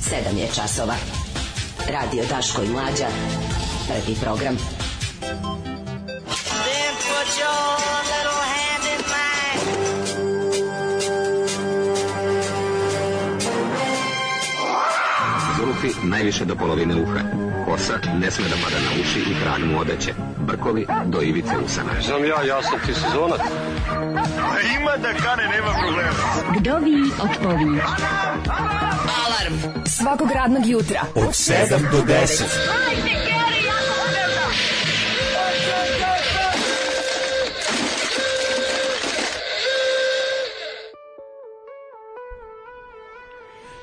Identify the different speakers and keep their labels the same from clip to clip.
Speaker 1: 7 je časova. Radio Daško i Mlađa. Prvi program.
Speaker 2: Zulufi najviše do polovine uha. Kosa ne sme da pada na uši i krag mu odeće. Brkovi do ivice usana.
Speaker 3: Znam ja sam ti sezonac. Ima da kane, nema problema.
Speaker 4: Vdovi od povi.
Speaker 1: Alarm svakog radnog jutra
Speaker 5: od 7 do 10.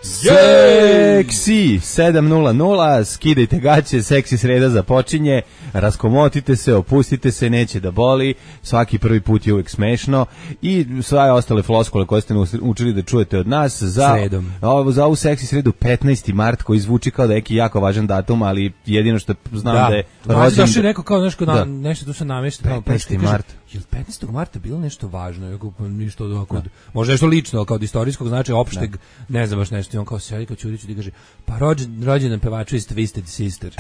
Speaker 6: Seksi 7:00, skidajte gaće, seksi sreda započinje, raskomotite se, opustite se, neće da boli, svaki prvi put je uvijek smešno i sve ostale floskule koje ste učili da čujete od nas za ovu seksi sredu 15. mart koji zvuči kao da je neki jako važan datum, ali jedino što znam da je rođen.
Speaker 5: Da, rekao kao nešto tu se namešta.
Speaker 6: 15. mart.
Speaker 5: Je li 15. marta bilo nešto važno? Ništa možda nešto lično, kao od istorijskog značaja opšteg, ne znam baš nešto. I on kao sedi kao Ćuriću i kaže, pa rođendan pevača iz Twisted Sister.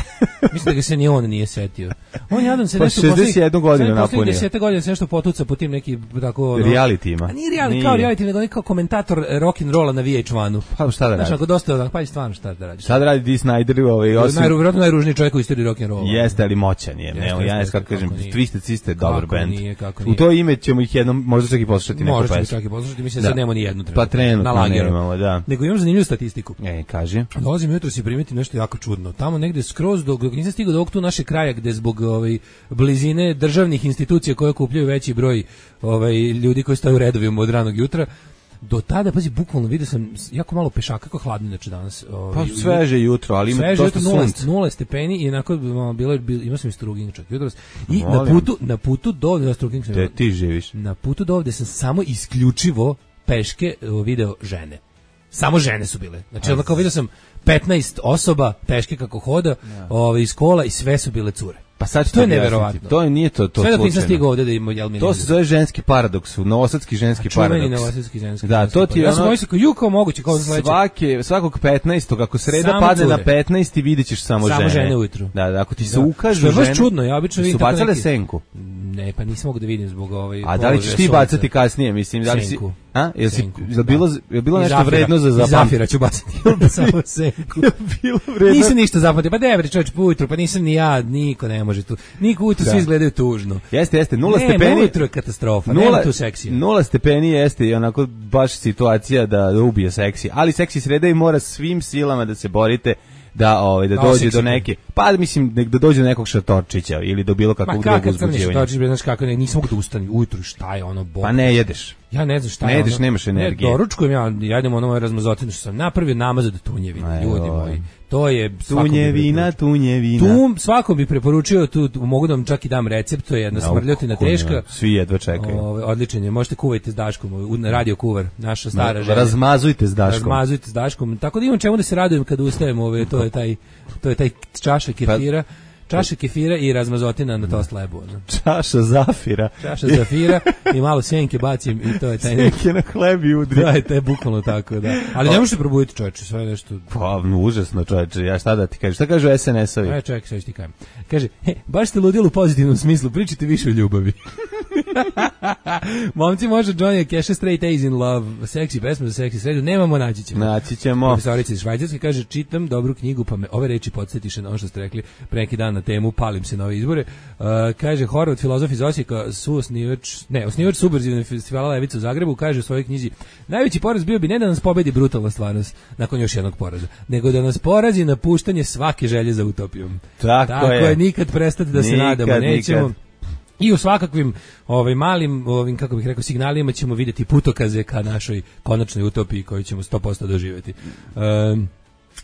Speaker 5: Mislim da ga se ni on nije setio. On jadan se nešto
Speaker 6: 61 godinu napunio.
Speaker 5: 10 godina se nešto potuca po tim neki tako
Speaker 6: realitima.
Speaker 5: Nije kao reality, nego kao komentator rock and rolla na VH1-u.
Speaker 6: Pa šta da radi?
Speaker 5: Znači, dosta pa i stvarno šta da radi.
Speaker 6: Šta da radi Dee Snider, osim
Speaker 5: najružniji čovjek u istoriji rock and rolla.
Speaker 6: Jeste, ali moćan je. Ja kako kažem, Twisted Sister je dobar bend. U to ime ćemo ih jednom možda čak i poslušati neku pesmu.
Speaker 5: Možda čak i poslušati, mislim da nemamo ni jednu trenutno.
Speaker 6: Pa trenutno nemamo, da.
Speaker 5: Nego imam zanimljivu statistiku.
Speaker 6: Kaži.
Speaker 5: Dolazim jutros i primetim nešto jako čudno. Tamo negde skroz dok nisam stigao do ovog tu našeg kraja gde zbog blizine državnih institucija koje okupljaju veći broj ljudi koji staju u redovima od ranog jutra, do tada, pazi, bukvalno vidio sam jako malo pešaka, kako hladno inače danas.
Speaker 6: Pa sveže jutro, ali ima dosta sunca.
Speaker 5: 0 stepeni i onako imao sam i struging čak jutros. I na putu do ovde,
Speaker 6: gde ti živiš?
Speaker 5: Na putu do ovde sam samo isključivo peške video žene. Samo žene su bile. Znači, onda kao vidio sam 15 osoba peške kako hoda iz kola i sve su bile cure.
Speaker 6: Pa sad
Speaker 5: to je neverovatno.
Speaker 6: To nije to
Speaker 5: sve dok nisam stigao ovde da ima
Speaker 6: to se zove ženski paradoks, novosadski ženski paradoks.
Speaker 5: Čuveni novosadski ženski.
Speaker 6: Da, to ti je
Speaker 5: ja sam mislio kao moguće kao
Speaker 6: svakog 15. ako sreda padne na 15. videćeš samo žene.
Speaker 5: Samo žene ujutru.
Speaker 6: Da, ako ti se ukažu žene.
Speaker 5: To je baš čudno, ja obično vidim
Speaker 6: tako neki. Su bacale senku.
Speaker 5: Ne, pa nisam mogu da vidim zbog
Speaker 6: A da li ćeš ti bacati kasnije, mislim, da li si je bilo nešto vredno za zapamtiti?
Speaker 5: Zafira ću bacati. Samo senku.
Speaker 6: Bilo vredno.
Speaker 5: Nisam ništa zapamtio. Pa devri čovjek ujutru, pa nisam ni ja, niko ne može tu. Niko ujutru svi izgledaju tužno.
Speaker 6: Jeste, 0 stepeni.
Speaker 5: Ujutru je katastrofa, nema tu seksija.
Speaker 6: 0 stepeni jeste i onako baš situacija da ubije seksi. Ali seksi sreda i mora svim silama da se borite da dođe do neke, pa mislim da dođe do nekog šatorčića ili do bilo kakvog drugog uzbuđivanja.
Speaker 5: Šatorčić, znaš kako nisam mogu da ustani ujutru, šta je ono bol.
Speaker 6: Pa ne jedeš.
Speaker 5: Ja ne znam šta
Speaker 6: je. Ne jedeš, nemaš energije.
Speaker 5: Doručkujem ja jedem ono moje razmazotine što sam napravio namaz od tunjevine, ljudi moji. To je
Speaker 6: tunjevina.
Speaker 5: Svakom bi preporučio, tu mogu da vam čak i dam recept, to je jedna smrljotina teška.
Speaker 6: Svi jedva čekaju.
Speaker 5: Odličan je, možete kuvajte s Daškom, radio kuvar, naša stara žena.
Speaker 6: Razmazujte s
Speaker 5: Daškom. Tako da imam čemu da se radujem kad ustajem, to je taj čaša kefira. Čaša kefira i razmazotina na tost lebu.
Speaker 6: Čaša zafira
Speaker 5: i malo senke bacim i to je taj neki.
Speaker 6: Senke na hleb i udri.
Speaker 5: Da, to je bukvalno tako, da. Ali ne možete probuditi, čoveče, sve nešto.
Speaker 6: Pa, užasno, čoveče, ja šta da ti kažem? Šta kažu SNS-ovi?
Speaker 5: Čovjek, sve što ti kažem. Kaže, baš ste ludili u pozitivnom smislu, pričajte više o ljubavi. Momci, može Johnny Cash Straight A's in Love, seksi pesma za seksi sredu, nemamo, naći ćemo. Profesorica iz Švajcarske kaže, čitam dobru knjigu, pa me ove reči podsjetiše na ono što ste rekli pre neki dan na temu, palim se na ove izbore. Kaže, Horvat, filozof iz Osijeka, osnivač subverzivne festivala Levica u Zagrebu, kaže u svojoj knjizi, najveći poraz bio bi ne da nas pobedi brutalna stvarnost, nakon još jednog poraza, nego da nas porazi napuštanje svake želje za utopijom.
Speaker 6: Tako je,
Speaker 5: nikad prestati da se nadamo, nećemo. I u svakakvim malim, kako bih rekao, signalima ćemo vidjeti putokaze ka našoj konačnoj utopiji koju ćemo 100% doživjeti.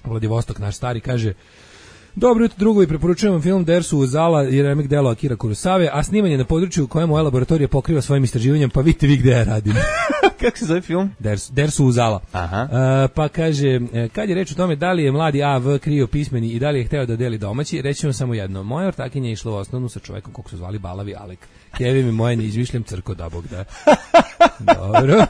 Speaker 5: Vladivostok, naš stari, kaže, dobro jutro drugovi, preporučujem vam film Dersu Uzala i remek delo Akira Kurosave, a snimanje na području u kojem moja laboratorija pokriva svojim istraživanjem, pa vidite vi gde ja radim.
Speaker 6: Kako se zove film?
Speaker 5: Dersu Uzala.
Speaker 6: Aha.
Speaker 5: Pa kaže, kad je reč o tome da li je mladi A.V. krio pismeni i da li je hteo da deli domaći, reći vam samo jedno. Moja ortakinja je išla u osnovnu sa čovekom kog su zvali Balavi Alek. Kevin mi moje ne izmišljam crko da bog da. Dobro,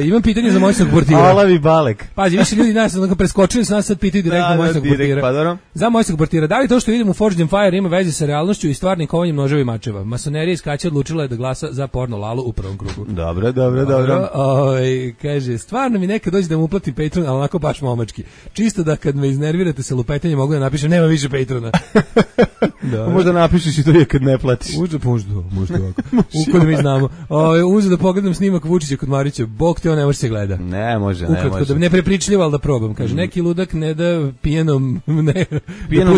Speaker 5: imam pitanje za mojstog portira.
Speaker 6: Olavi Balek.
Speaker 5: Pazi, više ljudi nas preskočili su nas, sad pitaju direktno mojstog portira.
Speaker 6: Pa,
Speaker 5: za mojstog portira, da li to što vidimo u Forged in Fire ima veze sa realnošću i stvarnim kovanjem noževa i mačeva? Masonerija iz Kaća odlučila je da glasa za porno Lalu u prvom krugu.
Speaker 6: Dobro.
Speaker 5: Kaže, stvarno mi nekad dođe da mu uplatim Patreon, ali onako baš momački. Čisto da kad me iznervirate sa lupetanjem mogu da napišem nema više Patreona.
Speaker 6: Možda napišeš i to je kad ne platiš.
Speaker 5: Možda ovako. Ukoliko mi znamo. Uzeo da pogledam snimak Vučića kod Marića. Bog te on ne može se gleda.
Speaker 6: Ne može.
Speaker 5: Ukratko, da ne prepričljivo, ali da probam. Kaže, neki ludak ne da pijenom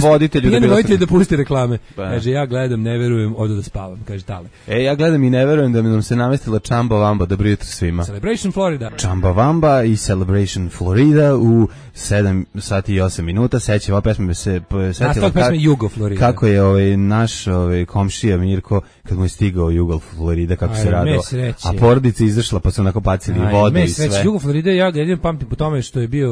Speaker 5: voditelju da pusti reklame. Kaže, ja gledam, ne verujem, odo da spavam. Kaže, tale.
Speaker 6: Ja gledam i ne verujem da mi nam se namestila Chamba Wamba. Dobro jutro svima.
Speaker 5: Celebration Florida.
Speaker 6: Chamba Wamba i Celebration Florida u 7 sati i 8 minuta. Sećam, ova pesma se setila
Speaker 5: Jugo Florida.
Speaker 6: Kako je naš komšija Mirko kad mu je stigao Jugo Florida, kako se radilo. A porodica izašla pa su onako bacili vodu i sve.
Speaker 5: Jugo Florida, ja ga jedin pamtim po tome što je bio,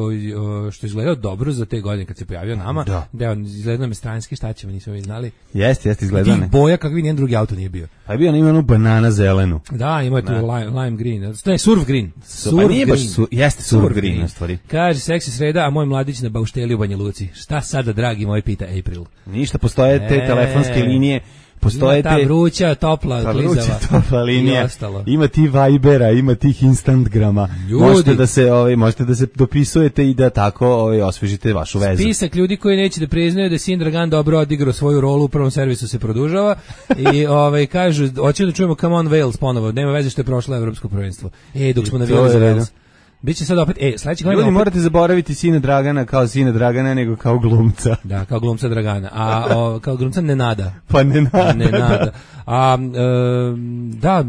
Speaker 5: što je izgledao dobro za te godine kad se pojavio nama. Da on izgledao me stranski, šta ćemo, nismo mi znali.
Speaker 6: Jeste izgledao.
Speaker 5: Tih boja kakvi nijedan drugi auto nije bio.
Speaker 6: Pa je bio ima onu banana zelenu.
Speaker 5: Da, ima tu lime green. To je surf green.
Speaker 6: Pa nije baš jeste surf green na stvari.
Speaker 5: Kaže seksi sreda, a moj mladić na baušteli u Banja Luci. Šta sada, dragi moj, pita April.
Speaker 6: Ništa, postoje te telefonske linije. Postoje
Speaker 5: ta vruća, topla, klizava
Speaker 6: linija. Ima ti Vibera, ima tih Instantgrama. Možete da se dopisujete i da tako osvežite vašu vezu.
Speaker 5: Spisak ljudi koji neće da priznaju da Sin Dragan dobro odigrao svoju rolu u prvom servisu se produžava i kažu, hoćemo da čujemo Come on Wales ponovo, nema veze što je prošlo evropsko prvenstvo. Dok smo navijali za Wales. Biće sad opet, sledeće godine.
Speaker 6: Ljudi morate zaboraviti Sina Dragana kao Sina Dragana, nego kao glumca.
Speaker 5: Da, kao glumca Dragana. A kao glumca Nenada.
Speaker 6: Pa Nenada.
Speaker 5: Da,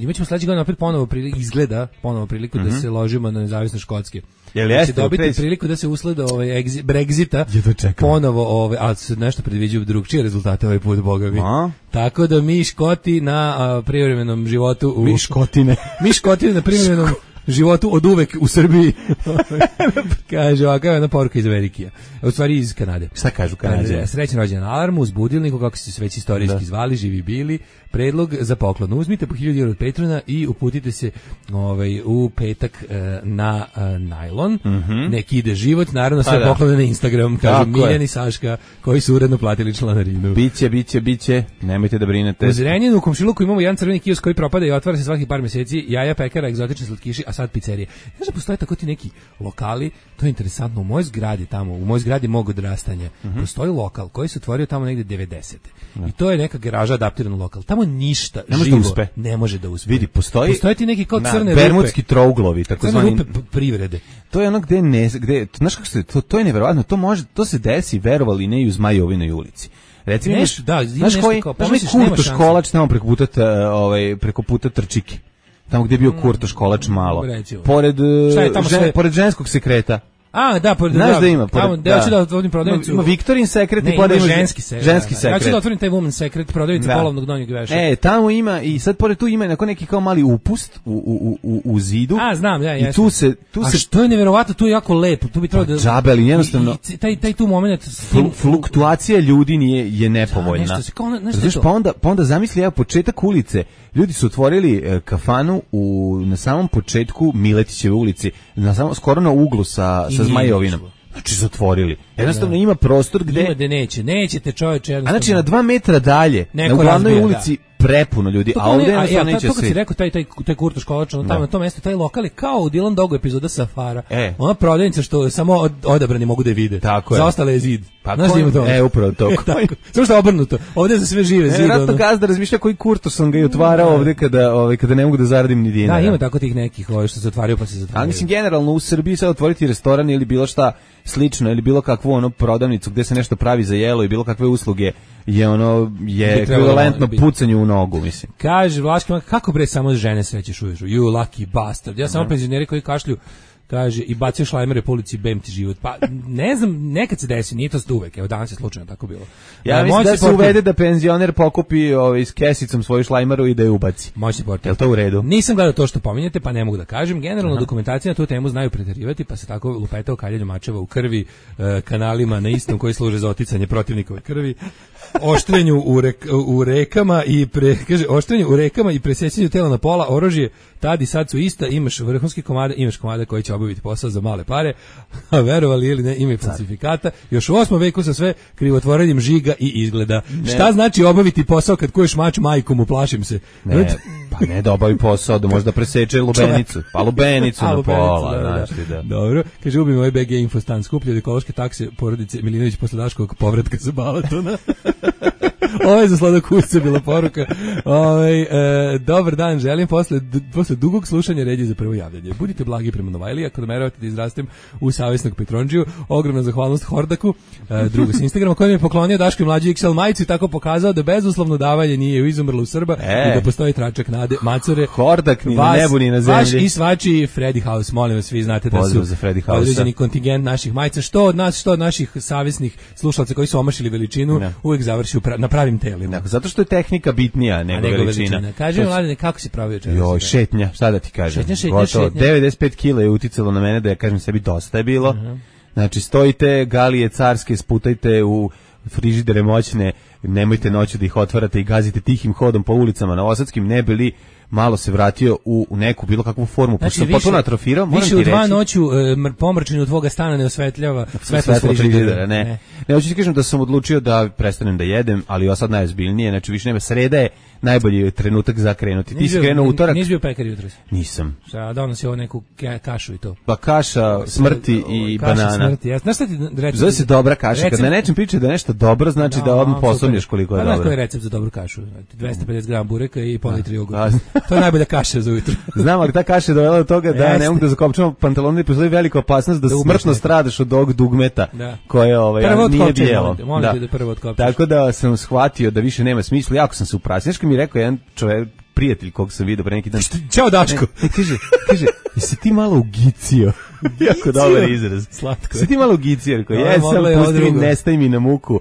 Speaker 5: imat ćemo sledeće godine opet ponovo priliku da se ložimo na nezavisno Škotske. Će dobiti priliku da se usleda Brexita ponovo, ali se nešto predviđaju drugčije rezultate ovaj put, boga mi. Tako da mi Škoti na privremenom životu
Speaker 6: Mi Škotine
Speaker 5: na privremenom životu od uvek u Srbiji. Kaže, ovakav je jedna poruka iz Amerike. U stvari iz Kanade.
Speaker 6: Šta kažu Kanade?
Speaker 5: Srećan rođendan Alarmu, uz budilniku, kako se već istorijski zvali, živi bili. Predlog za poklon. Uzmite po 1000 € od Patreona i uputite se u petak na najlon. Neki ide život, naravno sve poklone na Instagram, kažu Miljan i Saška, koji su uredno platili članarinu.
Speaker 6: Biće, nemojte da brinete.
Speaker 5: U Zrenjaninu u komšiluku imamo jedan crveni kiosk koji propada i otvara se svaki par mjeseci, jaja, pekara, egzotični slatkiši, a sad pizzerije. Znaš da postoje tako ti neki lokali, to je interesantno, u mojoj zgradi mog odrastanja, postoji lokal koji se otvorio tamo negde 90. I to je neka garaža adaptirana lokal. Tamo ništa živo ne može da uspe.
Speaker 6: Vidi, postoje
Speaker 5: ti neki kao crne
Speaker 6: bermudski trouglovi, takozvani
Speaker 5: rupe privrede.
Speaker 6: To je ono gde znaš kako se to je neverovatno, to se desi, verovali ne, i u Zmajovinoj ulici. Recimo znaš koji Kurto Školač tamo preko puta Trčike. Tamo gdje je bio Kurto Školač malo. Pored ženskog sekreta. Znaš da ima?
Speaker 5: Tamo, da ću da otvorim prodavnicu.
Speaker 6: Ima Viktorin sekret i pored ženski sekret.
Speaker 5: Ja ću da otvorim taj woman sekret, prodavnicu polovnog donjeg veša.
Speaker 6: Tamo ima i sad pored tu ima neki kao mali upust u zidu.
Speaker 5: Znam, ja.
Speaker 6: I tu se
Speaker 5: što je neverovatno, tu je jako lepo. Tu bi trebalo da
Speaker 6: džabeli jednostavno.
Speaker 5: Taj tu momenat
Speaker 6: fluktuacija ljudi je nepovoljna. Pa onda zamisli početak ulice. Ljudi su otvorili kafanu na samom početku Miletićeve ulici, skoro na uglu sa Zmajovinom. Znači zatvorili. Jednostavno ima prostor gde...
Speaker 5: Ima gde nećete čoveče.
Speaker 6: A znači na 2 metra dalje, na glavnoj ulici, prepuno ljudi, a ovdje jednostavno neće
Speaker 5: svi. To kad si rekao, taj Kurto Školač, tamo na tom mjestu, taj lokal je kao u Dylan Dogu epizoda Safara. Ona prodavnica što samo odabrani mogu da je vide.
Speaker 6: Tako je.
Speaker 5: Za ostale je zid.
Speaker 6: Znaš da ima to?
Speaker 5: Upravo to. Samo što je obrnuto. Ovdje je za sve žive zid.
Speaker 6: Ratno gazda razmišlja koji Kurto sam ga i otvarao ovdje kada ne mogu da zaradim ni dinara.
Speaker 5: Da, ima tako tih nekih što se otvaraju pa se zatvaraju.
Speaker 6: Ali mislim, generalno u Srbiji sad otvoriti restoran ili bilo šta slično, ili bilo kakvu prodavnicu gdje se nešto pravi za jelo i bilo kakve usluge je ekvivalentno pucanju u nogu, mislim.
Speaker 5: Kaže Vlaški, kako bre samo žene srećeš uvijek? You lucky bastard. Ja samo penzioneri koji kašlju, kaže, i bacio šlajmere po ulici, bem ti život. Pa ne znam, nekad se desi, nije to uvek, evo danas je slučajno tako bilo.
Speaker 6: Ja mislim da se uvede da penzioner pokupi s kesicom svoju šlajmaru i da je ubaci.
Speaker 5: Moćni portir.
Speaker 6: Je li to u redu?
Speaker 5: Nisam gledao to što pominjete, pa ne mogu da kažem. Generalno dokumentacija na tu temu znaju preterivati, pa se tako lupeta o kaljanju mačeva u krvi, kanalima na istom koji služe za oticanje protivnikove krvi. oštrenju u rekama i oštrenju u rekama i presećanju tela na pola, oružje tad i sad su ista, imaš vrhunski komade, imaš komade koji će obaviti posao za male pare, a verovali ili ne, ima i falsifikata. Još u 8. veku sa sve krivotvorenjem žiga i izgleda. Ne. Šta znači obaviti posao kad kuješ mač majkom, uplašim se?
Speaker 6: Ne, pa ne da obavi posao, da možda preseče lubenicu. Pa lubenicu na pola. Da.
Speaker 5: Dobro, kaže, ubim ovaj BG Infostan, skuplje od ekološke takse porodice Milinović posle Daškovog povratka sa Balatona. Ovo je za Sladak Usca bila poruka. Dobar dan, želim posle dugog slušanja red je za prvo javljanje. Budite blagi prema Novajliji, ako nameravate da izrastem u savjesnog Petrondžiju. Ogromna zahvalnost Hordaku, drugu s Instagrama, koji mi je poklonio Daško i mlađi XL majicu i tako pokazao da bezuslovno davanje nije izumrlo u Srba i da postoji tračak nade, macore.
Speaker 6: Hordak ni na nebu ni na zemlji.
Speaker 5: Vaš i svačiji Freddy House, molim vas, vi znate da su određeni kontingent naših majica, što od nas, što od naših savjesnih slušalaca koji su omašili veličinu, uvijek završi na pravim telima.
Speaker 6: Zato što je tehnika bitnija nego veličina.
Speaker 5: Kaže Mladene, kako si pravio čega?
Speaker 6: Joj, šetnja, šta da ti kažem?
Speaker 5: Šetnja.
Speaker 6: 95 kila je uticalo na mene da ja kažem sebi dosta je bilo. Znači, stojite, galije carske, sputajte u frižidere moćne, nemojte noću da ih otvarate i gazite tihim hodom po ulicama novosadskim, ne bili malo se vratio u neku bilo kakvu formu,
Speaker 5: znači,
Speaker 6: pošto sam potpuno atrofirao, moram ti reći.
Speaker 5: Više u 2 noću pomračinu tvoga stana ne osvetljava
Speaker 6: svetlo frižidera, ne. Ne, hoću ti kažem da sam odlučio da prestanem da jedem, ali sad najozbiljnije, znači više nema, sreda je najbolji trenutak za krenuti. Ti si krenuo utorak.
Speaker 5: Nisi bio pekar jutros?
Speaker 6: Nisam.
Speaker 5: Šta, donosi ovo neku kašu i to?
Speaker 6: Pa kaša smrti i
Speaker 5: kaša
Speaker 6: banana.
Speaker 5: Smrti, ja. Znaš šta ti recept?
Speaker 6: Zove se dobra kaša, kad na nečem priča da je nešto dobro, znači da odmah posumnješ koliko je dobro.
Speaker 5: Znaš koji je recept za dobru kašu? 250 g bureka i pol litri jogurta. To je najbolja kaša za ujutro.
Speaker 6: Znam, ali ta kaša je dovela do toga da ne mogu da zakopčam pantalone i postoji velika opasnost da smrtno stradaš od ovog dugmeta koje nije bijelo. Tako da sam shvatio da više nema smisla, jako sam se uprasio. Znaš kad mi je rekao jedan čovjek, prijatelj kog sam vidio pre neki dan.
Speaker 5: Ćao Daško.
Speaker 6: Kaže, jesi ti malo ugicio? Jako dobar izraz.
Speaker 5: Slatko.
Speaker 6: Jesi ti malo ugicio? Jesam, pusti mi, nestaj mi na muku.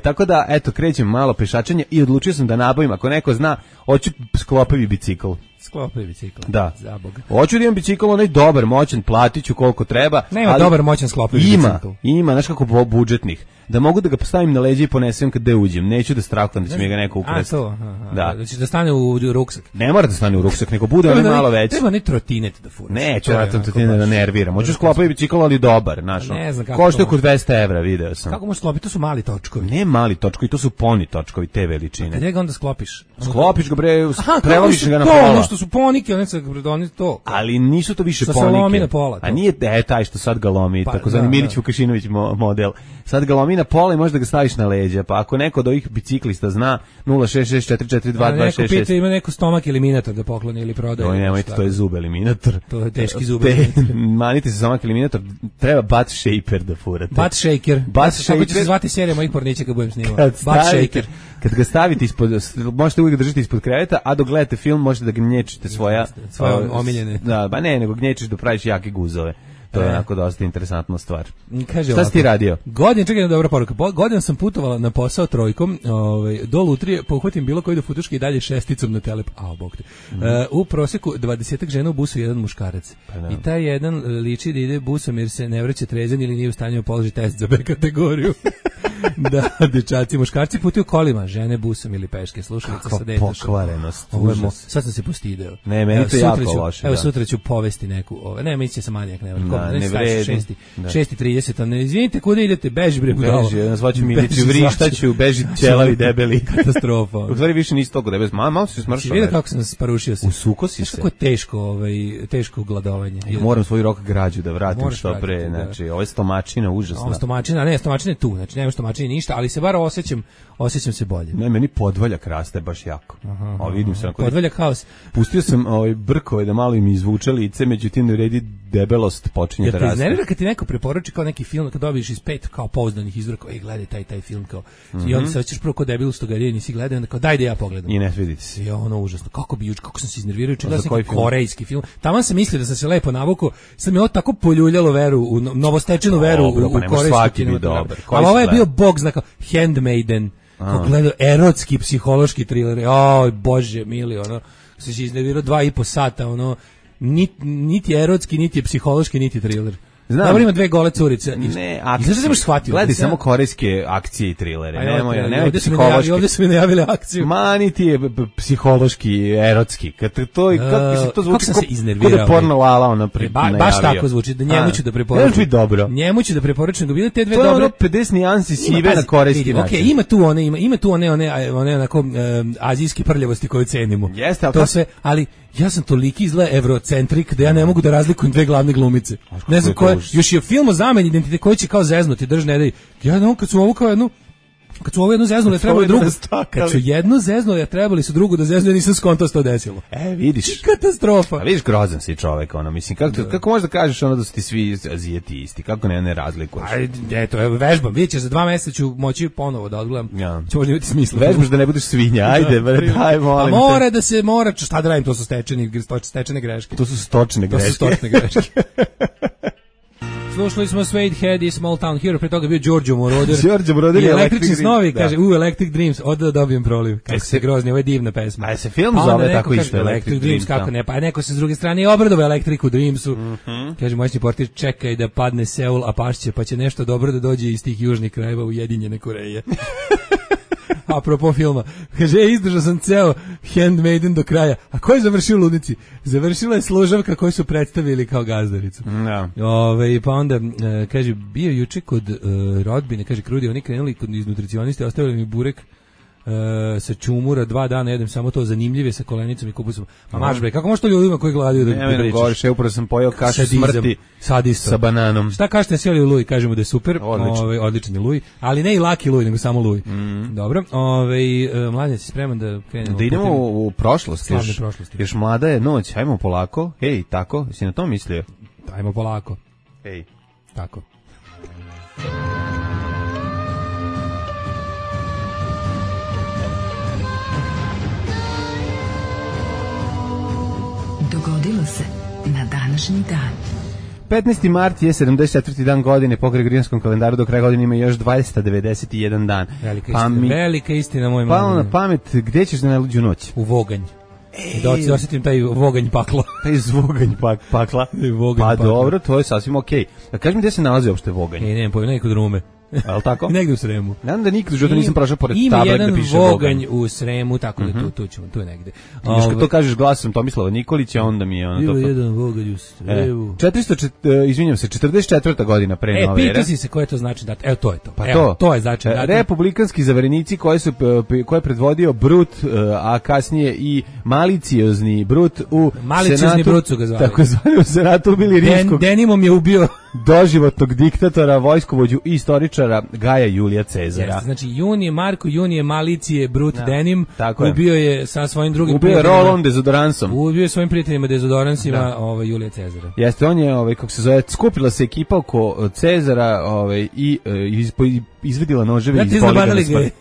Speaker 6: Tako da, eto, krećem malo pešačenje i odlučio sam da nabavim, ako neko zna, hoću sklopavi bicikl.
Speaker 5: Sklopavi bicikl.
Speaker 6: Da.
Speaker 5: Za Boga.
Speaker 6: Hoću da imam bicikl, onaj dobar, moćan, platit ću koliko treba.
Speaker 5: Nema dobar, moćan sklopavi bicikl.
Speaker 6: Ima, znaš kako budžetnih. Da mogu da ga postavim na leđe i ponesem kada uđem. Neću da strahujem da će mi ga neko ukrasti.
Speaker 5: Da. Da će da stane u ruksak.
Speaker 6: Ne mora da stane u ruksak, nego bude onaj malo veći.
Speaker 5: Treba ne trotinet da furaš.
Speaker 6: Neću trotinet da nerviram. Hoću sklopati bicikl, ali dobar, znaš. Košta oko 200 €, video sam.
Speaker 5: Kako možeš sklopiti? To su mali točkovi.
Speaker 6: Ne mali točkovi, to su poni točkovi te veličine.
Speaker 5: Kada ga onda sklopiš?
Speaker 6: Sklopiš ga bre, prelomiš ga na pola.
Speaker 5: Ono što su ponike, oni to.
Speaker 6: Ali nisu to više ponike.
Speaker 5: Sa lomi na pola.
Speaker 6: A nije taj što sad ga lomi, takozvani Milić Vukašinović model. Sad ga lomi na pola i možda ga staviš na leđa, pa ako neko od ovih biciklista zna 066442226.
Speaker 5: Neko pita ima neko stomak eliminator da pokloni ili prodaje.
Speaker 6: Oj, nemojte, to je zub eliminator.
Speaker 5: To je teški zub eliminator.
Speaker 6: Manite se stomak eliminator, treba butt shaper da furate.
Speaker 5: Butt shaker. Tako će se zvati serija mojih pornića kad budem snimao. Butt shaker.
Speaker 6: Kad ga stavite možete uvijek držati ispod kreveta, a dok gledate film možete da gnječite svoje
Speaker 5: omiljene.
Speaker 6: Da, ba ne, nego gnječiš da praviš jake guzove. To je onako dosta interesantna stvar.
Speaker 5: Kaže
Speaker 6: šta si ti radio?
Speaker 5: Čekaj, dobra poruka. Godinu sam putovala na posao trojkom, do Lutrije, pohvatim bilo koji do futuške i dalje šesticom na telep. Bog te. U proseku 20 žena u busu, jedan muškarac. I taj jedan liči da ide busom jer se ne vraća trezan ili nije u stanju položi test za B kategoriju. Da, dečaci, muškarci putuju kolima, žene busom ili peške, slušalica sa detašom.
Speaker 6: Pokvarenost.
Speaker 5: Sad sam se postideo.
Speaker 6: Ne, meni to jako loše.
Speaker 5: Evo sutra ću povesti neku, ne, mi će se manijak, ne
Speaker 6: vredi.
Speaker 5: 6:30, ne izvinite, kuda idete, beži bre budalo.
Speaker 6: Beži, nazvaću Miliću, vrištaću, beži ćelavi debeli.
Speaker 5: Katastrofa.
Speaker 6: U stvari više nisi toliko debeli, malo si smršao.
Speaker 5: Vidio kako sam sparušio se.
Speaker 6: Usuko si se.
Speaker 5: Kako je teško gladovanje.
Speaker 6: Moram svoj rok građu da vratim što pre, znači, ovo je stomačina užasna.
Speaker 5: Ovo stomačina je tu, znači nema stomačine ništa, ali se bar osjećam se bolje.
Speaker 6: Ne, meni podvaljak raste baš jako. Vidim se onako.
Speaker 5: Podvaljak haos.
Speaker 6: Pustio sam brkove da malo im izvuče lice, međutim ne vredi debelost počinje da raste.
Speaker 5: Iznervira kad ti neko preporuči kao neki film, kad dobiješ iz 5 kao pouzdanih izvora, kao gledaj taj film kao. I onda se hoćeš prvo kod debilu što ga nisi gledao, onda kao daj da ja pogledam.
Speaker 6: I ne svidi se.
Speaker 5: Ja užasno. Kako sam se iznervirao, gledao sam korejski film. Taman sam mislio da sam se lepo navukao, sad mi je ovo tako poljuljalo veru u novostečenu veru u korejski kinematograf. Ali ovo je bio bog znaka Handmaiden. Kako gledao erotski psihološki thriller. Bože mili, se iznervirao 2,5 sata, niti erotski, niti je psihološki, niti thriller. Dobro, ima dve gole curice.
Speaker 6: Ne,
Speaker 5: akcije. Zašto nemaš shvatio?
Speaker 6: Gledaj samo korejske akcije i trilere. Nemoj
Speaker 5: psihološki. Ovdje su mi najavili akciju.
Speaker 6: Mani ti je psihološki, erotski. Kako to zvuči?
Speaker 5: Kako sam se iznervirao.
Speaker 6: Kod je porno lala ona najavio.
Speaker 5: Baš tako zvuči, da njemu ću da preporučim.
Speaker 6: Ne dobro.
Speaker 5: Njemu ću da preporučim da bile te dve dobre.
Speaker 6: To je ono 50 nijansi sive na korejski način.
Speaker 5: Okej, ima tu one onako azijski prljavosti koje cenimo.
Speaker 6: Jeste, ali
Speaker 5: to sve, ali ja sam toliki izgleda evrocentrik da ja ne mogu da razlikujem dve glavne glumice. Ne znam koje, još je film o zameni identitet koji će kao zeznuti, držne da ja kad su ovo kao jednu kad su ovo jednu zeznuli, trebali drugu. Kad su jednu zeznuli, trebali su drugu da zeznu, nisam skontao što desilo.
Speaker 6: Vidiš.
Speaker 5: Katastrofa.
Speaker 6: A vidiš, grozan si čovek, mislim, kako možda kažeš ono da su ti svi Azijeti isti, kako ne razlikuješ?
Speaker 5: Eto, vežbam, vidjet ćeš, za 2 meseca ću moći ponovo da odgledam. Će možda imati smisla.
Speaker 6: Vežbaš da ne budeš svinja, ajde, daj, molim te.
Speaker 5: Mora, šta da radim, to su stečene greške.
Speaker 6: To su stočne greške.
Speaker 5: Slušali smo Suede Head i Small Town Hero, pre toga bio Giorgio Moroder.
Speaker 6: Giorgio Moroder i
Speaker 5: Električni snovi, kaže, Electric Dreams, od da dobijem proliv. Kako se grozni, ovo je divna pesma.
Speaker 6: A se film zove tako isto,
Speaker 5: Electric Dreams, kako ne, pa neko se s druge strane obradove Electricu Dreamsu. Kaže, moćni portir, čekaj da padne Seul, a pašće, pa će nešto dobro da dođe iz tih južnih krajeva Ujedinjene Koreje. Apropo filma, kaže, izdržao sam ceo Handmaiden do kraja. A ko je završio u ludnici? Završila je služavka koju su predstavili kao gazdaricu. Pa onda, kaže, bio juče kod rodbine, kaže, krudi, oni krenuli iz nutricioniste, ostavili mi burek sa čumura, 2 dana jedem samo to, zanimljive sa kolenicom i kupusom. Ma maš bre, kako može to ljudima koji gladaju da pričaš?
Speaker 6: Ne, govoriš, upravo sam pojeo kašu smrti sa bananom.
Speaker 5: Šta kažete, sjeli u Luj? Kažemo da je super, odličan je Luj, ali ne i laki Luj, nego samo Luj. Dobro, mladen, si spreman da krenemo?
Speaker 6: Da idemo u prošlost, još mlada je noć, hajmo polako, hej, tako, si na to mislio?
Speaker 5: Hajmo polako.
Speaker 6: Hej.
Speaker 5: Tako.
Speaker 1: Dogodilo se na današnji dan.
Speaker 6: 15. mart je 74. dan godine, po Gregorijanskom kalendaru do kraja godine ima još 291 dan.
Speaker 5: Velika istina, moj
Speaker 6: mladen. Pa na pamet, gdje ćeš na najluđu noć?
Speaker 5: U Voganj. Da osjetim taj voganj pakla.
Speaker 6: Taj zvoganj pakla. Pa dobro, to je sasvim okej. Kaži mi gdje se nalazi uopšte Voganj?
Speaker 5: Ne pojma, nekod Rume.
Speaker 6: Ali tako?
Speaker 5: Negdje u Sremu.
Speaker 6: Nadam da nikad u životu nisam prošao pored tablek da piše
Speaker 5: Voganj. Ima jedan Voganj u Sremu, tako da tu je negde.
Speaker 6: Znaš, kad to kažeš glasom Tomislava Nikolića, onda mi je ono to.
Speaker 5: Ima jedan Voganj u Sremu.
Speaker 6: 44. godina pre nove ere.
Speaker 5: Pita si se koje to znači data. Evo, to je to.
Speaker 6: Pa
Speaker 5: to je znači data.
Speaker 6: Republikanski zaverenici koje je predvodio Brut, a kasnije i maliciozni Brut u
Speaker 5: Maliciozni Brut su ga zvali.
Speaker 6: Tako zvali u Senatu ubili rimskog.
Speaker 5: Denimom je ubio
Speaker 6: doživotnog diktatora, vojskovođu i istoričara Gaja Julija Cezara.
Speaker 5: Jeste, znači Junije Malicije Brut Denim ubio je sa svojim drugim
Speaker 6: prijateljima. Ubio je Roll-On dezodoransom.
Speaker 5: Ubio je svojim prijateljima dezodoransima Julija Cezara.
Speaker 6: Jeste, on je, kako se zove, skupila se ekipa oko Cezara i izvedila noževe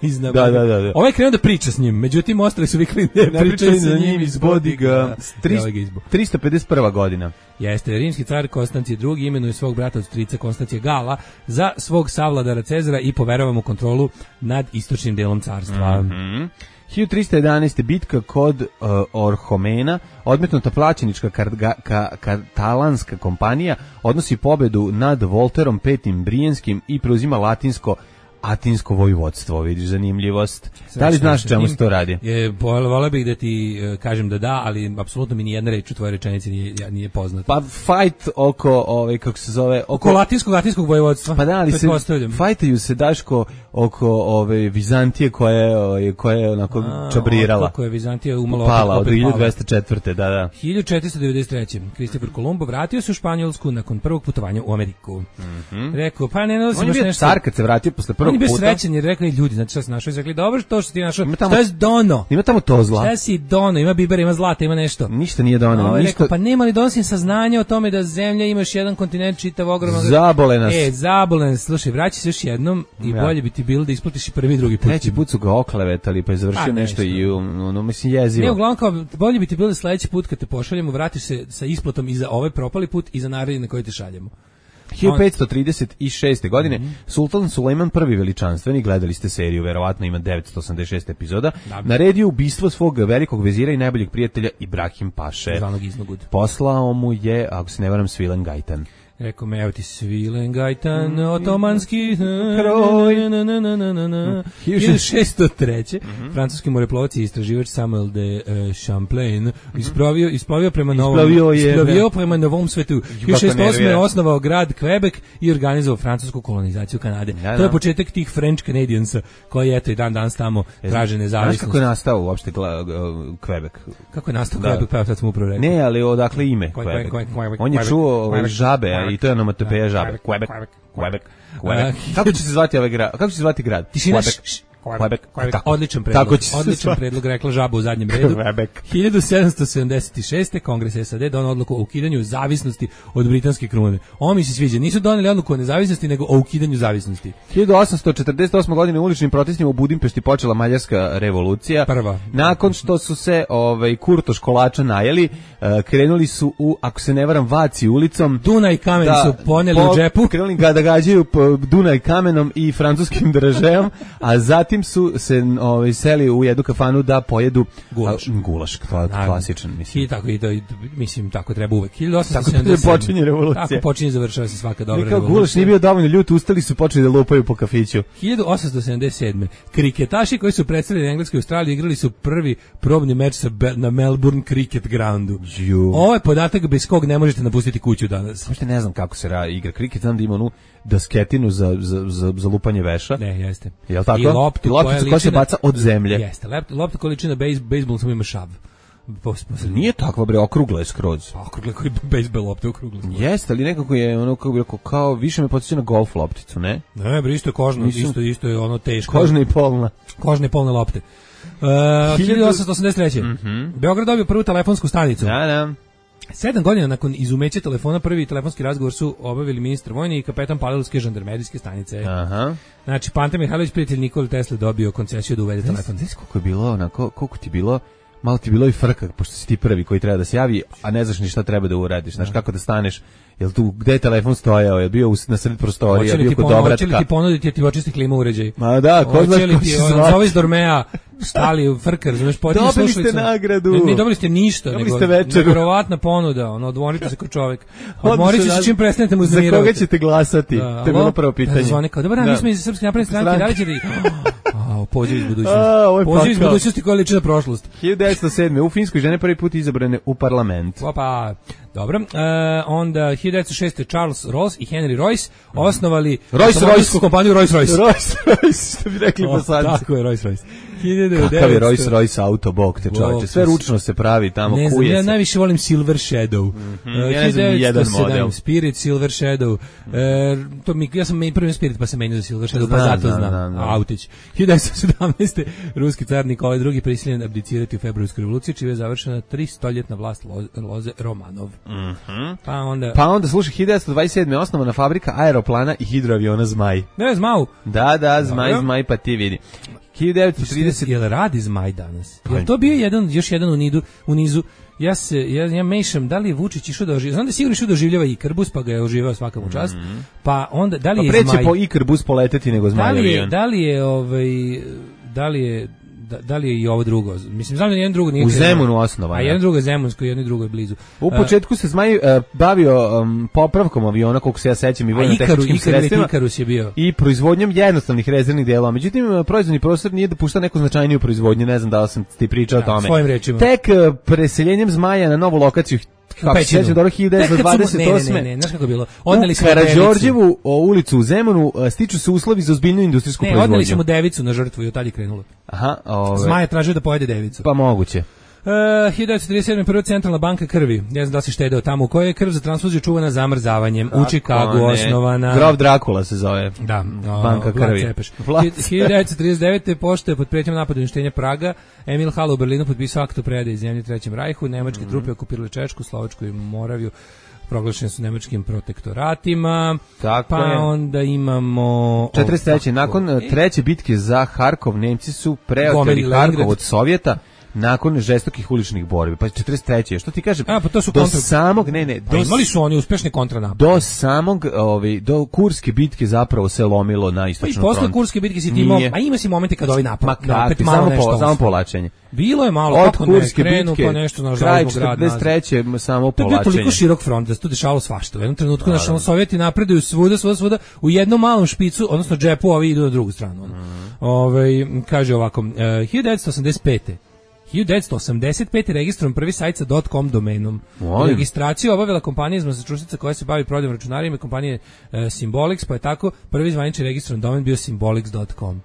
Speaker 6: iz Bodigana. Da.
Speaker 5: Ovaj krenuo da priča s njim, međutim ostali su vikli ne pričaju za njim iz Bodiga.
Speaker 6: 351. godina.
Speaker 5: Jeste, rimski car Konstancije II imenuje svog brata od strica Konstancije Gala za svog savladara Cezara i poverava mu kontrolu nad istočnim delom carstva.
Speaker 6: 1311. bitka kod Orhomena, odmetnuta plaćenička katalanska kompanija odnosi pobedu nad Volterom V. Brijenskim i preuzima Atinsko vojvodstvo, vidiš zanimljivost. Da li znaš čemu se to radi?
Speaker 5: Voleo bih da ti kažem da, ali apsolutno mi ni jedna reč u tvojoj rečenici nije poznata.
Speaker 6: Pa fight oko, kako se zove...
Speaker 5: Oko latinskog vojvodstva.
Speaker 6: Pa da, ali fajtaju se, Daško, oko Vizantije koja je onako čabrirala.
Speaker 5: Kako je Vizantija umalo
Speaker 6: pala od 1204. Da.
Speaker 5: 1493. Kristofor Kolumbo vratio se u Španjolsku nakon prvog putovanja u Ameriku. Rekao, pa ne nosim baš nešto... On je bio
Speaker 6: car kad se vratio posle prvog puta.
Speaker 5: On je bio srećan jer rekli ljudi, znači šta si našao? Rekli, dobro, to što ti našao, šta je dono?
Speaker 6: Ima tamo to zla.
Speaker 5: Šta si dono? Ima bibera, ima zlata, ima nešto.
Speaker 6: Ništa nije dono.
Speaker 5: Rekao, pa nema li donosim saznanja o tome da zemlja ima još jedan kontinent čitav ogroman.
Speaker 6: Zabole nas.
Speaker 5: Zabole nas. Slušaj, vraći se još jednom i bolje bi ti bilo da isplatiš i prvi i drugi put.
Speaker 6: Treći put su ga oklevetali pa je završio nešto i mislim jezivo.
Speaker 5: Ne, uglavnom kao bolje bi ti bilo da sledeći put kad te pošaljemo vratiš se sa isplatom i za ovaj propali put i za naredni na koji te šaljemo.
Speaker 6: 1536. godine Sultan Sulejman I veličanstveni, gledali ste seriju, verovatno ima 986 epizoda, naredio ubistvo svog velikog vezira i najboljeg prijatelja Ibrahim Paše.
Speaker 5: Zvanog Iznogud.
Speaker 6: Poslao mu je, ako se ne varam, Svilen Gajtan.
Speaker 5: Rekao me, evo ti svilen gajtan, otomanski
Speaker 6: kroj.
Speaker 5: 1603. Francuski moreplovac i istraživač Samuel de Champlain isplovio prema prema Novom svetu. 1608. je osnovao grad Quebec i organizovao francusku kolonizaciju Kanade. To je početak tih French Canadiansa koji eto i dan danas tamo traže nezavisnost.
Speaker 6: Znaš kako je nastao uopšte Quebec?
Speaker 5: Kako je nastao Quebec? Pa sad sam upravo rekao.
Speaker 6: Ne, ali odakle ime Quebec? On je čuo žabe, i to je onomatopeja žabe. Quebec. Kako će se zvati ovaj grad? Kako će se zvati grad? Quebec.
Speaker 5: Odličan predlog, rekla žaba u zadnjem redu. 1776. Kongres SAD donao odluku o ukidanju zavisnosti od britanske krune. Ovo mi se sviđa. Nisu doneli odluku o nezavisnosti, nego o ukidanju zavisnosti.
Speaker 6: 1848. godine u uličnim protestima u Budimpešti počela Mađarska revolucija.
Speaker 5: Prva.
Speaker 6: Nakon što su se kurtoš kolača najeli, krenuli su u, ako se ne varam, Vaci ulicom.
Speaker 5: Dunaj kamen su poneli u džepu.
Speaker 6: Krenuli ga da gađaju Dunaj kamenom i francuskim dražeom, a zatim su se seli u jednu kafanu da pojedu gulaš, klasičan, mislim.
Speaker 5: I tako, mislim, tako treba uvek. 1877.
Speaker 6: Tako počinje revolucija.
Speaker 5: Tako počinje, završava se svaka dobra revolucija.
Speaker 6: Gulaš nije bio dovoljno ljut, ustali su počeli da lupaju po kafiću.
Speaker 5: 1877. Kriketaši koji su predstavljeni na Engleskoj Australiji igrali su prvi probni meč na Melbourne Cricket Groundu. Ovo je podatak bez kog ne možete napustiti kuću danas.
Speaker 6: Uopšte ne znam kako se igra kriket, znam da ima onu dasketinu za lupanje veša.
Speaker 5: Ne, jeste.
Speaker 6: Jel tako?
Speaker 5: I loptu
Speaker 6: koja se baca od zemlje.
Speaker 5: Jeste, loptu koja liči na bejsbol, samo ima šav.
Speaker 6: Nije takva, bre, okrugla je skroz.
Speaker 5: Okrugla koji bejsbol lopta okrugla.
Speaker 6: Jeste, ali nekako je ono, kako bi rekao, kao više me podsjeća na golf lopticu, ne?
Speaker 5: Ne, bre, isto je kožno, isto je ono teško.
Speaker 6: Kožna i polna.
Speaker 5: Kožne i polne lopte. 1883. Beograd dobio prvu telefonsku stanicu.
Speaker 6: Da.
Speaker 5: 7 godina nakon izumeća telefona prvi telefonski razgovor su obavili ministar vojni i kapetan Palilske žandarmerijske stanice.
Speaker 6: Aha.
Speaker 5: Znači, Pante Mihajlović, prijatelj Nikole Tesle, dobio koncesiju da uvede telefon.
Speaker 6: Znaš koliko je bilo, koliko ti bilo, malo ti bilo i frka, pošto si ti prvi koji treba da se javi, a ne znaš ni šta treba da uradiš, znaš kako da staneš. Jel tu, gde je telefon stojao, je bio na sred prostorija, bio kod obratka.
Speaker 5: Hoće li ti ponuditi, jer ti očisti klima uređaj?
Speaker 6: Ma da, ko zna ko se zvati.
Speaker 5: Zove iz Dormea, stali u frkar, znaš, potini slušalicu.
Speaker 6: Dobili ste nagradu.
Speaker 5: Ne dobili ste ništa,
Speaker 6: dobili ste večeru.
Speaker 5: Nevjerovatna ponuda, odmorite se kao čovjek. Odmorite se čim prestanete mu uznemiravati.
Speaker 6: Za koga ćete glasati? To je bilo prvo pitanje.
Speaker 5: Zvone kao, dobar dan, mi smo iz Srpske napredne stranke, da li ćete... Poziv iz budućnosti. Poziv iz budućnosti koja liči na prošlost.
Speaker 6: 1907. U Finskoj žene prvi put izabrane u parlament.
Speaker 5: Opa, dobro. Onda 1906. Charles Rolls i Henry Royce osnovali
Speaker 6: Rolls-Royce
Speaker 5: kompaniju Rolls-Royce.
Speaker 6: Rolls-Royce, što bi rekli Bosanci.
Speaker 5: Tako je, Rolls-Royce.
Speaker 6: Kakav je Rolls-Royce auto, bog te čovječe. Sve ručno se pravi tamo, kuje se. Ne znam,
Speaker 5: ja najviše volim Silver Shadow.
Speaker 6: Ja ne znam jedan model.
Speaker 5: Spirit, Silver Shadow. Ja sam prvi Spirit pa sam menio za Silver Shadow, pa zato znam. Autić. 1917. Ruski car Nikolaj II. Prisiljen abdicirati u februarskoj revoluciji, čime je završena 300-ljetna vlast Loze Romanov. Pa onda
Speaker 6: slušaj, 1927. osnovana fabrika aeroplana i hidroaviona Zmaj.
Speaker 5: Ne, Zmau.
Speaker 6: Da, Zmaj, pa ti vidi. 1930.
Speaker 5: Jel radi Zmaj danas? Jel to bio još jedan u nizu? Ja mešam, da li je Vučić išao da oživljava? Znam da je sigurno išao da oživljava Ikarbus, pa ga je oživao svaka mu čast. Pa onda, da li je Zmaj...
Speaker 6: Pa preće po Ikarbus poleteti nego Zmaj avion.
Speaker 5: Da li je i ovo drugo? Mislim, znam da jedan drugo nije...
Speaker 6: U Zemunu osnovano.
Speaker 5: A jedan drugo je Zemunsko, jedno drugo je blizu.
Speaker 6: U početku se Zmaj bavio popravkom aviona, koliko se ja sećam, i vojno-tehničkim sredstvima.
Speaker 5: Ikarus je bio.
Speaker 6: I proizvodnjom jednostavnih rezervnih delova. Međutim, proizvodni prostor nije dopuštao neku značajniju proizvodnju, ne znam da li sam ti pričao o tome.
Speaker 5: Svojim rečima.
Speaker 6: Tek preseljenjem Zmaja na novu lokaciju, kako se sjećam, dobro 1928.
Speaker 5: Ne, znaš kako je bilo?
Speaker 6: U Karađorđevu ulicu u Zemunu stiču se uslovi za ozbiljnu industrijsku proizvodnju.
Speaker 5: Odneli smo devicu na žrtvu i od tad je krenulo.
Speaker 6: Aha,
Speaker 5: Zmaj je tražio da pojede devicu.
Speaker 6: Pa moguće.
Speaker 5: 1937. prva centralna banka krvi. Ne znam da si štedeo tamo, u kojoj je krv za transfuziju čuvana zamrzavanjem. U Chicagu osnovana.
Speaker 6: Grof Drakula se zove.
Speaker 5: Da,
Speaker 6: banka krvi.
Speaker 5: 1939. pošto je pod prijetnjom napada uništenja Praga, Emil Hall u Berlinu potpisao akt o predaji zemlje Trećem rajhu. Nemačke trupe okupirale Češku, Slovačku i Moraviju. Proglašeni su nemačkim protektoratima.
Speaker 6: Tako
Speaker 5: pa
Speaker 6: je.
Speaker 5: onda imamo...
Speaker 6: 43. Nakon treće bitke za Harkov, Nemci su preoteli Harkov od Sovjeta. nakon žestokih uličnih borbi. Pa 43. Što ti kažem?
Speaker 5: Pa to su
Speaker 6: do samog
Speaker 5: imali su oni uspešne kontranapade.
Speaker 6: Do samog do Kurske bitke zapravo se lomilo na istočnom frontu.
Speaker 5: Pa i posle Kurske bitke si ti ima si momente kad ovi napad.
Speaker 6: Opet samo povlačenje.
Speaker 5: Bilo je malo
Speaker 6: od
Speaker 5: kako
Speaker 6: Kurske
Speaker 5: ne krenu
Speaker 6: bitke,
Speaker 5: pa nešto na
Speaker 6: kraj
Speaker 5: žalbu grad.
Speaker 6: 43. samo povlačenje.
Speaker 5: To je toliko širok front da se tu dešavalo svašta. U jednom trenutku naši Sovjeti napreduju svuda u jednom malom špicu, odnosno džepu, ovi idu na drugu stranu. Kaže ovako, 1985. registrovan prvi sajt sa .com domenom. Registraciju obavila kompanija iz Massachusettsa koja se bavi prodajom računarima, kompanije Symbolics, pa je tako prvi zvanični registrovan domen bio symbolics.com.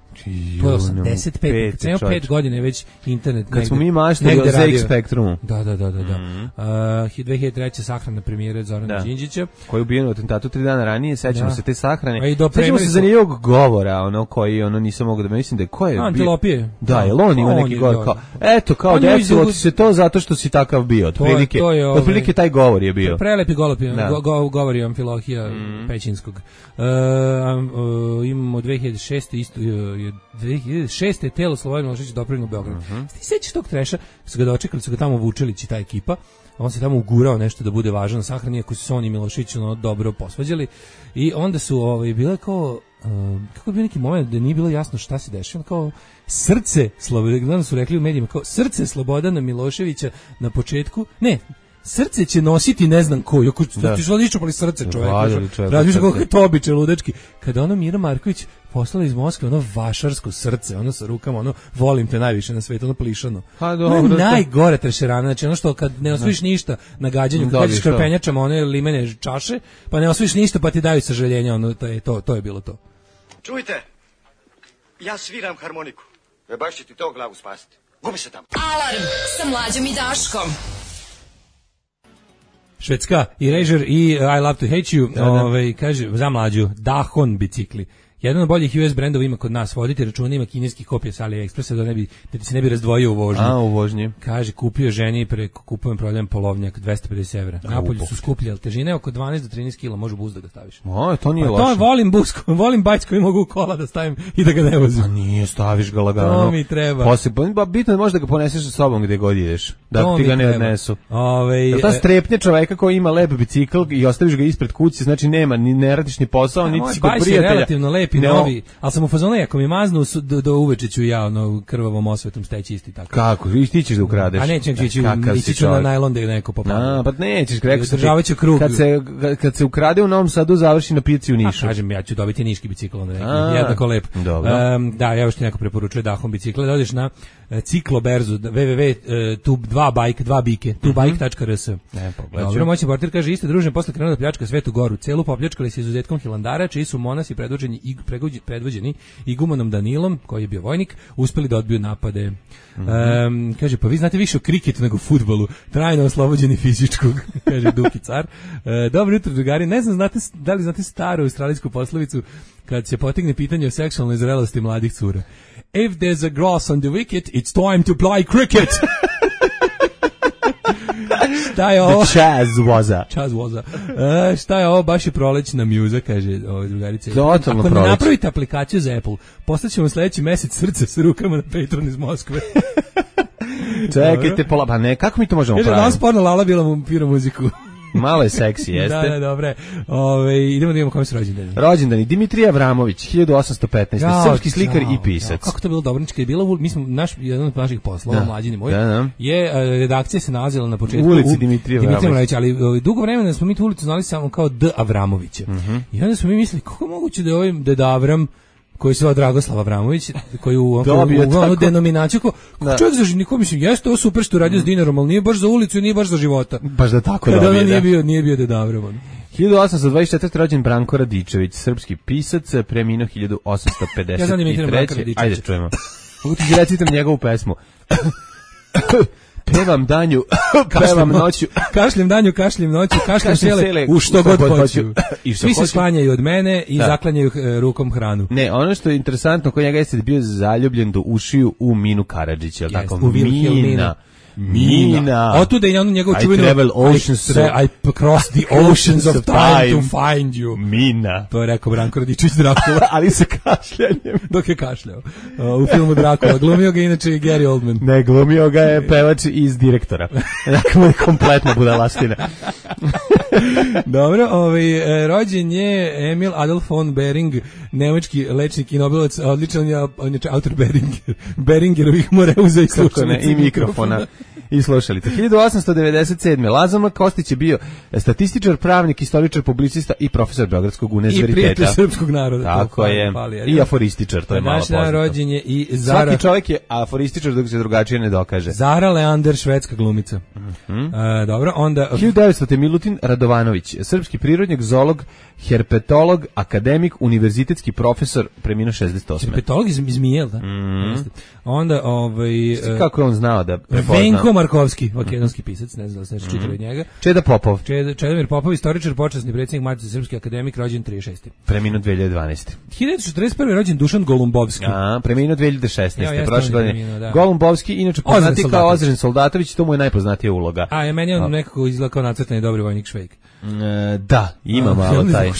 Speaker 5: To je 85. Ceno 5 godine već internet.
Speaker 6: Kad smo mi maštali o ZX Spektrumu.
Speaker 5: Da. 2003. sahrana premijere Zorana Đinđića.
Speaker 6: Koji je ubijen u atentatu 3 dana ranije, sećamo se te sahrane. Sećamo se za njegov govora, koji nisam mogao da mislim da je ko je.
Speaker 5: Antilopije.
Speaker 6: Da, je on ima neki govor kao, eto, kao desilo ti se to zato što si takav bio. Otprilike taj govor je bio.
Speaker 5: Prelepi govor je Amfilohija Pećinskog. Imamo 2006. isto 2006. telo Slobodan Milošević doprino u Beograd. Ti sećaš tog treša, su ga dočekali, su ga tamo Vučelić i ta ekipa, on se tamo ugurao nešto da bude važan na sahrani, ako su se on i Milošević dobro posvađali, i onda su bile kao, kako je bio neki moment da nije bilo jasno šta se dešava, kao srce Slobodana, su rekli u medijima, kao srce Slobodana Miloševića na početku, ne, srce će nositi ne znam ko, ako ti što ličopali srce čoveka, razmišlja kako je to običaj ludački. Kada Mira Marković poslala iz Moskve vašarsko srce, sa rukama, volim te najviše na svetu, plišano. Najgore trešerana, znači što kad ne osvojiš ništa na gađanju, kad kažeš krpenjačama one limene čaše, pa ne osvojiš ništa pa ti daju sažaljenja, to je bilo to.
Speaker 7: Čujte, ja sviram harmoniku. Baš će ti to glavu spasiti. Gubi se tamo.
Speaker 1: Alarm sa Mlađom i Daškom.
Speaker 5: Švedska, Erasure i I Love to Hate You, kaže, za Mlađu, Dahon bicikli. Jedan od boljih US brendova ima kod nas, vodite računa, ima kineskih kopija sa AliExpressa da ti se ne bi razdvojio u vožnji.
Speaker 6: U vožnji.
Speaker 5: Kaže, kupio ženi preko kupujem prodajem polovnjak, 250 evra. Napolju su skuplji, ali težine oko 12 do 13 kila, može buz da ga staviš.
Speaker 6: To nije loše.
Speaker 5: To volim bajc koji mogu u kola da stavim i da ga ne vozim.
Speaker 6: Nije, staviš ga lagano.
Speaker 5: To mi treba.
Speaker 6: Bitno je možda ga poneseš sa sobom gde god ideš, da ti ga ne odnesu. Ta strepnje čoveka koji ima lep bicikl i ostaviš ga ispred kuće, znači ne radiš ni posao, niti si kod prijatelja. Novi, ali sam u fazonu, ako mi maznu do uveče ću ja krvavom osvetom steći isti tako. Kako? I ti ćeš da ukradeš?
Speaker 5: A nećem ići ću na najlon da je neko popada.
Speaker 6: Pa nećeš, rekao sam
Speaker 5: ti,
Speaker 6: kad se ukrade u Novom Sadu, završi na pijaci u Nišu.
Speaker 5: Kažem, ja ću dobiti niški bicikl, jednako lep. Da, evo što neko preporučuje Dahom bicikle, da odeš na cikloberzu, www.tubike.rs. Dobro, moćni portir kaže, isto družen posle krenuo da pljačka Svetu Goru, celu popljačkali se izuzetkom Hilandara, čiji su monasi predvođeni Igumanom Danilom, koji je bio vojnik, uspeli da odbiju napade. Kaže, pa vi znate više o kriketu nego fudbalu, trajno oslobođeni fizičkog, kaže Duki car. Dobro jutro, drugari, ne znam da li znate staru australijsku poslovicu kad se potegne pitanje o seksualnoj zrelosti mladih cura. If there's a grass on the wicket, it's time to play cricket. Šta je ovo?
Speaker 6: Chaz Waza.
Speaker 5: Šta je ovo? Baš je prolećna mjuza, kaže drugarice.
Speaker 6: Totalno
Speaker 5: Ako ne napravite aplikaciju za Apple, postaćemo sljedeći mesec srce sa rukama na Patreon iz Moskve.
Speaker 6: Čekajte, pa ne, kako mi to možemo praviti?
Speaker 5: Danas porno Lala bila mu pira muziku.
Speaker 6: Malo je seksi, jeste.
Speaker 5: Da, dobre. Idemo da imamo kome su rođendani.
Speaker 6: Rođendani, Dimitrij Avramović, 1815, srpski slikar i pisac.
Speaker 5: Kako to bilo dobrnički je bilo, mi smo, jedan od naših poslova, mlađini moj, je, redakcija se nalazila na početku
Speaker 6: ulici Dimitrija Avramović,
Speaker 5: ali dugo vremena smo mi tu ulicu znali samo kao D. Avramovića. I onda smo mi mislili, kako moguće da je ovaj Deda Avram, koji se zove Dragoslav Avramović, koji u onu denominaciju, čovjek za niko, mislim, jeste ovo super što radio s dinarom, ali nije baš za ulicu, nije baš za života.
Speaker 6: Baš da tako
Speaker 5: dobije, da. Nije bio Deda Avram.
Speaker 6: 1824. rođen Branko Radičević, srpski pisac, preminuo 1853.
Speaker 5: Ja znam imitiram Branka Radičevića.
Speaker 6: Ajde, čujemo. Mogu ti recitam njegovu pesmu. Pevam danju, pevam noću.
Speaker 5: Kašljem danju, kašljem noću, kašljem sele u što god hoću. Svi se sklanjaju od mene i zaklanjaju rukom hranu.
Speaker 6: Ne, ono što je interesantno, kod njega jeste bio zaljubljen do ušiju u Minu Karadžića, tako?
Speaker 5: U Vilhelmina.
Speaker 6: Mina.
Speaker 5: Otuda je ono njegov čuveno I cross the oceans of time to find you.
Speaker 6: Mina.
Speaker 5: To je rekao Branko Radičević Drakula.
Speaker 6: Ali sa kašljanjem.
Speaker 5: Dok je kašljao. U filmu Drakula. Glumio ga inače Gary Oldman.
Speaker 6: Ne, glumio ga je pevač iz Direktora. Dakle, mu je kompletna budalaština.
Speaker 5: Dobro, rođen je Emil Adolf von Behring, nemački lečnik i nobelovac, odličan je autor Beringerovih moreuza i slušalica
Speaker 6: i mikrofona i slušalica. 1897. Lazar Kostić je bio statističar, pravnik, istoričar, publicista i profesor Beogradskog univerziteta.
Speaker 5: I prijatelj srpskog naroda.
Speaker 6: Tako je. I aforističar, to je malo poznato.
Speaker 5: Rođen je i Zara.
Speaker 6: Svaki čovjek je aforističar dok se drugačije ne dokaže.
Speaker 5: Zara Leander, švedska glumica. Dobro, onda
Speaker 6: 1900. Milutin Radovanović, srpski prirodnjak, zoolog, herpetolog, akademik, univerzitetski profesor, preminuo 68.
Speaker 5: Herpetolog iz Zmijel, da? Onda,
Speaker 6: kako je on znao da prepozna?
Speaker 5: Venko Markovski, makedonski pisac, ne znam da se nešto čitali od njega.
Speaker 6: Čeda Popov.
Speaker 5: Čedomir Popov, istoričar, počasni predsjednik Matice srpski, akademik, rođen 36.
Speaker 6: Preminuo 2012.
Speaker 5: 1941. rođen Dušan Golumbovski.
Speaker 6: Preminuo 2016. Prošle godine. Golumbovski, inače poznati kao Ozren Soldatović, to mu je najpoznatija uloga.
Speaker 5: Meni je on nekako izgleda kao nacrtani dobri vojnik Švejk.
Speaker 6: Da, ima malo taj.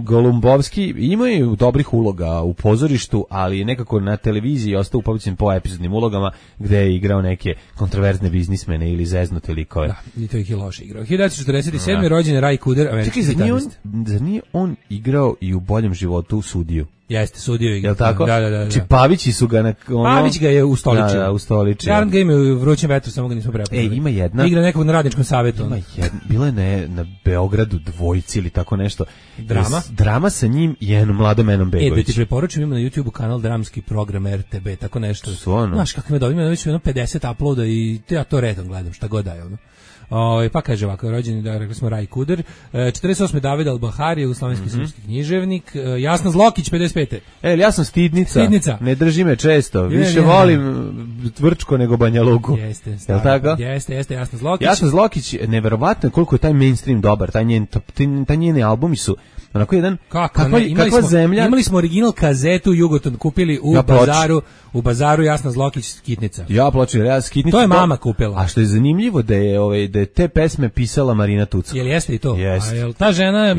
Speaker 6: Golumbovski ima i dobrih uloga u pozorištu, ali nekako na televiziji ostao upamćen po epizodnim ulogama gde je igrao neke kontroverzne biznismene ili zeznute likove.
Speaker 5: Da, i to ih je loše igrao. 1947. rođen je Ray Kuder, američki gitarist.
Speaker 6: Zar nije on igrao i u Boljem životu u sudiju?
Speaker 5: Jeste, sudio je.
Speaker 6: Jel tako?
Speaker 5: Da.
Speaker 6: Či Pavići su ga
Speaker 5: Pavić ga je ustoličio.
Speaker 6: Da, ustoličio.
Speaker 5: Garant ga ima u Vrućem vetru, samo ga nismo prepoznali.
Speaker 6: Ima jedna.
Speaker 5: Igra nekog na radničkom savetu.
Speaker 6: Ima jedna. Bila je na Beogradu dvojci ili tako nešto.
Speaker 5: Drama?
Speaker 6: Drama sa njim i jednom mladom Menom Begović.
Speaker 5: Da ti preporučujem, ima na YouTubeu kanal Dramski program RTB, tako nešto. Znaš kako ima dobro, ima već 50 uploada i ja to redom gledam, šta god daje ono. Pa kaže ovako, rođeni, da rekli smo Raj Kuder, 48. David Al-Bahari, jugoslovenski srpski književnik, Jasna Zlokić, 55.
Speaker 6: Ja sam stidnica, ne drži me često, više volim Tvrčko nego Banja Luku.
Speaker 5: Jeste, jeste, Jasna Zlokić.
Speaker 6: Jasna Zlokić, neverovatno koliko je taj mainstream dobar, taj njeni albumi su onako jedan, kakva zemlja.
Speaker 5: Imali smo original kazetu Jugoton, kupili u bazaru Jasna Zlokić Skitnica.
Speaker 6: Skitnica.
Speaker 5: To je mama kupila.
Speaker 6: A što je zanimljivo da je te pesme pisala Marina Tucka.
Speaker 5: Jel jeste i to?
Speaker 6: Jeste.
Speaker 5: A jel ta žena,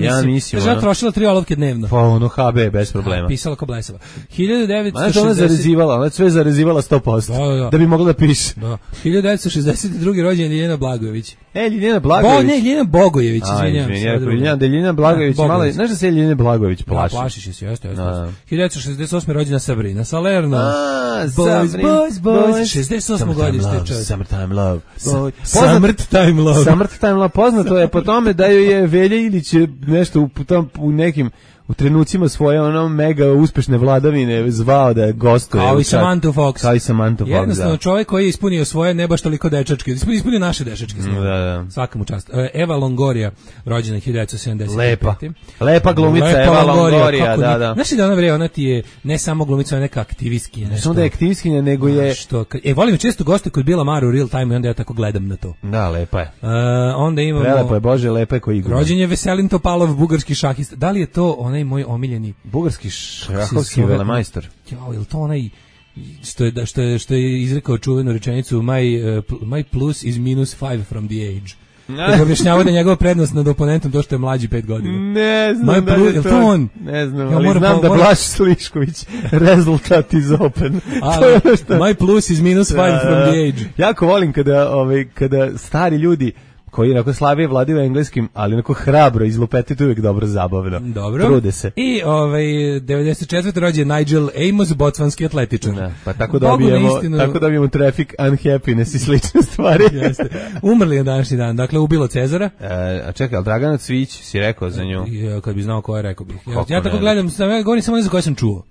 Speaker 5: ta žena trošila 3 olovke dnevno.
Speaker 6: Pa ono HB bez problema.
Speaker 5: Pisala ko blesava. 1960.
Speaker 6: Ona zarezivala, sve zarezivala 100%. Da bi mogla da piše.
Speaker 5: Da. 1962. rođen Ljiljana Blagojević.
Speaker 6: Ljiljana Blagojević.
Speaker 5: Ljiljana Bogojević, izvinjam.
Speaker 6: Ljiljana Blagojević, malo, znaš da se Ljiljana Blagojević plaši?
Speaker 5: Plašiš se, jeste. 1968. rođena Sabrina Salerno.
Speaker 6: Boys.
Speaker 5: 68. godište, čovjek.
Speaker 6: Summertime Love.
Speaker 5: Summertime Love.
Speaker 6: Poznato je po tome da joj je Velja Ilić nešto u nekim u trenucima svoje mega uspešne vladavine zvao da gostuje.
Speaker 5: Kao i Samantha Fox. Jednostavno
Speaker 6: da.
Speaker 5: Čovjek koji je ispunio svoje ne baš toliko dečačke. Ispunio naše dečačke.
Speaker 6: Da.
Speaker 5: Svaka mu čast. Eva Longoria, rođena 1975.
Speaker 6: Lepa glumica Eva Longoria, da.
Speaker 5: Znaš li da ona ti je ne samo glumica, ona neka aktivistkinja.
Speaker 6: Ne samo da je aktivistkinja, nego je...
Speaker 5: volim često goste kod Bila Maru u Real Time i onda ja tako gledam na to.
Speaker 6: Da, lepa je.
Speaker 5: Onda imamo...
Speaker 6: Prelepo je, Bože, lepa je koji igra.
Speaker 5: Rođen je Veselin Topalov, bugarski šahist. Da li je to onaj moj omiljeni
Speaker 6: bugarski šahovski velemajstor?
Speaker 5: Je li to onaj što je izrekao čuvenu rečenicu my plus is minus 5 from the age. Da objašnjava da je njegova prednost nad oponentom to što je mlađi 5 godina.
Speaker 6: Ne znam da je to on. Ne znam, ali znam da Blaž Slišković rezultat is open.
Speaker 5: My plus is minus 5 from the age.
Speaker 6: Jako volim kada stari ljudi koji onako slabije vladaju engleskim, ali onako hrabro izlupeti, to uvijek dobro zabavno.
Speaker 5: Dobro.
Speaker 6: Trude se.
Speaker 5: I 94. rođen Nigel Amos, botswanski atletičar.
Speaker 6: Da, pa tako dobijemo traffic, unhappiness i slične stvari.
Speaker 5: Jeste. Umrli je današnji dan, dakle ubilo Cezara.
Speaker 6: A čekaj, ali Dragana Cvić si rekao za nju?
Speaker 5: Kad bi znao ko je, rekao bih. Ja tako gledam, govorim samo za koje sam čuo.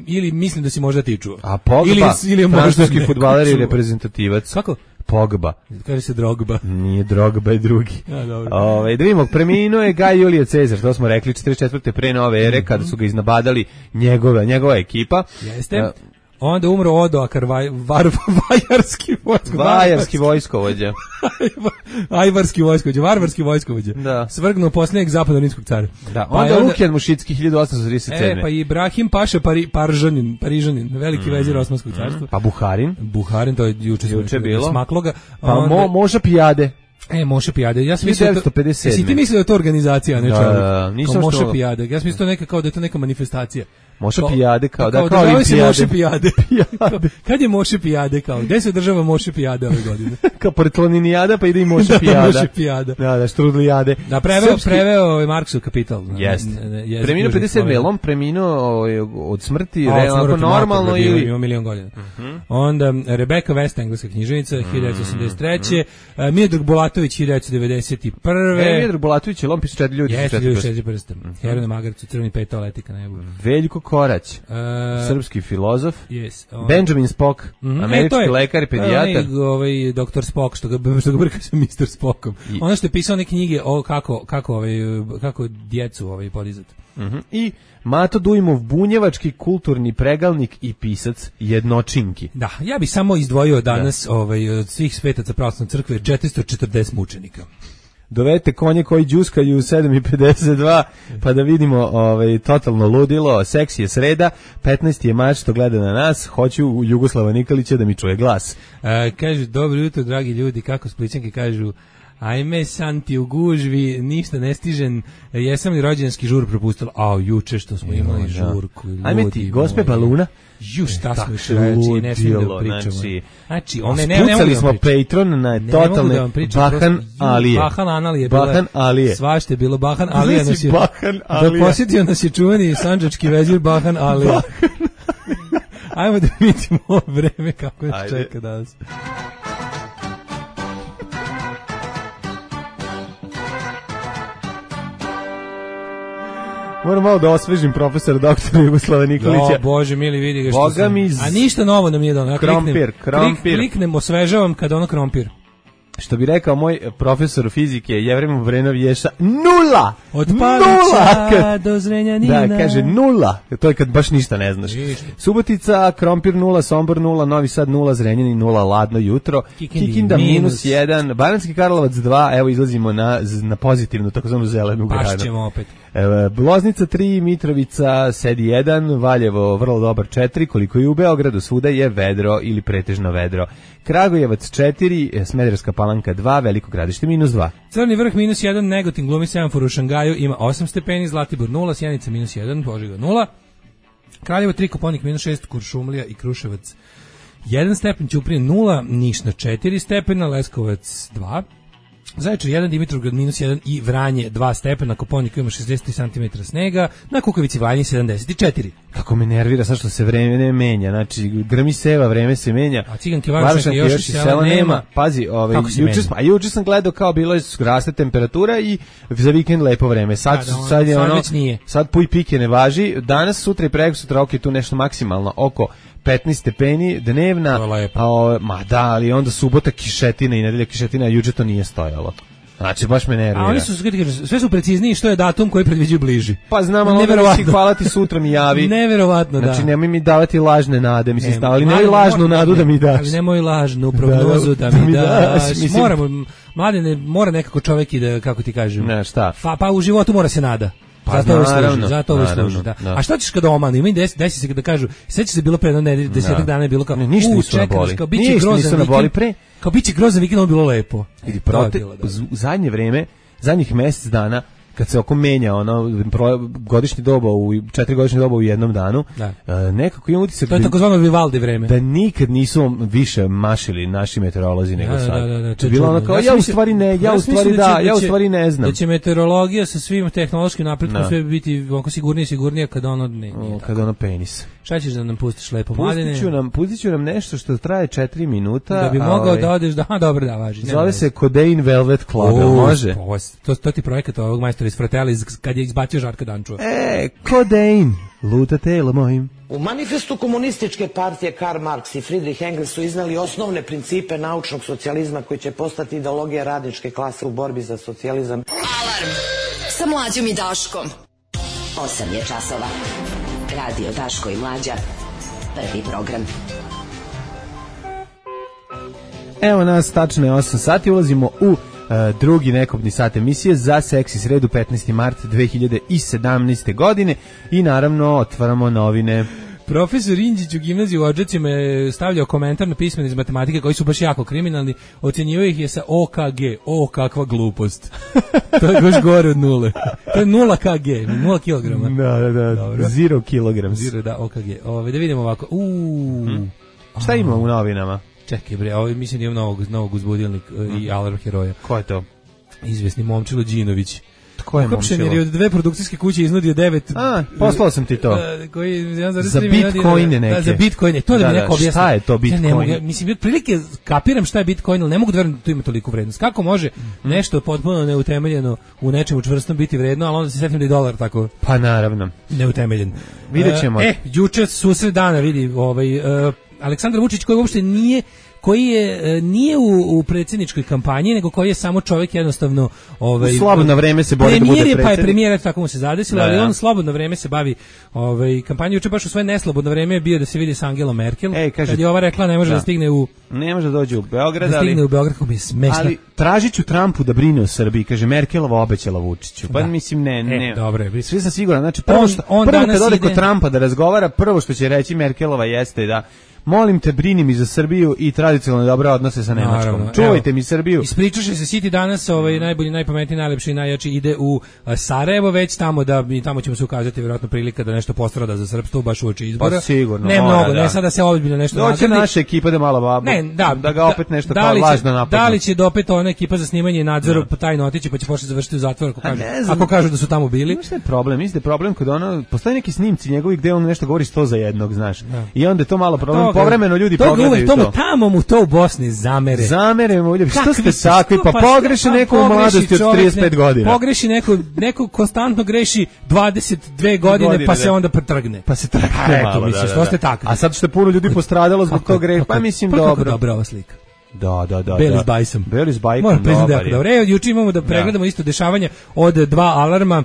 Speaker 5: Ili mislim da si možda ti čuo.
Speaker 6: A Pogba, francuski fudbaler i reprezentativac.
Speaker 5: Kako?
Speaker 6: Pogba.
Speaker 5: Kaže se Drogba.
Speaker 6: Nije Drogba, je drugi.
Speaker 5: Dobro.
Speaker 6: Da vidimo, preminuo je Gaj Julije Cezar, to smo rekli, 44. pre nove ere, kada su ga iznabadali njegova ekipa.
Speaker 5: Jeste. Onda umro Odoakar,
Speaker 6: vajarski vojskovođa.
Speaker 5: Ajvarski vojskovođa, varvarski vojskovođa.
Speaker 6: Da.
Speaker 5: Svrgnuo posljednjeg zapadno-rimskog cara.
Speaker 6: Da, onda Lukijan Mušicki 1837.
Speaker 5: Pa Ibrahim Paša Parižanin, veliki vezir Osmanskog carstva.
Speaker 6: Pa
Speaker 5: Buharin, to je juče
Speaker 6: bilo.
Speaker 5: Smakloga.
Speaker 6: Pa Moša Pijade.
Speaker 5: Moše Pijade. Ja sam
Speaker 6: 1957.
Speaker 5: Jesi ti mislio da je to organizacija, ne čovjek?
Speaker 6: Nisam
Speaker 5: Moše Pijade. Ja sam mislio neka kao da je to neka manifestacija.
Speaker 6: Moše Pijade kao
Speaker 5: Moše Pijade. Kad je Moše Pijade kao? Gde se održava Moše Pijade ove godine?
Speaker 6: Kao pored Planinijada pa ide i Moše Pijada.
Speaker 5: Moše Pijada.
Speaker 6: Da, Štrudlijade.
Speaker 5: Da, preveo Marksov Kapital.
Speaker 6: Jest. Preminuo 57, je on preminuo od smrti, onako normalno ili...
Speaker 5: Ima milion godina. Onda Rebeka West, engleska književnica, 1983. Miodrag Bulatović, 1991.
Speaker 6: Miodrag Bulatović, je on pisao 4 ljudi.
Speaker 5: Jeste, ljudi 4 prsta. Herone Magarcu, Crveni petao leti ka nebu.
Speaker 6: Veljko Korać, srpski filozof.
Speaker 5: Yes,
Speaker 6: Benjamin Spock, američki lekar i pedijatar.
Speaker 5: Ovaj doktor Spock, što ga brka sa Mr. Spockom. Ono što je pisao neke knjige o kako djecu podizati.
Speaker 6: I Mato Dujmov, bunjevački kulturni pregalnik i pisac jednočinki.
Speaker 5: Da, ja bih samo izdvojio danas od svih svetaca pravoslavne crkve 440 mučenika.
Speaker 6: Dovedite konje koji đuskaju u 7:52 pa da vidimo totalno ludilo. Seksi je sreda, 15. je mač što gleda na nas, hoću Jugoslava Nikolića da mi čuje glas.
Speaker 5: Kaže, dobro jutro dragi ljudi, kako Splićanke kažu, ajme santi u gužvi, ništa ne stižen, jesam li rođenski žur propustila? Juče što smo imali žurku.
Speaker 6: Ajme ti, gospe Baluna.
Speaker 5: Šta smo šreći, ne smijem da pričamo. Znači,
Speaker 6: spucali smo Patreon na totalne Bahan Alije.
Speaker 5: Bahan Analije. Bahan
Speaker 6: Alije.
Speaker 5: Svašte je bilo Bahan Alije. Da posjetio nas je čuveni sandžački vezir Bahan Alije. Ajmo da vidimo ovo vreme kako nas čeka danas.
Speaker 6: Moram malo da osvežim profesora doktora Jugoslava Nikolića.
Speaker 5: Bože mili, vidi ga što sam. A ništa novo nam nije dono.
Speaker 6: Krompir.
Speaker 5: Kliknem, osvežavam kada ono krompir.
Speaker 6: Što bi rekao moj profesor fizike Jevrem Vrenov Ješa, nula!
Speaker 5: Od Palića do Zrenjanina.
Speaker 6: Da, kaže nula. To je kad baš ništa ne znaš. Subotica, Krompir 0, Sombor 0, Novi Sad 0, Zrenjanin 0, ladno jutro. Kikinda -1, Banatski Karlovac 2, evo izlazimo na pozitivnu, takozvanu zelenu granu.
Speaker 5: Pašćemo opet.
Speaker 6: Loznica 3, Mitrovica sedi 1, Valjevo vrlo dobar 4, koliko i u Beogradu, svuda je vedro ili pretežno vedro. Kragujevac 4, Smederevska Palanka 2, Veliko Gradište -2.
Speaker 5: Crni vrh -1, Negotin glumi semafor u Šangaju, ima 8 stepeni, Zlatibor 0, Sjenica -1, Požega 0, Kraljevo 3, Koponik -6, Kuršumlija i Kruševac 1 stepen, Ćuprija 0, Niš na 4 stepena, Leskovac 2, Zaječar 1, Dimitrovgrad -1 i Vranje 2 stepena, Koponik ima 63 cm snega, na Kukavici Vanje 74.
Speaker 6: Kako me nervira sad što se vreme menja, znači grmi seva, vreme se menja.
Speaker 5: A Ciganke Varošanke još i sela nema.
Speaker 6: Pazi, juče sam gledao kao bilo je raste temperatura i za vikend lepo vreme. Sad je ono, sad puj pike ne važi, danas, sutra i prekosutra ok, tu nešto maksimalno oko 15 stepeni dnevna, ali onda subota kišetina i nedelja kišetina, a juče to nije stojalo. Znači, baš me nervira.
Speaker 5: A oni su, sve su precizniji što je datum koji predviđaju bliži.
Speaker 6: Pa znam, ali neverovatno. Hvala ti, sutra mi javi.
Speaker 5: Neverovatno, da.
Speaker 6: Znači, nemoj mi davati lažne nade, mislim, ali nemoj lažnu nadu da mi daš.
Speaker 5: Ali nemoj lažnu prognozu da mi daš. Moramo, mladine, mora nekako čovjek i da, kako ti kažem.
Speaker 6: Ne, šta?
Speaker 5: Pa u životu mora se nada. Zato ovo služi, da. A šta ćeš kada omanu? Ima i desi se kada kažu, seća se bilo pre jedno 10 dana je bilo kao,
Speaker 6: ništa nisu na boli pre.
Speaker 5: Kao biće grozan vikend, ovo bilo lepo.
Speaker 6: U zadnje vreme, zadnjih mjesec dana, kad se oko menja ono godišnje doba u 4 godišnje doba u jednom danu, nekako imam utisak
Speaker 5: to je takozvano Vivaldi vreme.
Speaker 6: Da nikad nisu više mašili naši meteorolozi nego sad.
Speaker 5: Da,
Speaker 6: bilo ono kao ja u stvari ne znam.
Speaker 5: Da će meteorologija sa svim tehnološkim napretkom sve biti onako sigurnije kad ono
Speaker 6: kad ono penis.
Speaker 5: Šta ćeš da nam pustiš lepo, mladine?
Speaker 6: Pustit ću nam nešto što traje 4 minuta.
Speaker 5: Da bi mogao da odeš, dobro da važi.
Speaker 6: Zove se Codain Velvet Club, može?
Speaker 5: To ti projekat ovog majstora iz Fratelli kad je izbacio Žarka Dančua.
Speaker 6: Codain, luta telo mojim.
Speaker 8: U manifestu komunističke partije Karl Marx i Friedrich Engels su iznali osnovne principe naučnog socijalizma koji će postati ideologija radničke klase u borbi za socijalizam.
Speaker 1: Alarm sa Mlađom i Daškom. 8 je časova. Radio Daško i Mlađa. Prvi program.
Speaker 6: Evo nas, tačno je 8 sati, ulazimo u drugi nekobni sat emisije za Seksi sredu 15. mart 2017. godine i naravno otvaramo novine.
Speaker 5: Profesor Inđić u gimnaziji u Odžacima je stavljao komentar na pismene iz matematike koji su baš jako kriminalni, ocenjivao ih je sa OKG, o kakva glupost. To je još gore od nule. To je 0 kg, 0 kilograma.
Speaker 6: Da, 0 kilograms.
Speaker 5: Da, OKG. Da vidimo ovako.
Speaker 6: Šta ima u novinama?
Speaker 5: Čekaj bre, mislim da imam novog uzbudilnik i alarm heroja.
Speaker 6: Ko je to?
Speaker 5: Izvesni Momčilo Đinović.
Speaker 6: Ko je Momčilo?
Speaker 5: Jer je od 2 produkcijske kuće iznudio 9...
Speaker 6: poslao sam ti to.
Speaker 5: Za
Speaker 6: bitcoine neke.
Speaker 5: Za bitcoine, to da mi neko objasni.
Speaker 6: Šta je to bitcoin?
Speaker 5: Mislim, otprilike kapiram šta je bitcoin, ali ne mogu da verujem da to ima toliku vrednost. Kako može nešto potpuno neutemeljeno u nečemu čvrstom biti vredno, ali onda se setim da je dolar tako...
Speaker 6: Pa naravno.
Speaker 5: Neutemeljen.
Speaker 6: Vidjet ćemo.
Speaker 5: Juče susret dana, vidi, Aleksandar Vučić koji uopšte nije u predsjedničkoj kampanji, nego koji je samo čovjek jednostavno
Speaker 6: u slobodno vreme se bori da bude predsjednik.
Speaker 5: Pa je premijer, tako mu se zadesilo, ali on slobodno vreme se bavi kampanjom. Juče baš u svoje neslobodno vreme je bio da se vidi s Angelom Merkel.
Speaker 6: Kaže,
Speaker 5: kad je ova rekla ne može da stigne
Speaker 6: ne može da dođe u Beograd,
Speaker 5: da stigne u Beograd, kako mi je smešno.
Speaker 6: Ali tražiću Trumpu da brine o Srbiji, kaže Merkelova obećala Vučiću. Pa mislim ne.
Speaker 5: Dobro je.
Speaker 6: Svi sam siguran, znači prvo kad ode kod Trumpa da razgovara, prvo što će reći Merkelova jeste da molim te, brini mi za Srbiju i tradicionalno dobre odnose sa Nemačkom. Čuvajte mi Srbiju.
Speaker 5: Ispričaše se City danas, najbolji, najpametniji, najlepši i najjači ide u Sarajevo, već tamo ćemo se ukazati vjerojatno prilika da nešto postrada za srpstvo baš uoči izbora.
Speaker 6: Pa sigurno.
Speaker 5: Ne mnogo, ne sada se ozbiljno nešto nagradi.
Speaker 6: Doće naša ekipa da malo da ga opet nešto kao lažno napadne.
Speaker 5: Da li će opet ona ekipa za snimanje i nadzor tajno otići pa će početi završiti u zatvoru ako kažu da su tamo bili.
Speaker 6: Šta je problem? Mislim da je problem kod postoje neki snimci njegovi gde on nešto govori 100 za jednog, znaš. I onda je to malo problem. Povremeno ljudi pogledaju to.
Speaker 5: Tamo mu to u Bosni zamere
Speaker 6: mu ljudi. Što ste takvi? Pa pogreši neko u mladosti od 35 godina.
Speaker 5: Pogreši neko konstantno greši 22 godine pa se onda pretrgne.
Speaker 6: Pa se trgne malo.
Speaker 5: Što ste takvi?
Speaker 6: A sad što je puno ljudi postradalo zbog tog greha, pa mislim dobro.
Speaker 5: Kako dobra ova slika.
Speaker 6: Da.
Speaker 5: Beli s bajsom.
Speaker 6: Moram priznati da je
Speaker 5: dobro. Juče imamo da pregledamo isto dešavanja od 2 alarma.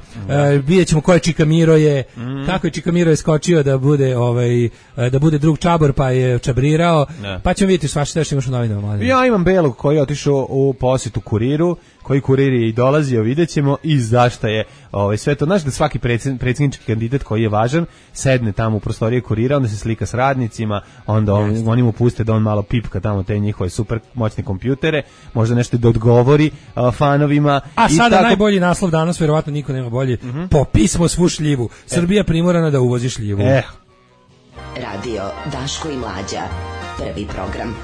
Speaker 5: Vidjet ćemo ko je Čika Miro je. Kako je Čika Miro je skočio da bude drug čabor pa je čabrirao. Pa ćemo vidjeti svašta što imaš u novinama.
Speaker 6: Ja imam Belog koji je otišao u posjetu Kuriru, koji Kurir je i dolazio, vidjet ćemo i zašto je sve to. Znaš da svaki predsjednički kandidat koji je važan sedne tamo u prostorije Kurira, onda se slika s radnicima, onda oni mu puste da on malo pipka tamo te njihove super moćne kompjutere, možda nešto da odgovori fanovima.
Speaker 5: A sada najbolji naslov danas, vjerovatno niko nema bolji, po pismo svu šljivu. Srbija primorana da uvozi šljivu.
Speaker 1: Radio Daško i Mlađa, prvi program.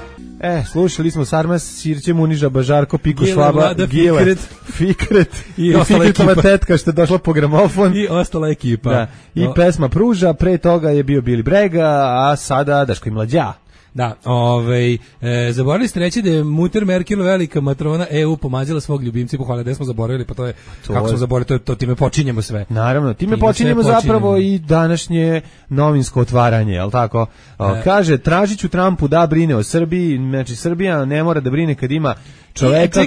Speaker 6: Slušali smo Sarmas, Sirće Muniža, Bažarko, Piko Švaba,
Speaker 5: Gile,
Speaker 6: Fikret i Fikretova tetka što je došla po gramofon.
Speaker 5: I ostala ekipa.
Speaker 6: Da. I pesma Pruža, pre toga je bio Bili Brega, a sada Daško i Mlađa.
Speaker 5: Da, zaboravili ste reći da je Mutter Merkel velika matrona EU pomazila svog ljubimca i pohvala da smo zaboravili, pa to je, kako smo zaboravili, to time počinjemo sve.
Speaker 6: Naravno, time počinjemo zapravo i današnje novinsko otvaranje, jel tako? Kaže, tražit ću Trumpu da brine o Srbiji, znači Srbija ne mora da brine kad ima čoveka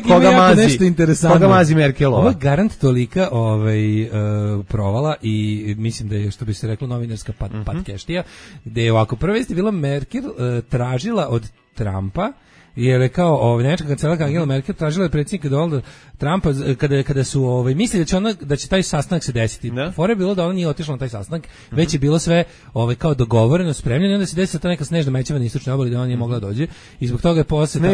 Speaker 6: koga mazi Merkelova.
Speaker 5: Ovo je garant tolika provala i mislim da je, što bi se reklo, novinarska patkeštija, gde je ovako, prva vest je bila Merkel tražila od Trumpa, jer je kao nemačka kancelarka Angela Merkel tražila od predsjednika Donalda Trumpa kada su mislili da će taj sastanak se desiti. Fora je bilo da ona nije otišla na taj sastanak, već je bilo sve kao dogovoreno, spremljeno, i onda se desila ta neka snežna mećava na istočnoj obali da ona nije mogla dođe i zbog toga je poseta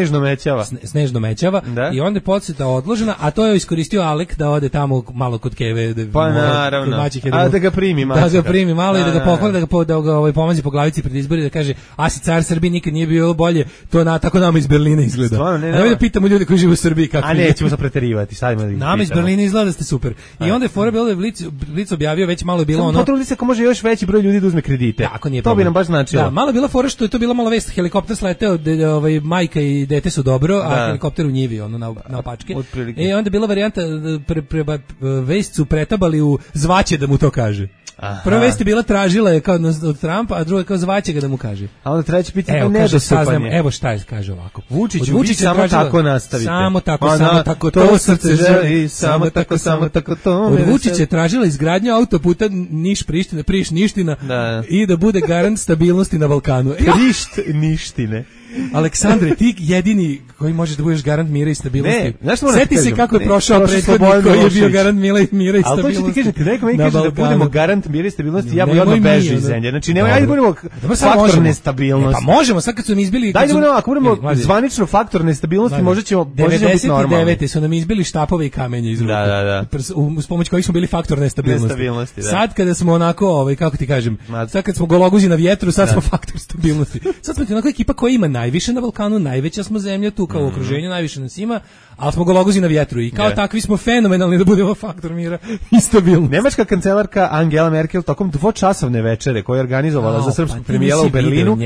Speaker 5: snežno mećava i onda je poseta odložena, a to je iskoristio Alek da ode tamo malo kod Keve,
Speaker 6: pa naravno, da ga primi
Speaker 5: malo i da ga pohvali, da ga pomazi po glavici pred izbori, da kaže a si car Srbije nikad nije bio bolje, to tako nama iz Berlina izgleda. A da pitamo ljude koji žive u Srbiji kako.
Speaker 6: A nećemo se preterivati.
Speaker 5: Nama iz Berlina izgleda da ste super. I onda je fora bilo da je Blic objavio, već malo je bilo ono.
Speaker 6: Potrudi se ako može još veći broj ljudi da uzme kredite. To bi nam baš značilo.
Speaker 5: Da, malo je bila fora što je to bila malo vest, helikopter sleteo, majka i dete su dobro, a helikopter u njivi, na opačke. I onda je bila varijanta, vest su pretabali u zvaće da mu to kaže. Prva vest je bila tražila je kao od Trumpa, a druga kao zvaće ga da mu kaže.
Speaker 6: A onda treće pitanje nedostupanje.
Speaker 5: Evo šta je, kaže ovako.
Speaker 6: Vučić samo tako nastavite.
Speaker 5: Samo tako, to srce želi, samo tako to. Od Vučića je tražila izgradnju autoputa Niš-Priština i da bude garant stabilnosti na Balkanu.
Speaker 6: Ništine.
Speaker 5: Aleksandre, ti jedini koji možeš da budeš garant mira i stabilnosti. Sjeti se kako je prošao prethodnik koji je bio garant mira i stabilnosti.
Speaker 6: Ali to ću ti kažem, ti neko mi kaže da budemo garant mira i stabilnosti, ja bi odmah bežao iz zemlje. Znači, nemoj, ajde budemo faktor nestabilnosti.
Speaker 5: Pa možemo, sad kad su nam izbili...
Speaker 6: Dajde budemo, ako budemo zvanično faktor nestabilnosti, možda ćemo biti normalni.
Speaker 5: 99. su nam izbili štapove i kamenje iz ruke. Uz pomoć kojih smo bili faktor nestabilnosti. Sad kada smo onako, kako ti kažem, sad kad smo gologuzi na vjetru, sad smo faktor stabilnosti. Sad smo ti onako ekipa koja ima najviše na Balkanu, najveća smo zemlja tu kao u okruženju, najviše nas ima, ali smo gologuzi na vjetru i kao takvi smo fenomenalni da budemo faktor mira i stabilnosti.
Speaker 6: Nemačka kancelarka Angela Merkel tokom dvočasovne večere koju je organizovala za srpskog premijera u Berlinu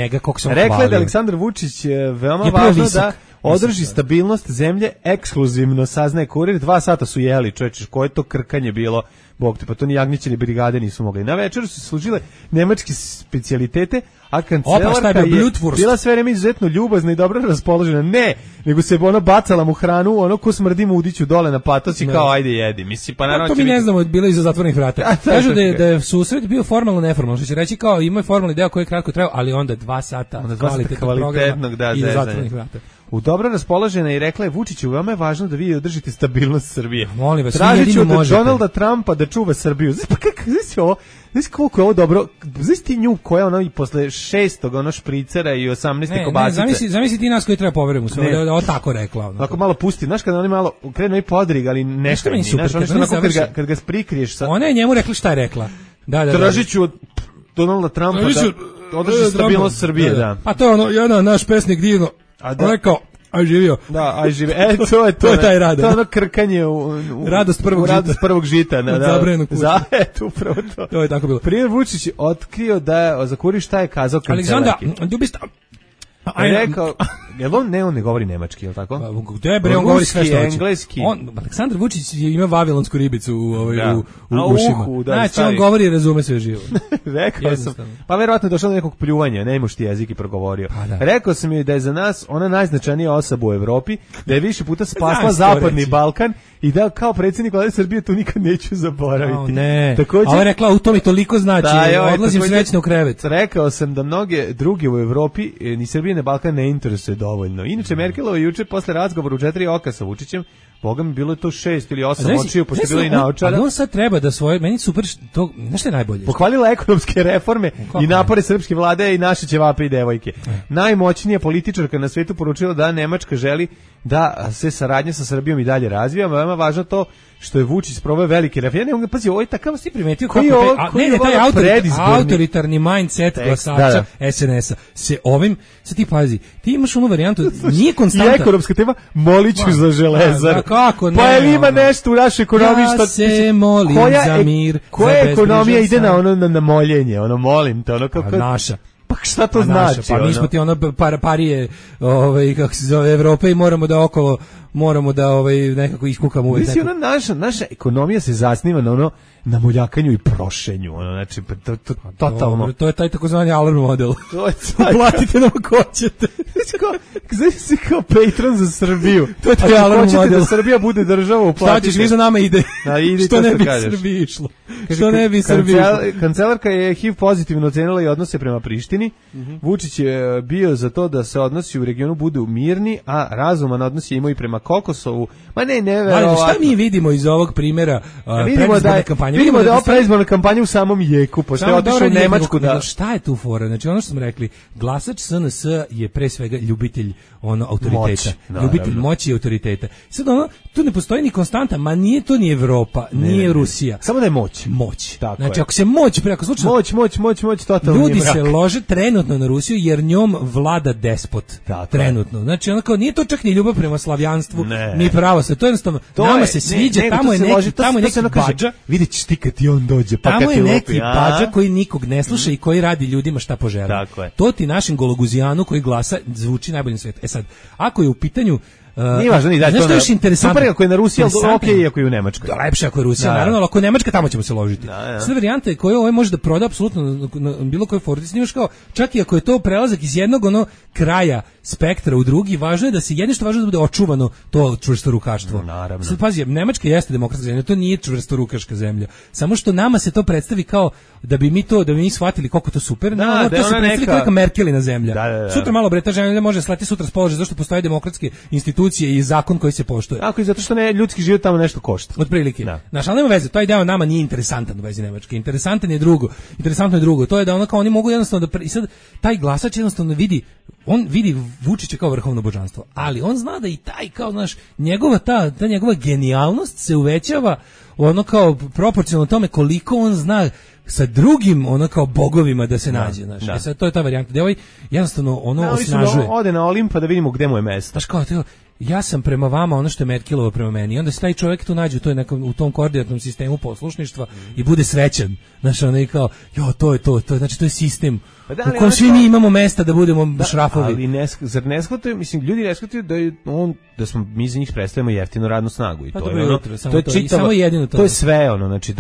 Speaker 6: rekla je da Aleksandar Vučić veoma važno da održi stabilnost zemlje ekskluzivno, saznaje Kurir. 2 sata su jeli, čoveče, koje to krkanje bilo, bog te, pa to ni jagnjeće ni brigade nisu mogli. Na večeru su služile nemačke specijalitete, a kancelarka je bila sve vreme izuzetno ljubazna i dobro raspoložena. Ne, nego se ona bacala mu hranu, ono ko smrdi mu udiću dole na patos i kao ajde jedi. Mislim, pa naravno
Speaker 5: to mi ne znamo, bilo iza zatvorenih vrata. Kažu da je susret bio formalno neformalno, što će reći kao ima formalni deo koji je kratko trajao, ali onda 2 sata kvalitetnog iza zatvorenih vrata.
Speaker 6: U dobro raspoložena i rekla je Vučiću, veoma je važno da vi održite stabilnost Srbije.
Speaker 5: Molim vas,
Speaker 6: tražit ću od Donalda Trumpa da čuva Srbiju. Pa kako, znaš koliko je ovo dobro, znaš ti nju koja ono i posle 6. ono špricera i 18. kobasice.
Speaker 5: Ne, zamisli ti nas koji treba poverujemo sve, da ovo tako rekla. Ono.
Speaker 6: Ako malo pusti, znaš kada oni malo krenu i podrig, ali nešto mi znaš, kad ga prikriješ.
Speaker 5: Ona je njemu rekla šta je rekla.
Speaker 6: Tražit ću od Donalda Trumpa da održi stabilnost Srbije. Da.
Speaker 5: Pa to je ono, jedan naš pesnik divno rekao, aj živio.
Speaker 6: Da, aj živio. To je taj rad. To je ono krkanje
Speaker 5: radost
Speaker 6: prvog žita.
Speaker 5: Da, zabranjenog puta.
Speaker 6: Upravo to.
Speaker 5: To je tako bilo.
Speaker 6: Primjer Vučić otkrio da je za Kurir šta je kazao kancelarki.
Speaker 5: Aleksandar, dubista...
Speaker 6: Rekao, on ne govori nemački, je li tako?
Speaker 5: Gde bre, on govori sve što hoće.
Speaker 6: Engleski.
Speaker 5: Aleksandar Vučić ima vavilonsku ribicu u ušima. Znači, on govori i razume sve živo.
Speaker 6: Rekao sam, pa verovatno je došlo do nekog pljuvanja, ne imaš ti jezik i progovorio. Rekao sam joj da je za nas ona najznačajnija osoba u Evropi, da je više puta spasla Zapadni Balkan i da kao predsjednik Vlade Srbije to nikad neću zaboraviti.
Speaker 5: Ne, a ona rekla, u to mi toliko znači, odlazim srećno u krevet.
Speaker 6: Rekao sam da mnoge druge u Evropi ni Srbije ni Balkan ne interesuje dovoljno. Inače, Merkelova juče posle razgovora u 4 oka sa Vučićem, boga mi bilo je to 6 ili 8 očiju, pošto je bilo i naočara.
Speaker 5: Ali on sad treba da svoje, meni super, to, nešto je najbolje.
Speaker 6: Pohvalila ekonomske reforme i napore srpske vlade i naše ćevape i devojke. Najmoćnija političarka na svetu poručila da Nemačka želi da se saradnja sa Srbijom i dalje razvija, veoma važno to što je Vučić sproveo velike reforme. Ja ne mogu pazi, ovo je takav si primetio kako taj autoritarni mindset glasača SNS-a se ovim, sad ti pazi, ti imaš onu varijantu, nije konstanta. I ekonomska tema, moliću za Železaru.
Speaker 5: Kako ne?
Speaker 6: Pa je li ima nešto u našoj ekonomiji što...
Speaker 5: Ja se molim za mir.
Speaker 6: Koja ekonomija ide na moljenje, ono molim te, ono kako...
Speaker 5: Naša.
Speaker 6: Pa šta to znači?
Speaker 5: Pa mi smo ti ono parije, kako se zove, Evrope i moramo da nekako iskukamo uvek.
Speaker 6: Mislim, naša ekonomija se zasniva na ono na moljakanju i prošenju, ono, znači, totalno.
Speaker 5: To je taj takozvani alarm model.
Speaker 6: To je taj.
Speaker 5: Platite nam ako hoćete.
Speaker 6: Znači si kao patron za Srbiju.
Speaker 5: To je taj alarm model.
Speaker 6: Hoćete da Srbija bude država, uplatite.
Speaker 5: Šta ćeš, vi za nama ide. Što ne bi Srbiji išlo. Što ne bi Srbiji išlo.
Speaker 6: Kancelarka je HIV pozitivno ocenila i odnose prema Prištini. Vučić je bio za to da se odnosi u regionu budu mirni, a razuman odnos je imao i prema Kokosovu. Ma ne, neverovatno.
Speaker 5: Šta mi vidimo iz ovog primjera predizborne kampanje?
Speaker 6: Vidimo da je predizborna kampanja u samom jeku, pošto je otišao u Nemačku da...
Speaker 5: Šta je tu fora? Znači, ono što smo rekli, glasač SNS je pre svega ljubitelj autoriteta. Ljubitelj moći i autoriteta. Sad tu ne postoji ni konstanta, ma nije to ni Evropa, nije Rusija.
Speaker 6: Samo da je moć.
Speaker 5: Znači, ako se moć,
Speaker 6: moć, totalno
Speaker 5: ljudi se lože trenutno na Rusiju, jer njom vlada despot. Trenutno. Znači, ono kao, nije to čak ni ljubav prema slavijanstvu, ni pravo se. To jednostavno, nama se sviđa, tamo je neki bađa.
Speaker 6: Vidjet ćeš ti kad ti on dođe, pa
Speaker 5: tamo je neki bađa koji nikog ne sluša i koji radi ljudima šta poželi. To ti našim gologuzijanu koji glasa zvuči najbolje na svijetu. E sad, ako je u pitanju
Speaker 6: Nije važno ni da
Speaker 5: to. Znaš što je interesantno?
Speaker 6: Super ako je na Rusiji, ali okej ako je u Nemačkoj.
Speaker 5: Da, lepše ako je Rusija, naravno, ali ako je Nemačka, tamo ćemo se ložiti. Sve varijante koje ovo može da proda apsolutno na bilo kojoj forti, snimaš kao, čak i ako je to prelazak iz jednog kraja spektra u drugi, važno je da se jedno što važno da bude očuvano to čvrstorukaštvo.
Speaker 6: Naravno.
Speaker 5: Sad pazi, Nemačka jeste demokratska zemlja, to nije čvrstorukaška zemlja. Samo što nama se to predstavi kao da bi mi shvatili koliko to super. To se predstavi kao neka Merkelina zemlja. Sutra malo bre ta zemlja može slati sutra s položaja zašto postoje demokratske institucije i zakon koji se poštuje.
Speaker 6: Ako i zato što ljudski život tamo nešto košta.
Speaker 5: Otprilike. Naš, ali nema veze, taj deo nama nije interesantan u vezi Nemačke. Interesantno je drugo. To je da kao oni mogu jednostavno i sad taj glasač jednostavno vidi Vučića kao vrhovno božanstvo, ali on zna da i taj kao ta njegova genijalnost se uvećava ono kao proporcionalno tome koliko on zna sa drugim kao bogovima da se nađe, sad to je ta varijanta. Da jednostavno osnažuje.
Speaker 6: Ode na Olimp pa da vidimo gde mu je mesto.
Speaker 5: Znaš kao ja sam prema vama ono što je Merkelova prema meni. I onda se taj čovjek tu nađe u tom koordinatnom sistemu poslušništva i bude srećan. Znaš, ono i kao, to je to. Znači, to je sistem u kojem svi mi imamo mesta da budemo šrafovi.
Speaker 6: Ali zar ne shvataju, mislim, ljudi ne shvataju da smo mi za njih predstavljamo jeftinu radnu snagu. I to je čitavo, to je sve znači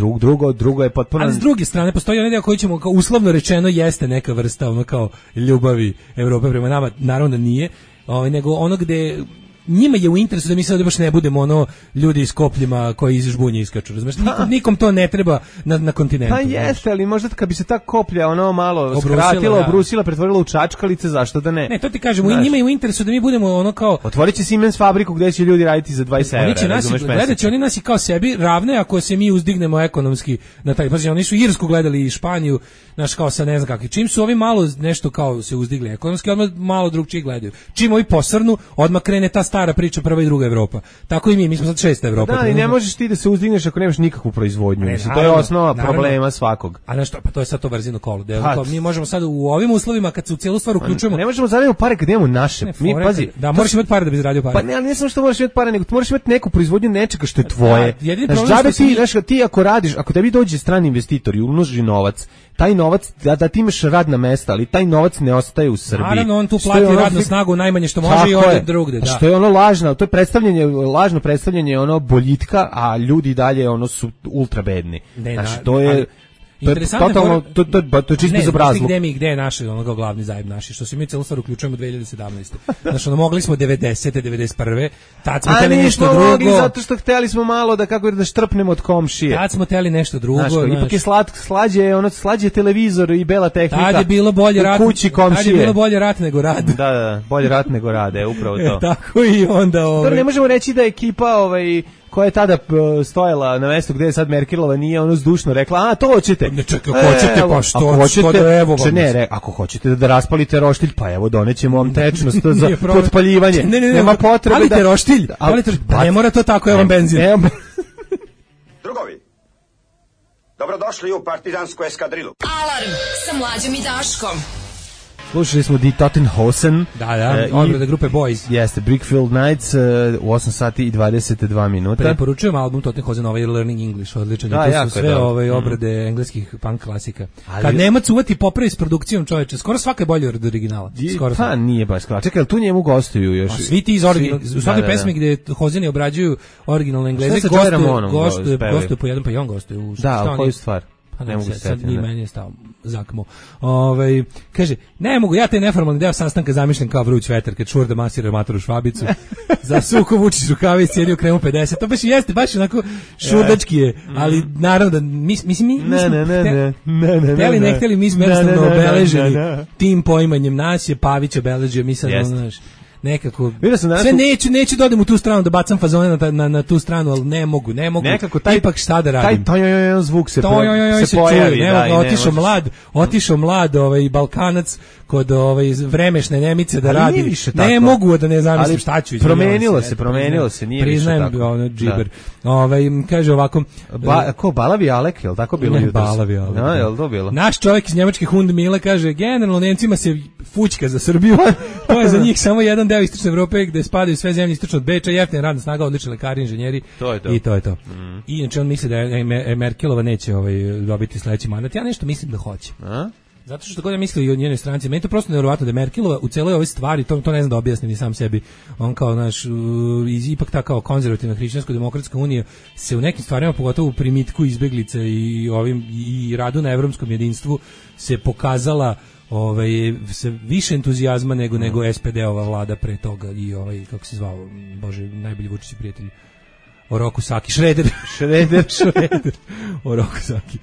Speaker 6: drugo je potpuno.
Speaker 5: Ali s druge strane, postoji onaj deo koji ćemo, kao uslovno rečeno, jeste neka vrsta kao ljubavi Evrope prema nama, naravno da nije, nego ono gde njima je u interesu da mi sad baš ne budemo ljudi iz kopljima koji iz žbunje iskaču, razumeš? Nikom to ne treba na kontinentu.
Speaker 6: Pa jeste, ali možda kad bi se ta koplja malo skratila, obrusila, pretvorila u čačkalice, zašto da ne?
Speaker 5: Ne, to ti kažemo, njima je u interesu da mi budemo kao...
Speaker 6: Otvorit će Siemens fabriku gde će ljudi raditi za 20 evra, razumeš?
Speaker 5: Gledat će oni nas i kao sebi ravne ako se mi uzdignemo ekonomski na taj... Pazi, oni su Irsku gledali i Španiju, znaš, kao sa ne znam kakvi. Čim su ovi malo nešto kao se uzdigli ekonomski, odmah malo drugčije gledaju. Čim ovi posrnu, odmah krene ta stara priča prva i druga Evropa. Tako i mi smo sad šesta Evropa.
Speaker 6: Da, i ne možeš ti da se uzdigneš ako nemaš nikakvu proizvodnju. To je osnova problema svakog.
Speaker 5: A nešto, pa to je sad to brzino kolo. Mi možemo sad u ovim uslovima kad se u cijelu stvar uključujemo.
Speaker 6: Ne možemo zaraditi pare kad imamo naše. Mi pazi,
Speaker 5: da moraš imati pare da bi zaradio pare.
Speaker 6: Pa ne, ali ne samo što moraš imati pare, nego moraš imati neku proizvodnju nečega što je tvoje.
Speaker 5: Jedini problem
Speaker 6: što ti ako radiš, ako tebi dođe strani investitor i uloži novac, taj novac da ti imaš radna mesta, ali taj novac ne ostaje u Srbiji.
Speaker 5: Naravno, on tu plati radnu snagu najmanje što može i ode drugde.
Speaker 6: Što je lažno, to je lažno predstavljanje boljitka, a ljudi dalje su ultra bedni. Znači, to je totalno, to je čisto bezobrazluk.
Speaker 5: Gde je naš glavni zajeb naši, što se mi celu stvar uključujemo 2017. Znači, mogli smo 90. 91. Tad smo hteli nešto drugo.
Speaker 6: Mogli zato što hteli smo malo da štrpnemo od komšije.
Speaker 5: Tad smo hteli nešto drugo.
Speaker 6: Ipak je slađe televizor i bela tehnika.
Speaker 5: Tad je bilo bolje rat. Tad je bilo bolje rat nego rad.
Speaker 6: Da, bolje rat nego rad, upravo to.
Speaker 5: Tako i onda
Speaker 6: ne možemo reći da ekipa koja je tada stojala na mestu gde je sad Merkelova nije zdušno rekla, to hoćete.
Speaker 5: Ne čekaj, hoćete pa što da evo vam.
Speaker 6: Ako hoćete da raspalite roštilj, pa evo donećemo vam tečnost za potpaljivanje. Nema potrebe da...
Speaker 5: Palite roštilj, pa ne mora to tako, evo vam benzin.
Speaker 7: Drugovi, dobrodošli u partizansku eskadrilu.
Speaker 1: Alarm sa Mlađom i Daškom.
Speaker 6: Slušali smo Die Totenhosen.
Speaker 5: Da, odbrada grupe Boys.
Speaker 6: Jeste, Brickfield Nights u 8 sati i 22 minuta.
Speaker 5: Preporučujem album Totenhosen, Learning English, odličan. To su sve obrade engleskih punk klasika. Kad Nemac uvati popravi s produkcijom, čoveče, skoro svaka je bolje od originala.
Speaker 6: Pa nije baš skoro. Čekaj, tu njemu gostuju još.
Speaker 5: Svi ti iz originala, u svakoj pesmi gde Hozeni obrađuju originalne Engleze, gostuju po jedan, pa i on gostuje.
Speaker 6: Da, koju stvar?
Speaker 5: Ne mogu sad ni meni je stao zakmo. Kaže, ne mogu, ja taj neformalni deo sastanka zamišljam kao vruć vetar kad Šurda masira matoru Švabicu. Za suko Vučić rukavice, sjedio kremu 50. To baš jeste, baš onako šurdački je, ali naravno da mi smo hteli, ne hteli, mi smo jednostavno obeleženi tim poimanjem. Nas je Pavić obeležio, mi sad znaš nekako sve neću da odem u tu stranu da bacam fazone na tu stranu, ali ne mogu
Speaker 6: nekako
Speaker 5: ipak šta da radim,
Speaker 6: taj zvuk se pojavi,
Speaker 5: otišao mlad Balkanac kod vremešne Nemice da radi, ne mogu da ne zamislim šta ću.
Speaker 6: Promenilo se, nije više tako.
Speaker 5: Priznajem, džiber. Kaže ovako,
Speaker 6: Balavi Alek, je li tako bilo jutros?
Speaker 5: Balavi Alek.
Speaker 6: Je li to bilo?
Speaker 5: Naš čovjek iz njemačke Hundmile kaže, generalno Nemcima se fućka za Srbiju, to je za njih samo jedan deo istočne Evrope gde spadaju sve zemlje istočno od Beča, jeftina radna snaga, odlični lekari, inženjeri. I to je to. I inače on misli da Merkelova neće dobiti sledeći mandat. Ja nešto mislim da hoće. Zato što god ja mislio i o njenoj stranci, meni to prosto nevjerovatno da je Merkelova u celoj ovoj stvari, to ne znam da objasnim ni sam sebi, on kao naš, ipak ta kao konzervativna hrišćansko-demokratska unija se u nekim stvarima, pogotovo u primitku izbeglice i radu na evropskom jedinstvu, se pokazala se više entuzijazma nego SPD-ova vlada pre toga i kako se zvao, bože, najbolji Vučić prijatelj, Oroku Saki, Šreder. Oroku Saki.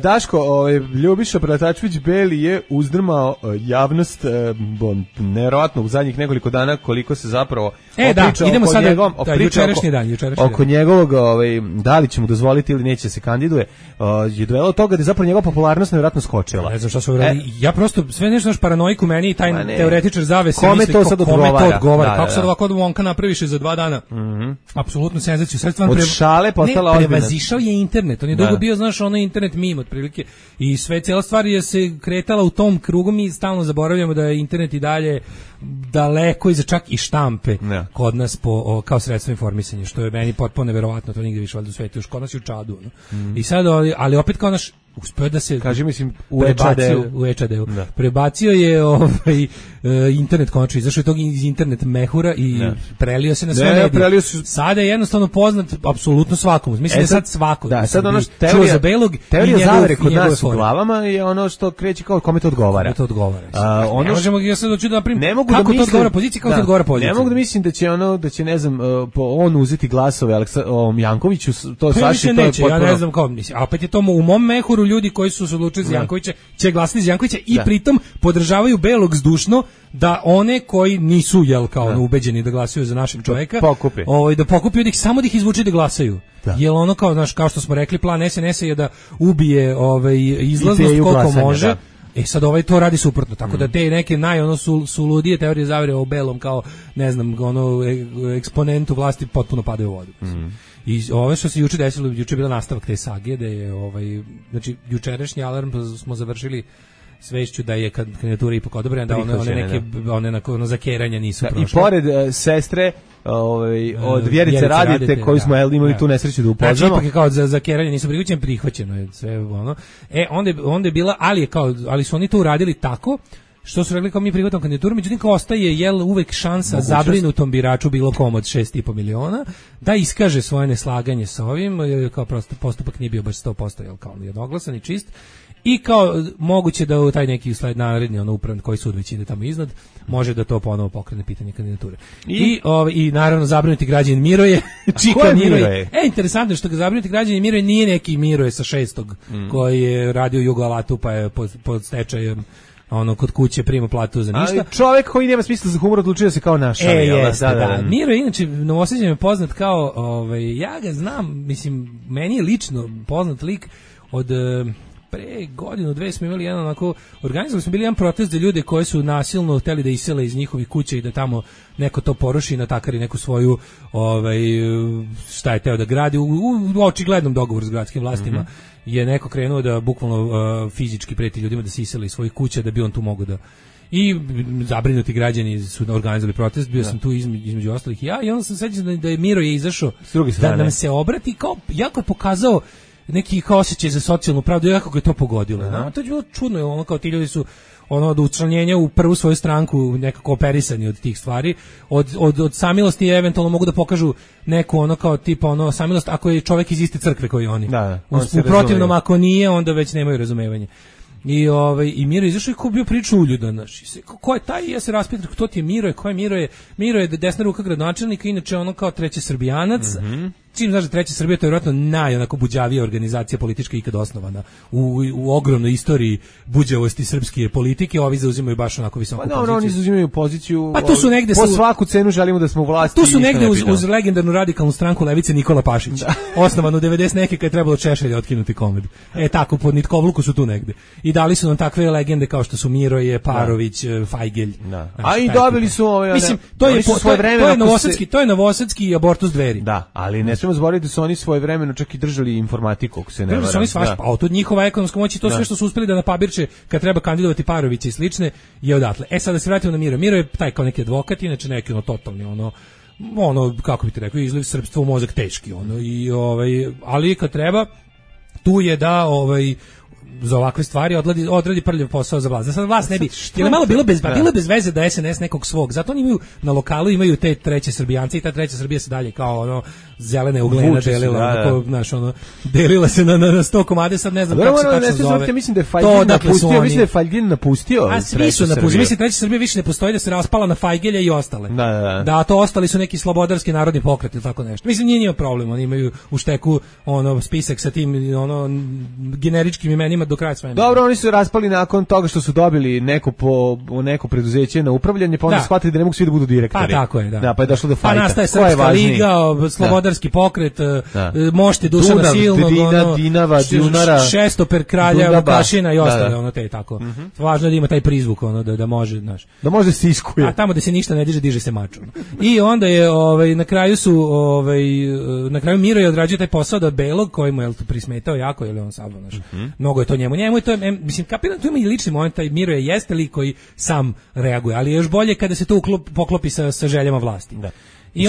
Speaker 6: Daško, Ljubiša Pratačević Beli je uzdrmao javnost nevjerovatno u zadnjih nekoliko dana koliko se zapravo oko njegovog da li će mu dozvoliti ili neće se kandiduje, je dovelo od toga da je zapravo njegova popularnost nevjerojatno skočila.
Speaker 5: Ne znam šta su ja prosto sve nešto naš paranoiku meni i taj teoretičar zavese
Speaker 6: kome to sad odgovara.
Speaker 5: Kako sad ovako Vonka napraviše za 2 dana? Apsolutno senzaciju.
Speaker 6: Od šale postala ozbiljna.
Speaker 5: Prevazišao je internet. On je dugo bio, znaš, ono internet meme otprilike. I sve cijela stvar je se kretala u tom krugu. Mi stalno zaboravljamo da je internet i dalje daleko iza čak i štampe kod nas kao sredstvo informisanja, što je meni potpuno neverovatno, to nigde više valjda u svetu, još kod nas i u Čadu. I sad, ali opet kao naš uspeo da se
Speaker 6: u
Speaker 5: EČD-u prebacio je internet konačno, izašao je tog iz internet mehura i prelio se na sve medije. Sada je jednostavno poznat apsolutno svakomu. Mislim da sad svako.
Speaker 6: Da, sad ono
Speaker 5: teorija
Speaker 6: zavere kod nas u glavama je ono što kreće kao kome to odgovara.
Speaker 5: Ne možemo ja sad doći da napravim kako to odgovara poziciji, kako to odgovara poziciji.
Speaker 6: Ne mogu da mislim da će ne znam on uzeti glasove Jankoviću, to svaši to je potpuno.
Speaker 5: Ja ne znam kao, a opet je to u mom mehuru ljudi koji su se odlučili za Jankovića će glasati za Jankovića i pritom podržavaju Belog zdušno da one koji nisu ubeđeni da glasaju za našeg čoveka da pokupi od ih samo da ih izvuče da glasaju. Jel ono kao, znaš, kao što smo rekli, plan SNS je da ubije izlaznost koliko može. Sad to radi suprotno, tako da te neke su ludije teorije zavere o Belom kao, ne znam, eksponentu vlasti potpuno padaju u vodu. I ovo što se juče desilo, juče je bila nastavak te sage, da je znači jučerašnji alarm smo završili svešću da je kandidatura ipak odobrena, da one na zakeranja nisu prošle.
Speaker 6: I pored sestre od Vjerice Radite koju smo imali tu nesreću da upoznamo.
Speaker 5: Znači ipak je kao za zakeranje nisu prihvaćeno je sve ono. Onda je bila, ali su oni to uradili tako što su rekli kao mi prihvatamo kandidaturu, međutim kao ostaje uvek šansa zabrinutom biraču bilo kom od 6,5 miliona da iskaže svoje neslaganje sa ovim, kao prosto postupak nije bio baš 100% kao jednoglasan i čist. I kao moguće da u taj neki naredni upravni koji sud već ide tamo iznad može da to ponovo pokrene pitanje kandidature. I naravno zabrinuti građanin Miroje, čika Miroje. Interesantno je što ga zabrinuti građanin Miroje nije neki Miroje sa 6. koji je radio u Jugoalatu pa je pod stečajem kod kuće prima platu za ništa.
Speaker 6: Ali čovjek koji nema smisla za humor odlučio se kao naš.
Speaker 5: Da. Miro je inače Novosađan je poznat kao, ja ga znam, mislim, meni je lično poznat lik od pre godinu, 2 smo imali organizovali smo bili jedan protest za ljude koji su nasilno hteli da isele iz njihovih kuća i da tamo neko to poruši i natakari neku svoju, šta je teo da gradi, u očiglednom dogovoru s gradskim vlastima je neko krenuo da bukvalno fizički preti ljudima da se isele iz svojih kuća da bi on tu mogao da... I zabrinuti građani su organizovali protest, bio sam tu između ostalih i onda sam sećam da je Miro je izašao da nam se obrati, kao jako je pokazao neki osjećaj za socijalnu pravdu, jako ga je to pogodilo. To je bilo čudno, kao ti ljudi su od učlanjenja u prvu svoju stranku nekako operisani od tih stvari, od samilosti eventualno mogu da pokažu neku kao tipa samilost ako je čovjek iz iste crkve koji oni. U protivnom ako nije, onda već nemaju razumevanje. I Miro izašao i ko bio priča uljudan, ko je taj, ja se raspitam kto ti je Miro, ko je Miro je desna ruka gradonačelnika, inače kao treći Srbijanac. Čim znaš da Treća Srbija, to je vjerojatno buđavija organizacija politička ikad osnovana u ogromnoj istoriji buđavosti srpske politike, ovi zauzimaju baš onako visoku poziciju.
Speaker 6: Oni zauzimaju poziciju,
Speaker 5: tu su negde
Speaker 6: po svaku cenu želimo da smo u vlasti.
Speaker 5: Tu su negde uz legendarnu radikalnu stranku levice Nikola Pašić, osnovanu 90 neke kad je trebalo Češelja otkinuti komed. Tako, pod nitkovluku su tu negde. I dali su nam takve legende kao što su Miroje, Parović, Fajgelj.
Speaker 6: A i dobili su
Speaker 5: mislim, to je novosadski abortus Dveri.
Speaker 6: Da, ali ne smemo zaboraviti da su oni svojevremeno čak i držali informatiku, ako se ne varam.
Speaker 5: Oni svašta, a od njihova ekonomska moć i to sve što su uspeli da napabirče kad treba kandidovati Parovića i slične je odatle. Sad da se vratimo na Miro. Miro je taj kao neki advokat, inače neki totalni kako bi ti rekao, izliv srpstva u mozak teški ali kad treba tu je da za ovakve stvari odradi prljav posao za vlast. Da sad vlast ne bi, jer malo bilo bez veze da SNS nekog svog. Zato oni imaju na lokalu imaju te treće Srbijance i ta treća Srbija se dalje kao ono zelene uglena delila, delila se na 100 komade, sad ne znam kako se tačno zove.
Speaker 6: Ja mislim da je Fajgin napustio.
Speaker 5: A svi su napustili. Mislim treća Srbija više ne postoji, da se raspala na Fajgelja i ostale. Da, to ostali su neki slobodarski narodni pokret ili tako nešto. Mislim nije problem, oni imaju u šteku spisak sa tim generičkim imenima do kraja svega.
Speaker 6: Dobro, oni su raspali nakon toga što su dobili neko preduzeće na upravljanje, pa onda shvatili da ne mogu svi da budu direktori.
Speaker 5: Pa tako je, da.
Speaker 6: Pa je došlo do fajta.
Speaker 5: Pa nastaje Srpska liga, slobodarski pokret, mošte Dušana Silnog,
Speaker 6: Dinava, Dunara,
Speaker 5: Šestoper kralja Vukašina i ostale, te tako. Važno je da ima taj prizvuk, da može, znaš.
Speaker 6: Da može se iskuje.
Speaker 5: A tamo da se ništa ne diže se mač. I onda je na kraju Miro je odrađio taj posao da Belog koji mu je prismetao jako, je li on samo naš. Mnogo je to njemu je to, mislim, kapiram, tu ima i lični moment, taj Miro je jeste lik koji sam reaguje, ali je još bolje kada se to poklopi sa željama vlasti. Da. I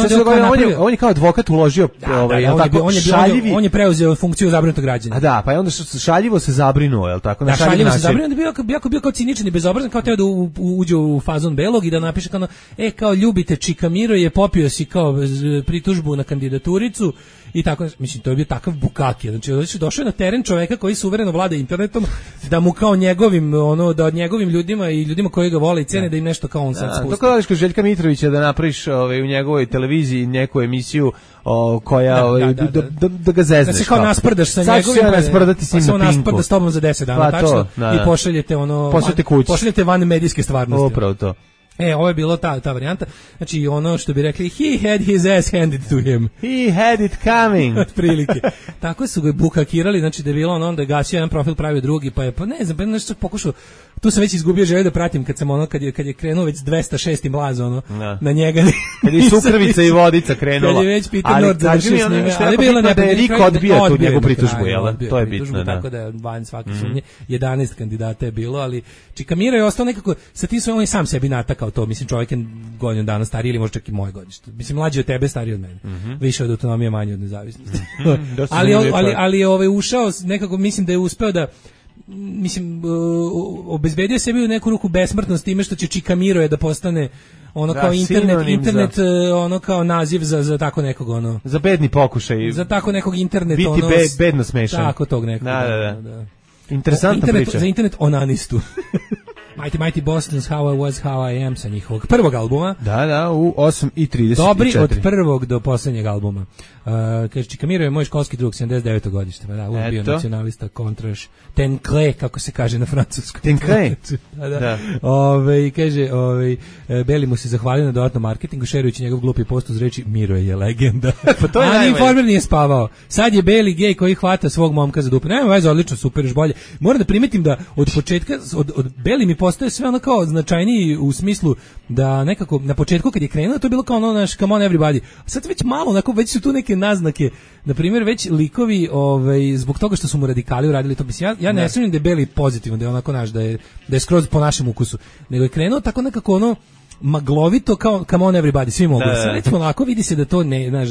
Speaker 6: on je kao advokat uložio
Speaker 5: on je preuzeo funkciju zabrinutog građana.
Speaker 6: Da, pa je onda šaljivo se zabrinuo, je l' tako?
Speaker 5: Da, šaljivo se zabrinuo, da bio kao ciničan i bezobrazan, kao teo da uđe u fazon Belog i da napiše kao ljubite Čika Miro je, popio si kao pritužbu na kandidaturicu i tako, mislim, to je bio takav bukaki. Znači, došao je na teren čoveka koji suvereno vlada internetom, da mu kao da njegovim ljudima i ljudima koji ga vole i cene, da im nešto kao on sad spusti.
Speaker 6: Tako da kod Željka Mitrovića da napraviš u njegovoj televiziji neku emisiju koja da ga zezneš.
Speaker 5: Da se kao nasprdaš sa njegovim, pa se on nasprda s tobom za 10 dana, tačno, i pošaljete van medijske stvarnosti.
Speaker 6: Upravo to.
Speaker 5: Ovo je bilo ta varijanta. Znači, ono što bi rekli, he had his ass handed to him.
Speaker 6: He had it coming.
Speaker 5: Otprilike. Tako su ga bukakirali, znači da je bilo onda gasio jedan profil, pravio drugi, pa ne znam, nešto pokušao. Tu sam već izgubio želju da pratim kad sam kad je krenuo već 206. mlaz na njega.
Speaker 6: Kad je Sukrvica i Vodica krenula.
Speaker 5: Kad je već Peter Nord završio s njime. Ali bilo
Speaker 6: da je Rik odbija tu njegovu pritužbu, jel? To je bitno, da.
Speaker 5: Tako da je van svake sumnje. 11 kandidata je bilo, ali Čika Miro je ostao nekako sa tim svojim, on je sam sebi natakao to. Mislim, čovjek je godinu dana stariji ili možda čak i moje godište. Mislim, mlađi od tebe, stariji od mene. Više od autonomije, manje od nezavisnosti. Ali je ušao nekako, mislim da je uspeo da obezbedio sebi u neku ruku besmrtnost time što će Čika Miro je da postane kao internet kao naziv za tako nekog
Speaker 6: za bedni pokušaj,
Speaker 5: za tako nekog internet
Speaker 6: biti bedno smešan,
Speaker 5: tako tog nekog.
Speaker 6: Da. Interesantna priča.
Speaker 5: Za internet onanistu. Mighty Boston's How I Was, How I Am sa njihovog prvog albuma.
Speaker 6: Da, u 8:34.
Speaker 5: Dobri od prvog do posljednjeg albuma. Kaže, Čika Miro je moj školski drug, 79. godište. Da, bio nacionalista, kontraš, tenkle, kako se kaže na francuskom.
Speaker 6: Tenkle?
Speaker 5: Da. Kaže, Beli mu se zahvalio na dodatnom marketingu, šerujući njegov glupi post uz reči Miro je legenda.
Speaker 6: Pa to je
Speaker 5: najbolje. Informer nije spavao. Sad je Beli gej koji hvata svog momka za dupe. Nema veze, odlično, super, još bolje. Moram da primetim da od početka, od Beli mi postaje sve kao značajniji u smislu da nekako na početku kad je krenuo to je bilo kao naš come on everybody. A sad već malo, već su tu neke naznake, na primjer već likovi zbog toga što su mu radikali uradili to, mislim, ja ne sumnjam da je Beli pozitivan, da je onako naš, da je skroz po našem ukusu, nego je krenuo tako nekako maglovito kao come on everybody, svi mogu. Sad recimo lako vidi se da to ne, znaš,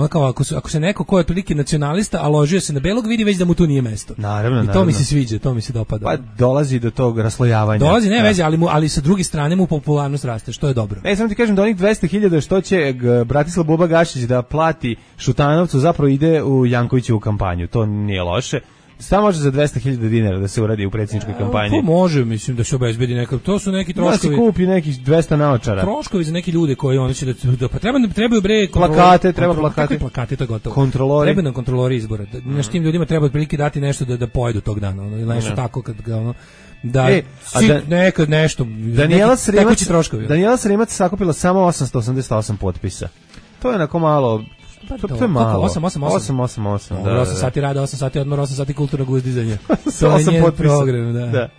Speaker 5: kao ako se neko ko je otprilike nacionalista, a ložio se na Belog, vidi već da mu tu nije mesto.
Speaker 6: Naravno.
Speaker 5: I to mi se sviđa, to mi se dopada.
Speaker 6: Pa dolazi do tog raslojavanja.
Speaker 5: Dolazi, ne veze, ali sa druge strane mu popularnost raste, što je dobro.
Speaker 6: Samo ti kažem da onih 200.000 što će Bratislav Buba Gašić da plati Šutanovcu zapravo ide u Jankovićevu kampanju. To nije loše. Samo može za 200.000 dinara da se uradi u predsjedničkoj kampanji.
Speaker 5: To može, mislim, da se obezbedi neka. To su neki troškovi.
Speaker 6: Da se kupi nekih 200 naočara.
Speaker 5: Troškovi za neki ljude koji oni će da pa trebaju
Speaker 6: plakate,
Speaker 5: plakate, to je gotovo.
Speaker 6: Kontrolori.
Speaker 5: Treba nam kontrolori izbora. Tim ljudima treba otprilike dati nešto da pojedu tog dana, ili nešto tako kad ga nekad nešto.
Speaker 6: Daniela Sremac sakupila samo 888 potpisa. To je onako malo. To je malo. 888.
Speaker 5: Da, 8 sati rada, 8 sati odmor, 8 sati kulturnog uzdizanja. To je njen program, da.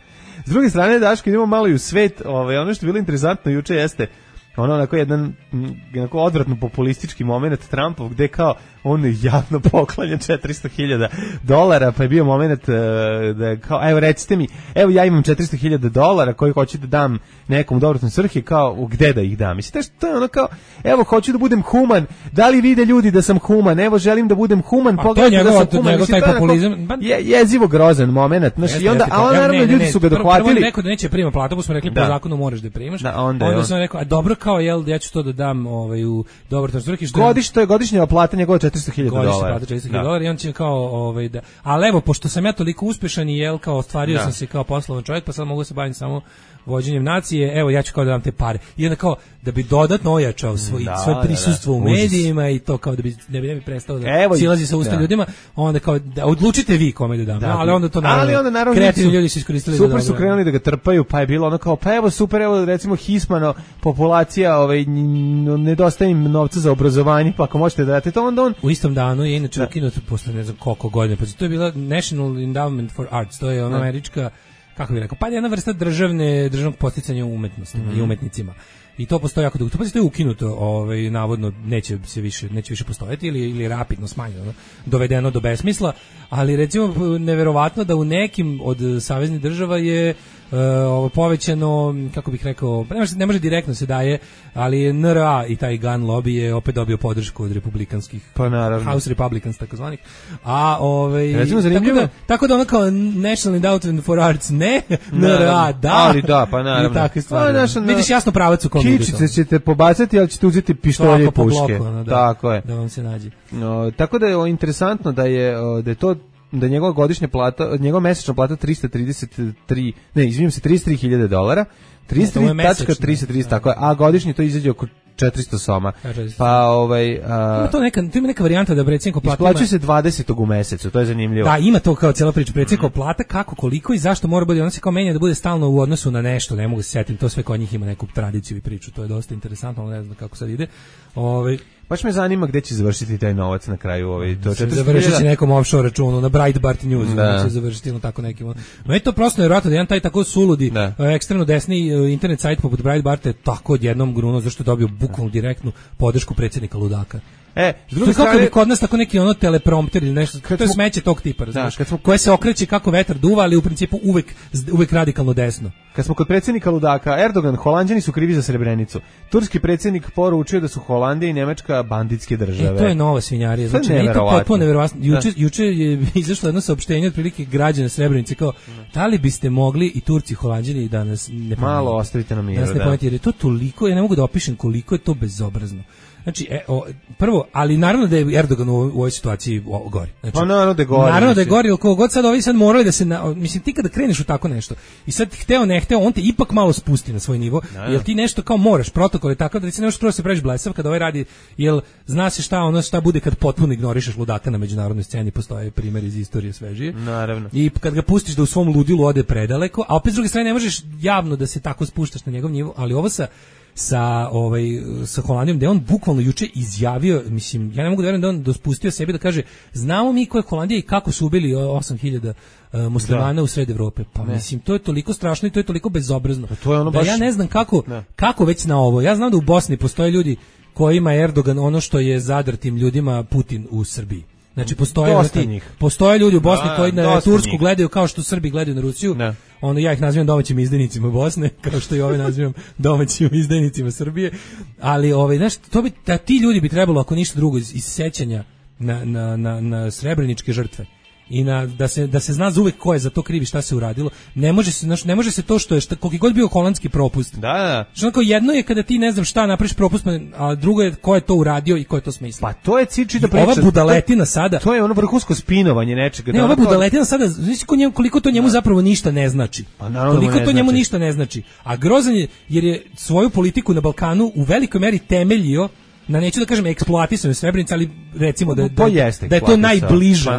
Speaker 6: S druge strane, Daško, idemo malo i u svet. Ono što je bilo interesantno juče jeste ono onako jedan odvratno populistički moment Trumpov, gde kao on javno poklanja $400,000, pa je bio moment da kao, evo recite mi, evo ja imam $400,000 koji hoću da dam nekom dobrotnoj svrhi, kao gde da ih dam. Mislim, to je ono kao, evo hoću da budem human, da li vide ljudi da sam human, evo želim da budem human, pogledajte da sam human.
Speaker 5: Mislim, taj populizam,
Speaker 6: jezivo grozan moment, znači, i onda, a naravno ljudi su ga dohvatili.
Speaker 5: Prvo rekao da neće prima platu, pa smo rekli po zakonu moraš da je primaš, onda sam rekao, a dobro kao, jel, ja ću to da dam u dobrotnoj svrhi.
Speaker 6: Godišnja plata njegova $400,000.
Speaker 5: $400,000 i on će kao ali evo, pošto sam ja toliko uspešan i jel kao ostvario sam se kao poslovan čovjek, pa sad mogu se baviti samo vođenjem nacije, evo ja ću kao da dam te pare. I onda kao da bi dodatno ojačao svoje prisustvo u medijima i to kao da bi ne bi prestao da silazi sa usta ljudima, onda kao da odlučite vi kome da dam. Ali onda to naravno kreativni ljudi su iskoristili za dobro.
Speaker 6: Super su krenuli da ga trpaju, pa je bilo ono kao pa evo super, evo recimo hismano populacija, nedostaje im novca za obrazovanje, pa ako možete da date to, onda on
Speaker 5: u istom danu je inače ukinut posle ne znam koliko godina, pa to je bila National Endowment for Arts, to je ona američka, kako bih rekao, pa jedna vrsta državnog podsticanja umetnostima i umetnicima. I to postoji jako dugo. To je ukinuto, navodno neće više postojati ili rapidno smanjeno, dovedeno do besmisla, ali recimo neverovatno da u nekim od saveznih država je povećano, kako bih rekao, ne može direktno se daje, ali NRA i taj gun lobby je opet dobio podršku od republikanskih,
Speaker 6: pa naravno,
Speaker 5: House Republicans takozvanih. A
Speaker 6: recimo zanimljivo,
Speaker 5: tako da ono kao National Endowment for Arts ne, NRA da.
Speaker 6: Ali da, pa naravno.
Speaker 5: I takve stvari. Vidiš jasno pravac u kom ide to.
Speaker 6: Kičice ćete pobacati, ali ćete uzeti pištolje i puške. Tako je.
Speaker 5: Da vam se nađe.
Speaker 6: Tako da je interesantno da je to da njegova godišnja plata, njegova mesečna plata $33,000, $33,330, tako je, a godišnje to izađe oko 400 soma. Pa
Speaker 5: ima neka varijanta da predsjednikov plata
Speaker 6: isplaćuje se 20. u mesecu, to je zanimljivo.
Speaker 5: Da, ima to kao cijela priča, predsjednikov plata kako, koliko i zašto mora bude, ona se kao menja da bude stalno u odnosu na nešto, ne mogu se setiti, to sve kod njih ima neku tradiciju i priču, to je dosta interesantno, ne znam kako sad ide.
Speaker 6: Baš me zanima gde će završiti taj novac na kraju.
Speaker 5: Završit će nekom offshore računu, na Breitbart News, će završiti tako nekim. No je to prosto nevjerojatno da jedan taj tako suludi, ekstremno desni internet sajt poput Breitbarta je tako odjednom grunuo, zašto je dobio bukvalno direktnu podršku predsjednika ludaka.
Speaker 6: S druge strane,
Speaker 5: kako bi kod nas tako neki teleprompter ili nešto, to je smeće tog tipa, razumiješ, koje se okreće kako vetar duva, ali u principu uvek radikalno desno.
Speaker 6: Kad smo kod predsjednika ludaka, Erdogan, Holanđani su krivi za Srebrenicu. Turski predsjednik poručio da su Holandija i Nemačka banditske države.
Speaker 5: To je nova svinjarija, znači nije to potpuno neverovatno. Juče je izašlo jedno saopštenje otprilike građana Srebrenice kao, da li biste mogli i Turci i Holanđani da nas ne
Speaker 6: malo ostavite na miru,
Speaker 5: jer je to toliko, ja ne mogu da opišem koliko je to bezobrazno. Znači, prvo, ali naravno da je Erdogan u ovoj situaciji gori. Znači,
Speaker 6: pa naravno da je gori.
Speaker 5: Naravno da je gori, ali kogo god sad ovi sad moraju da se, mislim, ti kada kreneš u tako nešto, i sad hteo ne hteo, on te ipak malo spusti na svoj nivo, jer ti nešto kao moraš, protokol je takav da ti se nešto prvo se pređeš blesav kada ovaj radi, jer zna se šta bude kad potpuno ignorišeš ludaka na međunarodnoj sceni, postoje primjer iz istorije svežije.
Speaker 6: Naravno.
Speaker 5: I kad ga pustiš da u svom ludilu ode predaleko, a opet s druge strane ne možeš javno da se tako spuštaš na njegov nivo, ali ovo sa Holandijom, da je on bukvalno juče izjavio, mislim, ja ne mogu da verujem da on dospustio sebi da kaže, znamo mi ko je Holandija i kako su ubili 8.000 muslimana u sred Evrope. Pa mislim, to je toliko strašno i to je toliko bezobrazno.
Speaker 6: To je ono baš...
Speaker 5: ja ne znam kako već na ovo. Ja znam da u Bosni postoje ljudi kojima je Erdogan ono što je zadrtim ljudima Putin u Srbiji. Znači postoje ljudi u Bosni koji na Tursku gledaju kao što Srbi gledaju na Rusiju. Ono, ja ih nazivam domaćim izdajnicima Bosne, kao što i ove nazivam domaćim izdajnicima Srbije. Ali znaš, ti ljudi bi trebalo, ako ništa drugo, iz sećanja na srebreničke žrtve i da se zna zauvek ko je za to krivi, šta se uradilo. Ne može se to što je koliki god bio holandski propust.
Speaker 6: Da.
Speaker 5: Što jedno je kada ti ne znam šta napraviš propust, a drugo je ko je to uradio i ko je to smislio.
Speaker 6: Pa to je ciči da priča.
Speaker 5: Ova budaletina sada.
Speaker 6: To je ono vrhunsko spinovanje nečega.
Speaker 5: Ne, ova budaletina sada, znači koliko to njemu zapravo ništa ne znači. Koliko to njemu ništa ne znači. A grozan je jer je svoju politiku na Balkanu u velikoj meri temeljio na, neću da kažem eksploatisanju Srebrenice, ali recimo da je to najbliža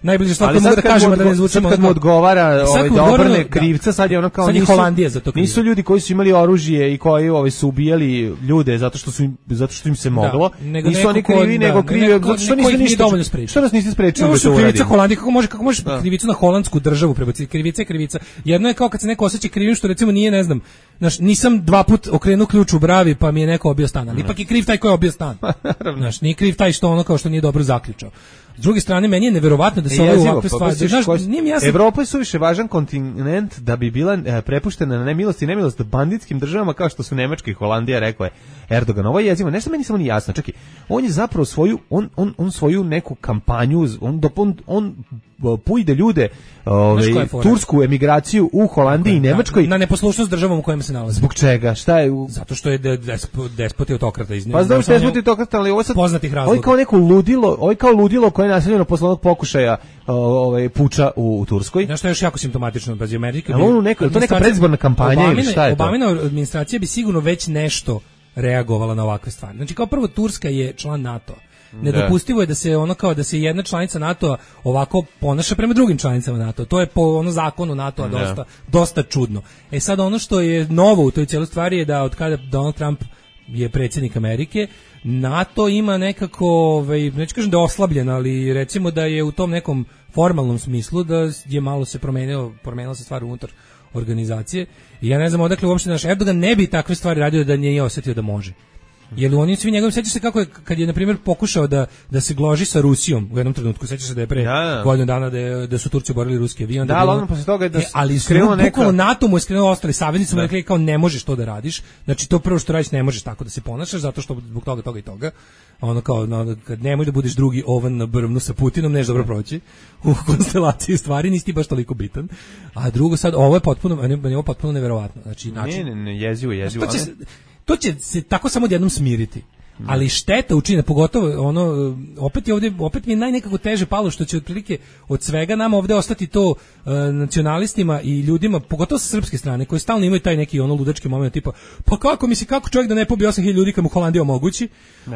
Speaker 5: najbliže stvar mogu da kažemo da ne zvučimo.
Speaker 6: Kad mu odgovara da obrne krivca, sad je ono kao
Speaker 5: Holandija za to.
Speaker 6: Nisu ljudi koji su imali oružje i koji su ubijali ljude zato što im se moglo. Nisu oni krivi, nego krivi zato što nisu ništa dovoljno sprečili. Što nas niste sprečili da to uradimo?
Speaker 5: Krivica Holandije, kako možeš krivicu na holandsku državu prebaciti? Krivica je krivica. Jedno je kao kad se neko osjeća krivim što recimo nije, ne znam, nisam 2 puta okrenuo ključ u bravi pa mi je neko obio stan. Ali ipak je kriv taj ko je obio stan. Nije kriv taj što ono kao što nije dobro zaključao. S druge strane, meni je neverovatno da se ove ovakve stvari...
Speaker 6: Evropa je suviše važan kontinent da bi bila prepuštena na nemilost i nemilost banditskim državama kao što su Nemačka i Holandija, rekao je Erdogan. Ovo je jezivo. Nešto meni samo nije jasno. Čekaj, on je zapravo svoju neku kampanju, on pujde ljude, tursku emigraciju u Holandiji i Nemačkoj.
Speaker 5: Na neposlušnost državom u kojima se nalazi.
Speaker 6: Zbog čega? Šta je?
Speaker 5: Zato što je despot i autokrata iz njega.
Speaker 6: Pa znam što je despot i autokrata, ali ovo sad...
Speaker 5: Poznatih razloga.
Speaker 6: Ovo je kao ludilo koje je naseljeno posle onog pokušaja puča u Turskoj.
Speaker 5: Znaš što je još jako simptomatično? Pazi, Amerika...
Speaker 6: To neka predizborna kampanja ili šta je to?
Speaker 5: Obamina administracija bi sigurno već nešto reagovala na ovakve stvari. Znači, kao prvo, Turska je član NATO. Nedopustivo je da se ono kao da se jedna članica NATO ovako ponaša prema drugim članicama NATO. To je po zakonu NATO dosta čudno. Sad ono što je novo u toj cijeloj stvari je da od kada Donald Trump je predsjednik Amerike, NATO ima nekako, neću kažem da je oslabljen, ali recimo da je u tom nekom formalnom smislu da je malo se promenila se stvar unutar organizacije. I ja ne znam odakle uopšte naš Erdogan ne bi takve stvari radio da nije osjetio da može. Jer oni svi njegovi, sećaš se kako je kad je na primjer pokušao da se gloži sa Rusijom u jednom trenutku, sećaš se da je pre godinu dana da su Turci borili ruski avion,
Speaker 6: ali posle toga da
Speaker 5: ali skrenuo neka NATO mu je skrenuo, ostali saveznici mu rekli kao ne možeš to da radiš. Znači to prvo što radiš, ne možeš tako da se ponašaš zato što zbog toga i toga. Ono kao kad nemoj da budeš drugi ovan na brvnu sa Putinom, neš dobro proći u konstelaciji stvari, nisi ti baš toliko bitan. A drugo sad ovo je potpuno neverovatno. Znači
Speaker 6: ne, jezivo.
Speaker 5: To će se tako samo odjednom smiriti. Ali šteta učine, pogotovo opet mi je najnekako teže palo što će otprilike od svega nama ovdje ostati to nacionalistima i ljudima, pogotovo sa srpske strane, koji stalno imaju taj neki ludački moment tipa, pa kako čovjek da ne pobije 8.000 ljudi kad mu Holandija omogući,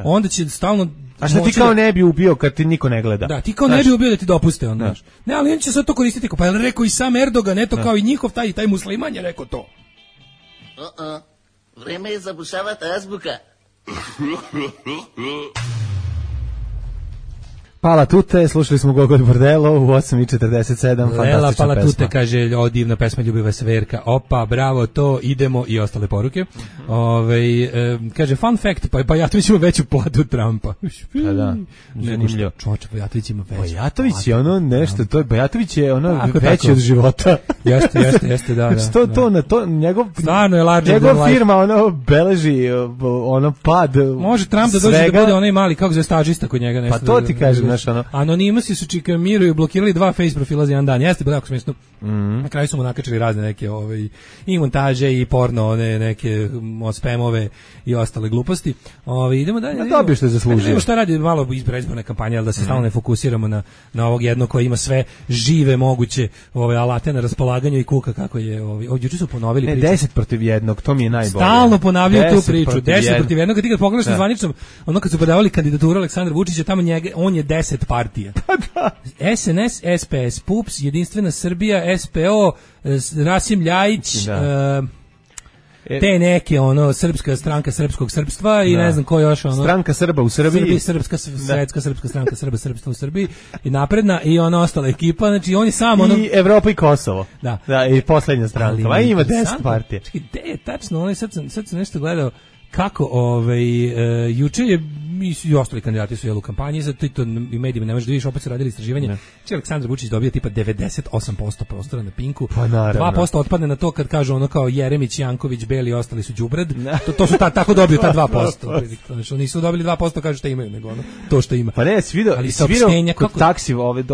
Speaker 5: onda će stalno...
Speaker 6: A što ti kao ne bi ubio kad ti niko ne gleda?
Speaker 5: Da, ti kao ne bi ubio da ti dopuste, onda. Ne, ali on će sad to koristiti, pa je rekao i sam Erdogan, eto kao i njihov taj musliman je rekao to.
Speaker 9: Vreme je zabušavati azbuka.
Speaker 6: Pala Tute, slušali smo Gogol Bordelo u 8.47, fantastična
Speaker 5: Pala
Speaker 6: pesma.
Speaker 5: Tute kaže, divna pesma, ljubiva Severka, opa, bravo, to, idemo i ostale poruke. Kaže, fun fact, pa Bajatović ima veću platu od Trumpa.
Speaker 6: Pa da, zanimljivo.
Speaker 5: Čoče, Bajatović ima veću.
Speaker 6: Bajatović je ono nešto, Bajatović je ono veći od života.
Speaker 5: Jeste, da.
Speaker 6: Što to na to, njegov firma ono beleži, ono pad.
Speaker 5: Može Trump da dođe da bude onaj mali, kako zove stažista kod njega nešto.
Speaker 6: Pa to ti kažem.
Speaker 5: Anonimasi su čikamiraju i blokirali 2 face profila za jedan dan. Jeste, bilo jako smiješno. Na kraju su mu nakačili razne neke i montaže i porno, neke spamove i ostale gluposti. Idemo dalje.
Speaker 6: Dobio što je zaslužio.
Speaker 5: Šta radi malo iz predizborne kampanje, ali da se stalno ne fokusiramo na ovog jednog koji ima sve žive moguće alate na raspolaganju i kuka kako je. Juče su ponovili priču.
Speaker 6: 10 protiv 1, to mi je najbolje.
Speaker 5: Stalno ponavljaju tu priču. 10 protiv 1, kad ti pogledaš na zvaničnom, ono kad su podavali kandidaturu Aleksandra Vučića, tamo on je 10 partija. SNS, SPS, PUPS, Jedinstvena Srbija, SPO, Rasim Ljajić, te neke srpska stranka srpskog srpstva i ne znam ko još
Speaker 6: stranka Srba u Srbiji,
Speaker 5: srpska svetska srpska stranka srpstva u Srbiji i napredna i ona ostala ekipa, znači on je sam
Speaker 6: i Evropa i Kosovo. Da, i poslednja stranka. A ima 10 partija.
Speaker 5: Čekaj, gde je tačno? Sad sam nešto gledao kako juče je i ostali kandidati su u kampanji, zato i to i medijima ne možeš da vidiš, opet su radili istraživanje. Znači Aleksandar Vučić dobio tipa 98% prostora na Pinku, 2% otpadne na to kad kažu ono kao Jeremić, Janković, Beli, ostali su đubrad. To su tako dobio ta 2%. Znači nisu dobili 2%, kažu šta imaju, nego to što ima.
Speaker 6: Pa ne, svi vidio kod taksi ovde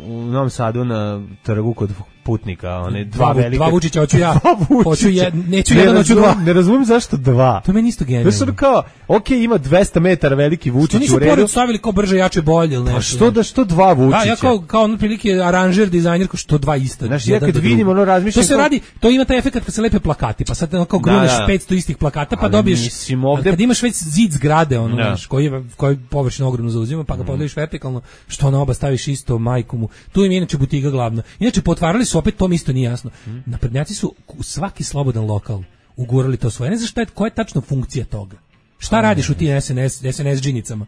Speaker 6: u Novom Sadu na trgu kod putnika, one dva velika.
Speaker 5: Dva Vučića, hoću ja, neću jedan, hoću dva.
Speaker 6: Ne razumem zašto dva.
Speaker 5: To meni isto genijalno.
Speaker 6: To je kao, ima 200 metara veliki Vučić u redu.
Speaker 5: Nisu pored stavili kao brže, jače, bolje ili nešto.
Speaker 6: Pa što dva Vučića?
Speaker 5: Da, ja kao ono prilike aranžer, dizajner, što dva ista.
Speaker 6: Znaš, ja kad vidim, ono razmišljam...
Speaker 5: To se radi, to ima taj efekt kad se lepe plakati, pa sad kao gruneš 500 istih plakata, pa dobiješ... Kad imaš već zid zgrade, ono, znaš, koji površinu ogromno zauzima, pa ga podeliš vertikalno, što na oba staviš isto, majku mu. Tu im je inače butiga glavna. Inače, potvarali su, opet to mi isto nije jasno. Naprednjaci su svaki slobodan lokal ugurali to svoje. Ne znaš koja je tačno funkcija toga. Šta radiš u tim SNS džinicama?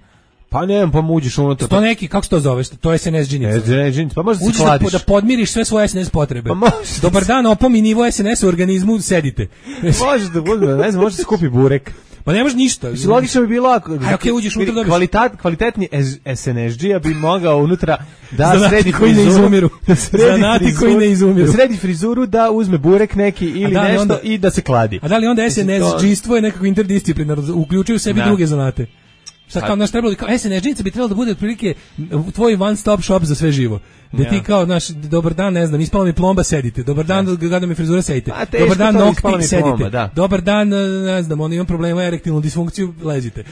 Speaker 6: Pa ne, pa uđeš unutra.
Speaker 5: To neki, kako se to zoveš? To je SNS džinica.
Speaker 6: SNS džinica, pa možda se kladiš.
Speaker 5: Da podmiriš sve svoje SNS potrebe.
Speaker 6: Pa
Speaker 5: dobar dan, opomi nivo SNS u organizmu, sedite.
Speaker 6: Može da bude, ne znam, može se skupi burek.
Speaker 5: Pa nemaš ništa.
Speaker 6: Logično bi bilo ako
Speaker 5: uđeš unutra dobiš.
Speaker 6: Kvalitetni SNSD-a bi mogao unutra da sredi
Speaker 5: koji ne izumiru. Zanati koji ne izumiru.
Speaker 6: Da sredi frizuru, da uzme burek neki ili nešto i da se kladi.
Speaker 5: A da li onda SNSD-stvo je nekako interdisciplinarno, uključuju u sebi druge zanate? Sad kao naš trebalo, kao SNS-džinica bi trebalo da bude otprilike tvoj one stop shop za sve živo. Da ti kao, naš, dobar dan, ne znam, ispala mi plomba, sedite. Dobar dan, gada mi frizura, sedite. Dobar dan, noktik, sedite. Dobar dan, ne znam, imam problema, erektilnu disfunkciju, ležite.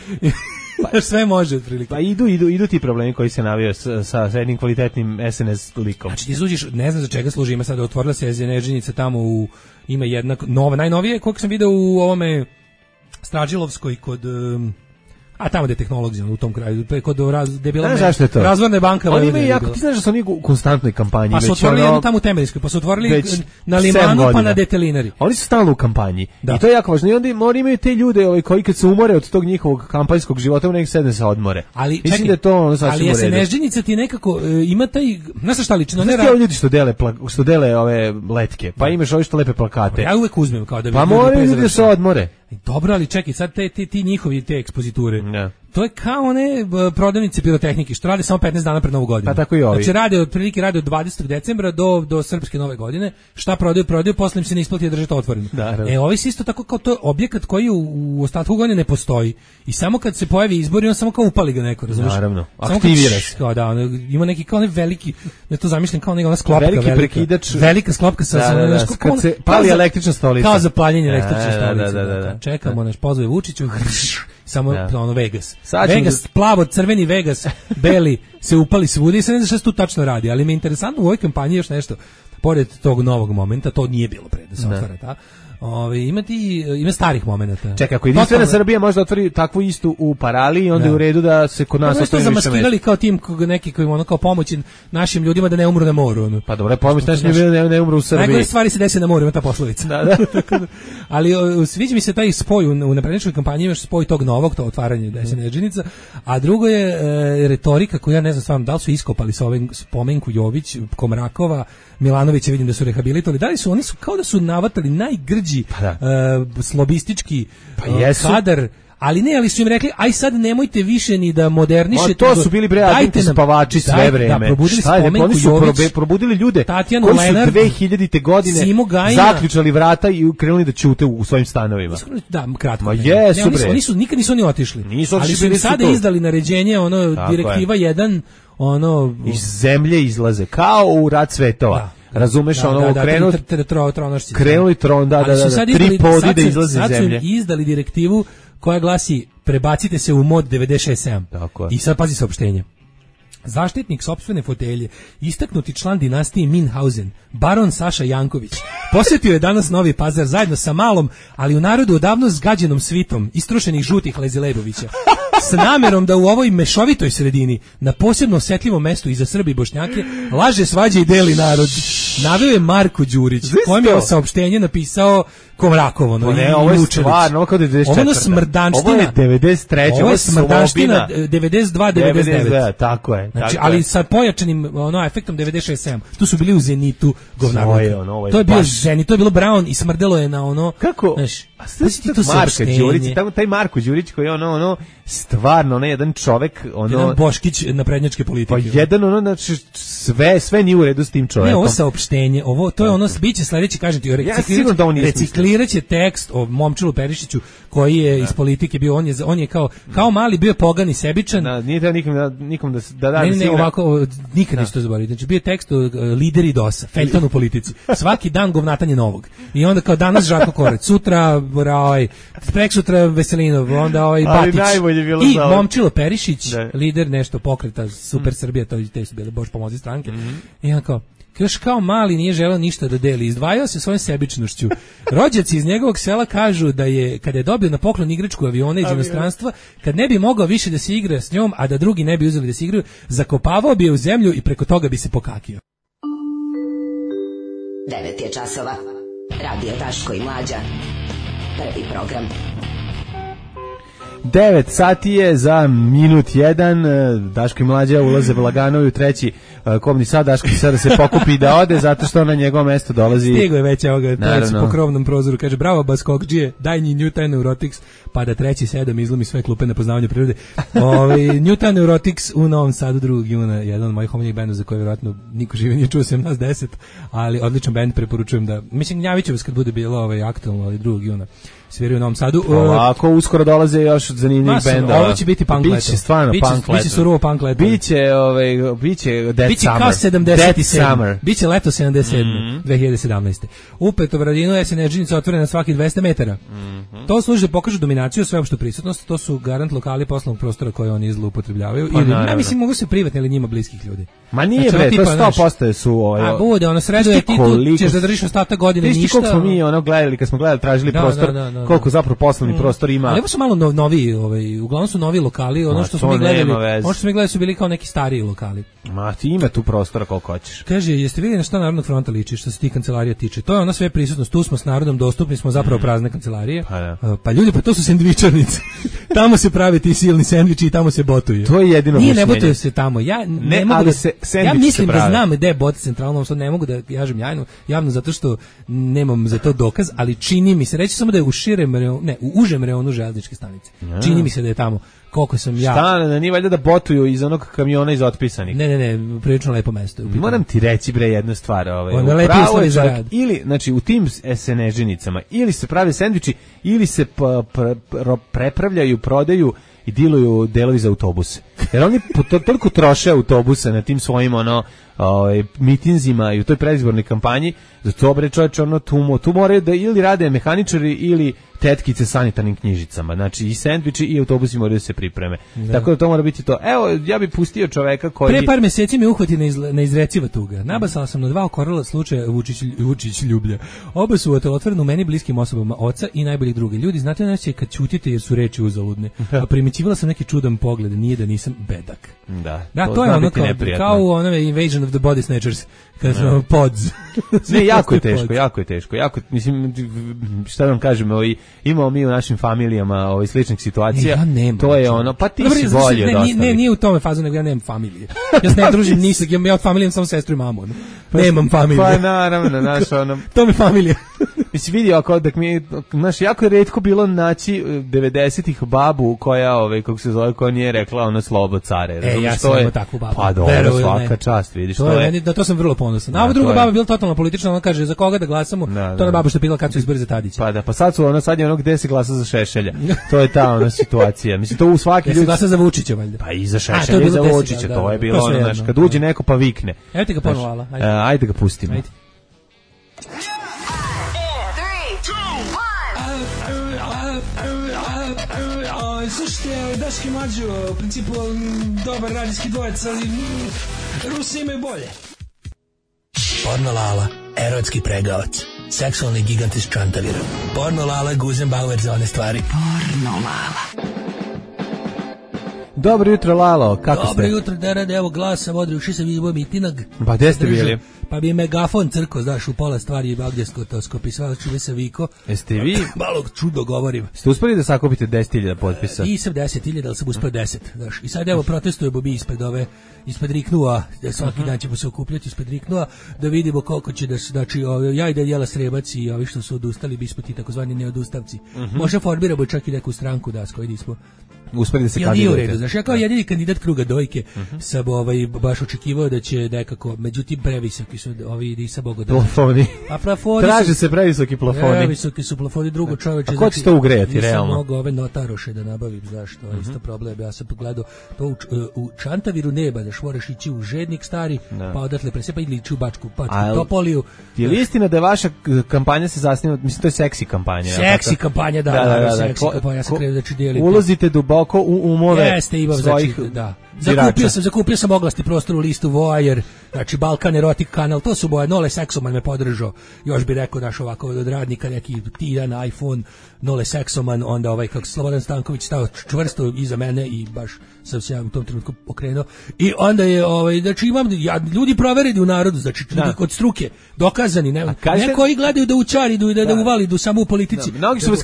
Speaker 5: Pa sve može otprilike.
Speaker 6: Pa idu ti problemi koji se navio sa jednim kvalitetnim SNS likom.
Speaker 5: Znači ti služiš, ne znam za čega služi, ima sad otvorila se SNS-džinica tamo ima jedna nova, najnovije koliko sam video u ovome Stražilovskoj kod a tamo je tehnologija u tom kraju, kod razvorne banka.
Speaker 6: Oni imaju jako, ti znaš da su oni u konstantnoj kampanji.
Speaker 5: Pa su otvorili jednu tamo u Temeljskoj, pa su otvorili na Limanu, pa na Detelinari.
Speaker 6: Oni su stalno u kampanji. I to je jako važno. I onda oni imaju te ljude koji kad se umore od tog njihovog kampanjskog života, nek sedne se odmore.
Speaker 5: Ali
Speaker 6: mislim da je to ono sasvim u redu.
Speaker 5: Ali SNS-džinica ti nekako ima taj, znaš šta lično,
Speaker 6: ne radi. Ljudi što dele ove letke, pa imaš ovi što lepe plakate.
Speaker 5: Ja uvek uzmem kao da bi.
Speaker 6: Pa moraju ljudi da se odmore.
Speaker 5: Dobro, ali čekaj, sad ti njihovi te ekspoziture. To je kao one prodavnice pirotehnike što rade samo 15 dana pred Novu godinu.
Speaker 6: Pa tako i ovi.
Speaker 5: Znači rade od 20. decembra do srpske Nove godine. Šta prodaju, posle im se ne isplati držati otvoreno. Ovi su isto tako kao to objekat koji u ostatku godine ne postoji. I samo kad se pojavi izbori, on samo kao upali ga neko, razumiješ?
Speaker 6: Naravno, aktivira se.
Speaker 5: Ima neki kao veliki, ne to zamišljam kao neka ona sklopka
Speaker 6: veliki prekidač.
Speaker 5: Velika sklopka sa
Speaker 6: kad se pali električna stolica.
Speaker 5: Kao za paljenje električne stolice. Čekamo, naš pozove Vučiću. Samo ono Vegas. Vegas, plavo, crveni Vegas, beli, se upali svuda i se ne zna šta se tu tačno radi, ali mi je interesantno u ovoj kampanji još nešto, pored tog novog momenta, to nije bilo pre da se otvara ta. Ima starih momenata.
Speaker 6: Čekaj, ako jedinstvena Srbija može da otvori takvu istu u Paraliji, onda je u redu da se kod nas otvori više mesta.
Speaker 5: Zamaskirali kao tim neki koji ono kao pomoći našim ljudima da ne umru na moru.
Speaker 6: Pa dobro, pomoć našim ljudima da ne umru u Srbiji.
Speaker 5: Najgore stvari se desi na moru, ima ta poslovica.
Speaker 6: Da.
Speaker 5: Ali sviđa mi se taj spoj u naprednjačkoj kampanji, imaš spoj tog novog, to otvaranje SNS-džinica, a drugo je retorika koju ja ne znam stvarno da li su iskopali sa ovim Spomenku Jović, Komrakova, Milanovića, vidim da su rehabilitovali. Da li su oni kao da su navatali najgrđi slobistički kadar, ali su im rekli aj sad nemojte više ni da modernišete.
Speaker 6: To su bili agenti spavači sve vreme.
Speaker 5: Da, probudili Spomenku Jović,
Speaker 6: probudili ljude
Speaker 5: Tatjanu
Speaker 6: koji
Speaker 5: Lenard,
Speaker 6: su 2000. godine zaključali vrata i krenuli da ćute u svojim stanovima.
Speaker 5: Da, kratko. Nikad nisu oni otišli. Ali su im sada izdali naređenje, direktiva 1,
Speaker 6: iz zemlje izlaze, kao u Rat svetova. Razumeš, krenuli tron, tri podi da izlaze iz zemlje.
Speaker 5: Sad su izdali direktivu koja glasi prebacite se u mod 96.7. I sad pazi saopštenje. Zaštitnik sopstvene fotelje, istaknuti član dinastije Minhausen, baron Saša Janković, posjetio je danas Novi Pazar zajedno sa malom, ali u narodu odavno zgađenom svitom istrušenih žutih Lezilebovića. S namerom da u ovoj mešovitoj sredini, na posebno osjetljivom mestu i za Srbi i Bošnjake, laže, svađa i deli narod. Naveo je Marko Đurić, kojem je saopštenje napisao Komrakov,
Speaker 6: ovo je stvarno, ovo kao 94.
Speaker 5: Ovo je smrdanština.
Speaker 6: Ovo je 93.
Speaker 5: Ovo je smrdanština 92-99.
Speaker 6: Tako je.
Speaker 5: Znači, ali sa pojačanim efektom 96.7. Tu su bili u Zenitu govnarnika. To je bio Zenit, to je bilo Brown i smrdelo je na ono...
Speaker 6: Kako? A Marka Đurić, taj Marko Đurić koji je ono stvarno jedan čovek,
Speaker 5: jedan Boškić naprednjačke politike.
Speaker 6: Pa jedan znači sve nije u redu s tim čovekom.
Speaker 5: Ne, ovo saopštenje, to je ono biće sledeći, kažem ti, recikliraće tekst o Momčilu Perišiću koji je iz politike bio, on je kao mali bio pogan i sebičan.
Speaker 6: Nije treba nikom da
Speaker 5: ne, ovako nikad neću to zaboraviti. Znači bio tekst o lideri DOS-a, Feljton u politici. Svaki dan govnatanje novog. I onda kao danas Žarko Korać, sutra preksutra Veselinov, onda Batić i Momčilo Perišić, lider nešto pokreta Super Srbija, te su bile Bož pomozi stranke. I on još kao mali nije želeo ništa da deli, izdvajao se svojom sebičnošću. Rođaci iz njegovog sela kažu da je, kada je dobio na poklon igračku aviona iz inostranstva, kad ne bi mogao više da se igra s njom, a da drugi ne bi uzeli da se igraju, zakopavao bi je u zemlju i preko toga bi se pokakio.
Speaker 1: 9 je časova. Radio Daško i Mlađa. Prvi program.
Speaker 6: 9 sati je za minut 1. Daško i Mlađa ulaze Blaganovi u treći kobni sad. Daško sada se pokupi da ode zato što na njegovo mesto dolazi.
Speaker 5: Stigo je već ovoga po krovnom prozoru. Kaže bravo Baskokđije, daj njih Newton Neurotics, pa da 3.7 izlomi sve klupe na poznavanju prirode. Newton Neurotics u Novom Sadu 2. juna, jedan od mojih omiljenih bendova za koje vjerojatno niko žive nije čuo sem nas 10, ali odličan bend, preporučujem da, mislim Gnjavićevac kad bude bilo aktualno, ali 2. juna sviraju u Novom Sadu.
Speaker 6: Ovako uskoro dolaze još zanimljivih bendova.
Speaker 5: Ovo će biti punk leto.
Speaker 6: Biće stvarno punk leto.
Speaker 5: Biće surovo punk leto.
Speaker 6: Biće Dead Summer.
Speaker 5: Kao 77. Biće leto 77. 2017. U Petovradinu je SNŽnica otvorena svaki 200 metara. To služi da pokažu dominaciju, sveopštu prisutnost. To su garant lokali poslovnog prostora koje oni zloupotrebljavaju. Ja mislim mogu se privatni ili njima bliskih ljudi.
Speaker 6: Ma nije bre, to 100% su
Speaker 5: a bude, ono sreduje ti tu ćeš da držiš ostatak godine ništa.
Speaker 6: Ti koliko smo mi gledali, kad smo gledali, tražili prostor, koliko zapravo poslovni prostor ima.
Speaker 5: Ali ovo su malo novi, uglavnom su novi lokali, ono što smo mi gledali su bili kao neki stariji lokali.
Speaker 6: Ma ti ima tu prostora koliko hoćeš.
Speaker 5: Kaže, jeste vidjeli na šta Narodnog fronta liči što se ti kancelarija tiče? To je ona sve prisutnost, tu smo s narodom dostupni, smo zapravo prazne kancelarije. Pa ljudi, pa to su sendvičarnice. Tamo se prave ti silni sendviči i tamo se botuje.
Speaker 6: To je jedino
Speaker 5: mišljenje. Nije, ne botuje se tamo. Ja ne mogu ja mislim da znam gde je bot centralno, sad ne mogu da kažem javno zato što nemam za to dokaz, ali čini mi se, reći samo da je u užem reonu železničke stanice. Čini mi se da je tamo. Koliko sam ja.
Speaker 6: Šta, nije valjda da botuju iz onog kamiona iz otpisanih.
Speaker 5: Ne, prilično lepo mesto.
Speaker 6: Moram ti reći bre jednu stvar,
Speaker 5: pravo je čovjek,
Speaker 6: ili znači u tim SNŽ-nicama ili se prave sendviči ili se prepravljaju, prodaju i diluju delovi za autobuse. Jer oni toliko troše autobuse na tim svojim mitinzima i u toj predizbornoj kampanji, za to bre čovječe tu moraju da ili rade mehaničari ili tetkice sanitarnim knjižicama. Znači i sendviči i autobusi moraju da se pripreme. Tako da to mora biti to. Evo, ja bih pustio čoveka koji...
Speaker 5: Pre par mjeseci me uhvati neizreciva tuga. Nabasala sam na 2 okorela slučaja Vučić ljublja. Oba su otvoreno meni bliskim osobama, oca i najboljih druga. Ljudi, znate nešto kad ćutite jer su reči uzaludne. A primetivala sam neki čudan pogled, nije da nisam bedak. Da, to je ono kao u onome Invasion of the Body Snatchers, kada smo pods.
Speaker 6: Ne, jako je teško. Mislim, šta vam kažem, imamo mi u našim familijama sličnih situacija.
Speaker 5: Ja nemam.
Speaker 6: To je ono, pa ti si bolje od ostalih.
Speaker 5: Ne, nije u tome fazu, nego ja nemam familije. Ja se ne družim nisak, ja od familije imam samo sestru i mamu. Nemam familije.
Speaker 6: Pa naravno, znaš, ono...
Speaker 5: To mi familija.
Speaker 6: Mislim, vidio, znaš, jako je retko bilo naći 90-ih babu koja, kako se zove, koja nije rekla slobo care.
Speaker 5: Ja sam imao takvu babu.
Speaker 6: Pa dobro, svaka čast, vidiš.
Speaker 5: To sam vrlo ponosan. A ova druga baba je bila totalno politična, ona kaže, za koga da glasamo, to ona baba što je pitala kad su izbori za Tadića.
Speaker 6: Pa sad je ono gde se glasa za Šešelja. To je ta ona situacija. Mislim, to u svaki ljudi...
Speaker 5: se glasa za Vučića, valjda.
Speaker 6: Pa i za Šešelja i za Vučića, to je bilo ono, znaš, kad uđe neko pa vikne.
Speaker 5: Evo ti ga ponovala.
Speaker 6: Ajde ga pustimo.
Speaker 5: Slušajte, Daški Mlađo, u principu dobar radijski dvojec, ali Rusi imaju bolje. Porno Lala, erotski pregavac, seksualni gigant iz Čantavira. Porno Lala, Guzenbauer za one stvari. Porno Lala.
Speaker 6: Dobro jutro, Lalo, kako ste?
Speaker 5: Dobro jutro, da rade, evo glasa, vodri, uši sam imao mitinog.
Speaker 6: Pa gde ste bili?
Speaker 5: Pa bi megafon crko, znaš, u pola stvari je bagdjeskotoskop i sva čuve se viko.
Speaker 6: Jeste vi?
Speaker 5: Malo čudo govorim.
Speaker 6: Ste uspeli da sakupite 10.000 potpisa?
Speaker 5: Nisam 10.000, ali sam uspio 10, znaš. I sad evo protestujemo mi ispred Riknua, svaki dan ćemo se okupljati ispred Riknua, da vidimo koliko će da, znači, ja i Danijela Srebac i ovi što su odustali, bismo ti takozvani neodustavci. Možda formiramo čak i neku stranku da s kojoj nismo
Speaker 6: uspeli da se
Speaker 5: kandidujete. Znaš, ja kao jedini kandidat kruga dojke sam baš očekivao da će nekako, međutim previsoki su ovi, nisam mogo da...
Speaker 6: Plafoni.
Speaker 5: A plafoni
Speaker 6: traže se previsoki plafoni.
Speaker 5: Previsoki su plafoni, drugo čoveče.
Speaker 6: A ko će to ugrejati, realno?
Speaker 5: Nisam mogo ove notaroše da nabavim, znaš, to je isto problem. Ja sam pogledao to u Čantaviru neba, da moraš ići u Žednik stari, pa odatle presepa ili ići u Bačku Topoliju.
Speaker 6: Je li istina da vaša kampanja se zasniva, mislim, to je seksi kampanja?
Speaker 5: Seksi kampanja, da, seksi kampanja, ja sam krenuo da ću dijeliti.
Speaker 6: Ulazite duboko u umove svojih...
Speaker 5: Zakupio sam oglasni prostor u listu Voajer, znači Balkan Erotic kanal, to su moje, Nole Seksoman me podržao, još bi rekao naš ovako od radnika neki tiran iPhone, Nole Seksoman, onda ovaj kako Slobodan Stanković stao čvrsto iza mene i baš sam se ja u tom trenutku okrenuo i onda je, znači imam, ljudi provereni u narodu, znači kod struke, dokazani, ne koji gledaju da učaridu i da uvalidu samo u politici.
Speaker 6: Mnogi su vas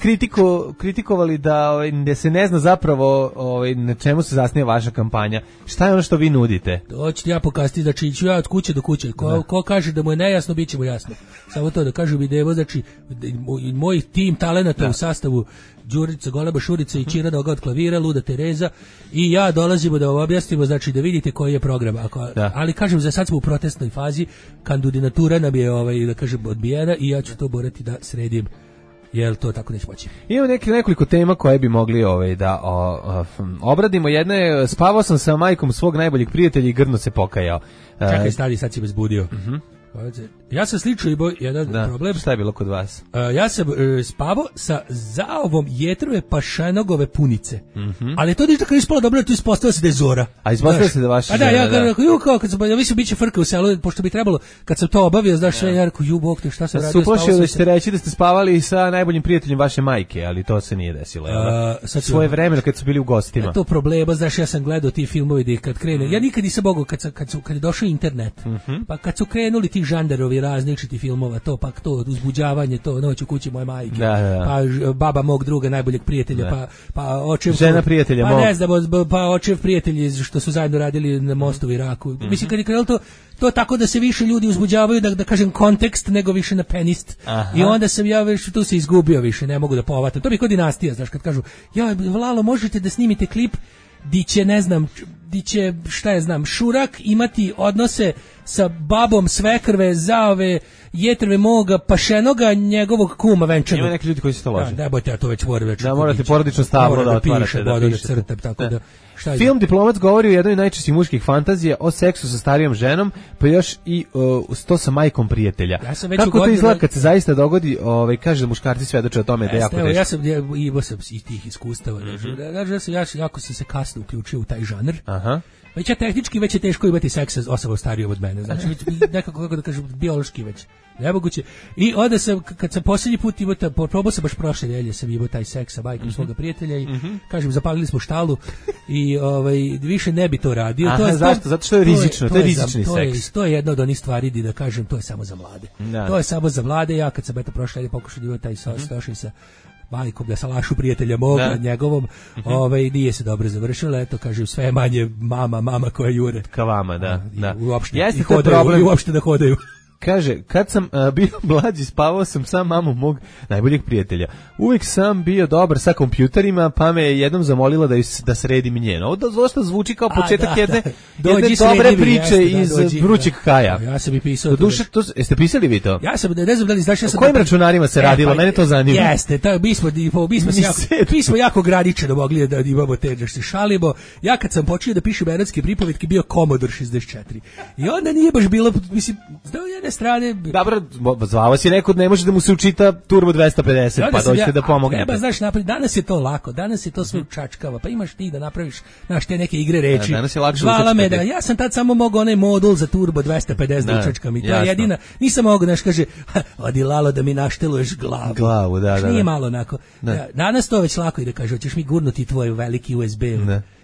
Speaker 6: kritikovali da se ne zna zapravo na čemu se zasniva vaša kampanja. Šta je ono što vi nudite?
Speaker 5: To ću ja pokazati, znači ću ja od kuće do kuće. Ko kaže da mu je nejasno, bit će mu jasno. Samo to da kažu video, znači moj tim talenata u sastavu Đurica, Goleba, Šurica i Čira Noga od klavira, Luda Tereza i ja dolazimo da vam objasnimo, znači da vidite koji je program. Ali kažem, za sad smo u protestnoj fazi, kandidatura nam je da kažem odbijena i ja ću to morati da sredim. Jel to tako neće moći?
Speaker 6: Imamo nekoliko tema koje bi mogli da obradimo. Jedna je, spavao sam sa majkom svog najboljeg prijatelja i grdno se pokajao.
Speaker 5: Čekaj, stadi, sad si me zbudio. Ja sam slično imao jedan problem.
Speaker 6: Šta je bilo kod vas?
Speaker 5: Ja sam spavao sa zaovom jetrove pašanogove punice. Ali to ništa kad je ispalo dobro, to ispostavilo se da je Zora.
Speaker 6: A ispostavilo se da vaša žena,
Speaker 5: ja kad sam, ja mislim, biće frka u selu, pošto bi trebalo, kad sam to obavio, znaš sve, ja rekao, bog te, šta sam radio?
Speaker 6: Suplašio da ćete reći da ste spavali sa najboljim prijateljem vaše majke, ali to se nije desilo. Svoje vremena kad su bili u gostima.
Speaker 5: To problema, znaš, ja sam gledao ti filmovi da kad krene, ja nikad nisam mogao kad je došao internet, pa kad su krenuli ti žandarovi različiti filmova, pa to uzbuđavanje, to noć u kući moje majke, pa baba mog druga najboljeg prijatelja, pa očev
Speaker 6: žena prijatelja
Speaker 5: mog, ne znam, pa očev prijatelji što su zajedno radili na mostu u Iraku. Mislim kad je krenulo to tako da se više ljudi uzbuđavaju, da kažem kontekst, nego više na penist. I onda sam ja već tu se izgubio više, ne mogu da povatam. To bi kod dinastija, znaš, kad kažu, Lalo, možete da snimite klip di će, šta je znam, Šurak imati odnose sa babom svekrve, zaove, jetrve moga, pašenoga, njegovog kuma venčanog.
Speaker 6: Ima neki ljudi koji se to lože.
Speaker 5: Da, bojte, ja to već moram već.
Speaker 6: Da, morate porodično stablo da otvarate.
Speaker 5: Da crtam, tako da.
Speaker 6: Film Diplomac govori o jednoj najčešćih muških fantazija, o seksu sa starijom ženom, pa još i to sa majkom prijatelja. Kako to izgleda kad se zaista dogodi, kaže da muškarci svedoče o tome da je jako teško.
Speaker 5: Ja sam i tih iskustava. Jako sam se kasno uključio u taj žanr. Već je tehnički, već je teško imati seks sa osobom starijom od mene. Znači, nekako, kako da kažem, biološki već nemoguće. I onda sam, kad sam posljednji put probao sam baš prošle nedelje, sam imao taj seks sa majkom svoga prijatelja i, kažem, zapalili smo štalu i više ne bi to radio.
Speaker 6: Zašto? Zato što je rizično, to je rizični seks.
Speaker 5: To je jedna od onih stvari, da kažem, to je samo za mlade. To je samo za mlade. Ja kad sam prošle nedelje pokušao da imao taj stošen sa majkom, da salašu prijatelja moga, njegovom, nije se dobro završilo, eto, kažem, sve je manje mama koja jure.
Speaker 6: Ka vama, da.
Speaker 5: Uopšte da hodaju.
Speaker 6: Kaže, kad sam bio mlađi, spavao sam sa mamom mog najboljeg prijatelja. Uvijek sam bio dobar sa kompjuterima, pa me je jednom zamolila da sredim njeno. Ovo dosta zvuči kao početak jedne dobre priče iz Vrućeg Kaja.
Speaker 5: Ja sam i pisao.
Speaker 6: Jeste pisali vi to?
Speaker 5: Ja sam, ne znam da li znaš, ja sam...
Speaker 6: O kojim računarima se radilo? Mene to zanima.
Speaker 5: Jeste, mi smo jako graničeno mogli da imamo te, da se šalimo. Ja kad sam počeo da pišem erotske pripovetke, bio Commodore 64. I onda nije baš bilo, mislim, strane.
Speaker 6: Dobro, zvao si nekud, ne može da mu se učita Turbo 250, pa dođete da pomognete.
Speaker 5: Znaš, danas je to lako, danas je to sve čačkava, pa imaš ti da napraviš, znaš, te neke igre reči.
Speaker 6: Danas je lakše
Speaker 5: zvala me da, ja sam tad samo mogao onaj modul za Turbo 250 da učačkam i to je jedina, nisam mogao, znaš, kaže, odi Lalo da mi našteluješ glavu.
Speaker 6: Glavu, da.
Speaker 5: Nije malo onako. Danas to već lako i da kaže, hoćeš mi gurnuti tvoj veliki USB.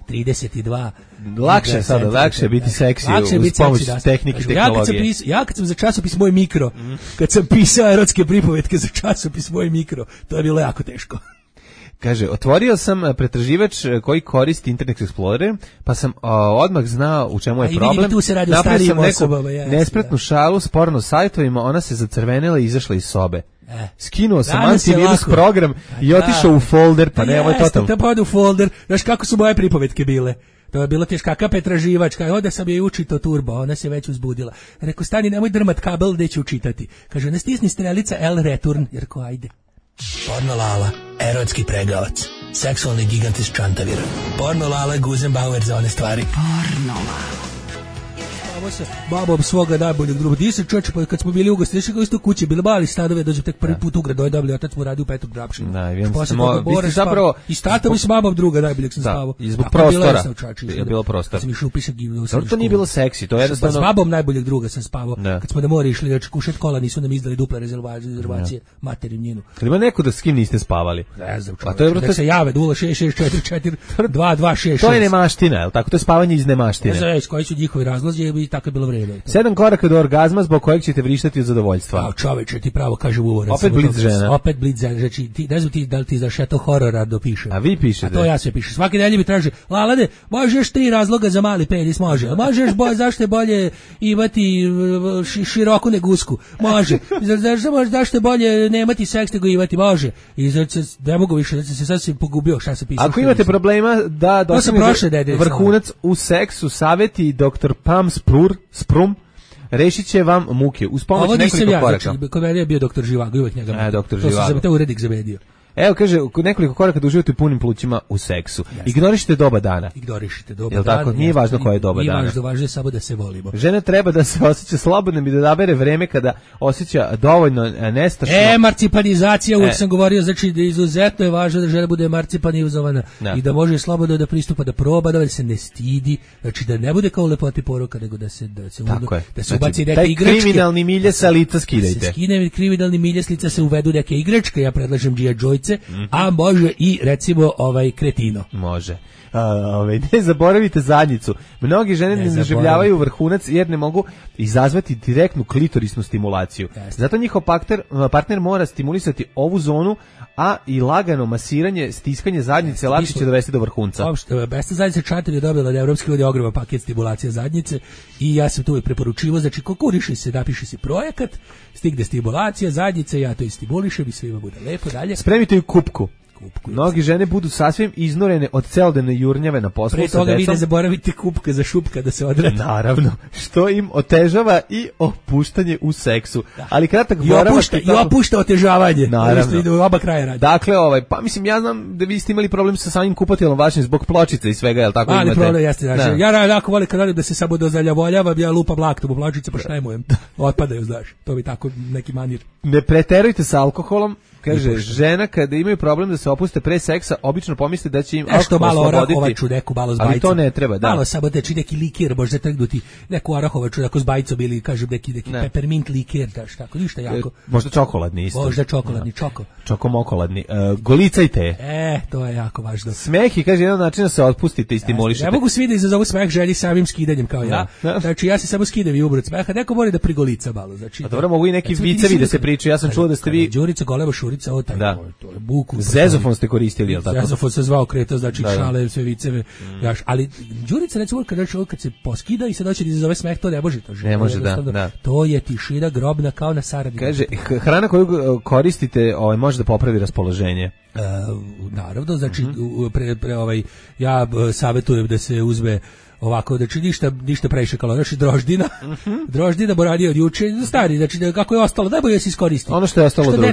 Speaker 5: 32.
Speaker 6: Lakše sada, lakše biti seksi uz pomoć tehnike i tehnologije.
Speaker 5: Ja kad sam za časopis Moj mikro, kad sam pisao erotske pripovetke za časopis Moj mikro, to je bilo jako teško.
Speaker 6: Kaže, otvorio sam pretraživač koji koristi Internet Explorer, pa sam odmah znao u čemu je problem. Napravio sam neku nespretnu šalu s porno sajtovima, ona se zacrvenila i izašla iz sobe. Skinuo sam antivirus program i otišao u folder, pa ne, ovo je totalno.
Speaker 5: To pa ode u folder, znaš kako su moje pripovetke bile. To je bilo teška pretraživačka, onda sam je učito turbo, ona se već uzbudila. Rekao, stani, nemoj drmat kabel, gde ću učitati. Kaže, ne stisni strelica L return, jer ko, ajde. Porno Lala, erotski pregavac, seksualni gigant iz Čantavira. Porno Lala, Guzenbauer za one stvari. Porno Lala. Ovo se babom svoga najboljeg druga. Di se čoče, pa kad smo bili u gosti, kao isto kuće, bili mali stanove, dođem tek prvi put u grad, dobili, otac mu radi u Petog Drapšinu.
Speaker 6: Da, vi ste zapravo...
Speaker 5: I s tatom i s babom druga najboljeg sam spavao.
Speaker 6: I zbog prostora. Je bilo prostor.
Speaker 5: Sam išao upisak i
Speaker 6: to nije bilo seksi, to je jednostavno...
Speaker 5: S babom najboljeg druga sam spavao. Kad smo na more išli, znači kušat kola, nisu nam izdali duple rezervacije, materim njenu.
Speaker 6: Ima neko da s kim niste spavali?
Speaker 5: Ne znam, čovjek. Da se jave, 06644
Speaker 6: To je nemaština, je li tako? To je spavanje iz nemaštine.
Speaker 5: Ne znam, koji su njihovi razlozi i tako je bilo vreme.
Speaker 6: 7 koraka do orgazma zbog kojeg ćete vrištati od zadovoljstva.
Speaker 5: A čoveče, ti pravo kaže u uvoru.
Speaker 6: Opet blic žena.
Speaker 5: Opet blic žena. Znači, ti, ne znam ti da li ti znaš, ja to horora dopišem.
Speaker 6: A vi pišete?
Speaker 5: A to ja sve pišem. Svaki dan mi traži, Lalade, možeš 3 razloga za mali penis, može. Možeš zašto je bolje imati široku nego usku, može. Zašto je bolje nemati seks nego imati, može. I znači, ne mogu više, znači se sasvim pogubio šta sam pisao.
Speaker 6: Ako imate problema da dosegnete vrhunac u seksu, savjeti dr. Pam Sprum rešit će vam muke uz pomoć nekoliko koraka.
Speaker 5: Znači, kod mene je bio doktor Živago, uvek njega.
Speaker 6: Doktor Živago.
Speaker 5: To se za urednik zabedio.
Speaker 6: Evo, kaže, nekoliko koraka da uživate u punim plućima u seksu. Ignorišite doba dana.
Speaker 5: Ignorišite doba
Speaker 6: dana. Jel tako? Nije važno koje je doba dana.
Speaker 5: Nije važno je samo da se volimo.
Speaker 6: Žena treba da se osjeća slobodno i da dabere vreme kada osjeća dovoljno nestašno.
Speaker 5: Marcipanizacija, uvijek sam govorio, znači da izuzetno je važno da žena bude emancipanizovana i da može slobodno da pristupa, da proba, da se ne stidi, znači da ne bude kao u lepoti poroka, nego da se ubaci neke igračke.
Speaker 6: Taj kriminalni milje sa lica skidajte.
Speaker 5: Se skine kriminalni milje s lica, se uvedu neke igračke, ja predlažem G.I. Joyce, a može i recimo kretino.
Speaker 6: Može. Ne zaboravite zadnjicu. Mnogi žene ne doživljavaju vrhunac jer ne mogu izazvati direktnu klitorisnu stimulaciju. Zato njihov partner mora stimulisati ovu zonu, a i lagano masiranje, stiskanje zadnjice lakše će dovesti do vrhunca.
Speaker 5: Besta zadnjica Čantar je dobila od Evropske unije ogroman paket stimulacija zadnjice i ja sam tu preporučivao, znači konkuriši se, napiši se projekat, stigne stimulacija zadnjice, ja to i stimulišem i svima bude lepo dalje.
Speaker 6: Spremite ju kupku. Mnogi žene budu sasvim iznorene od celodnevne jurnjave na poslu sa decom.
Speaker 5: Pre toga vi ne zaboravite kupka za šupka da se odradi.
Speaker 6: Naravno, što im otežava i opuštanje u seksu. Ali kratak
Speaker 5: boravak i opušta otežavanje.
Speaker 6: Naravno.
Speaker 5: Ide u oba kraja radi.
Speaker 6: Dakle, pa mislim, ja znam da vi ste imali problem sa samim kupateljom vašim zbog pločice i svega, jel tako imate?
Speaker 5: Ali problem jeste, znači, ja jako volim kad radim da se samo dozaljavoljava, ja lupam laktom u pločice, pa šta imujem? Otpadaju, znaš, to bi tako neki manir.
Speaker 6: Ne preterujte sa alkoholom. Kaže, žena kada imaju problem da se opuste pre seksa, obično pomisle da će im alkohol osloboditi.
Speaker 5: Arahovaču neku malo s bajicom.
Speaker 6: Ali to ne treba, da.
Speaker 5: Malo samo da neki likir, možda trgnuti neku arahovaču ako s bajicom ili kažem neki peppermint likir, tako ništa jako.
Speaker 6: Možda čokoladni isto.
Speaker 5: Možda čokoladni,
Speaker 6: čokomokoladni. Golicajte.
Speaker 5: To je jako važno.
Speaker 6: Smeh je, kaže, jedan način da se otpustite i stimulišete.
Speaker 5: Ne mogu svi da izazovu smeh ženi samim skidanjem kao ja. Znači ja se samo skidam i umrut smeha, neko mora da prigolica malo. Znači,
Speaker 6: a dobro, mogu i neki vicevi da se pričaju. Ja sam čuo da ste vi
Speaker 5: Đurica Goleba Šurica, to je buku.
Speaker 6: Zezofon ste koristili, jel tako?
Speaker 5: Zezofon se zvao Kreta, znači šale, sve viceve. Ali Đurica recimo kad se poskida i se doći da izazove smeh, to ne može to.
Speaker 6: Ne može, da.
Speaker 5: To je tišina grobna kao na Saradini.
Speaker 6: Kaže, hrana koju koristite može da popravi raspoloženje.
Speaker 5: Naravno, znači ja savjetujem da se uzme ovako, znači ništa previše kalorija, znači droždina boranije od juče, stari, znači kako je ostalo, najbolje da se iskoristi.
Speaker 6: Ono što je ostalo od ručka.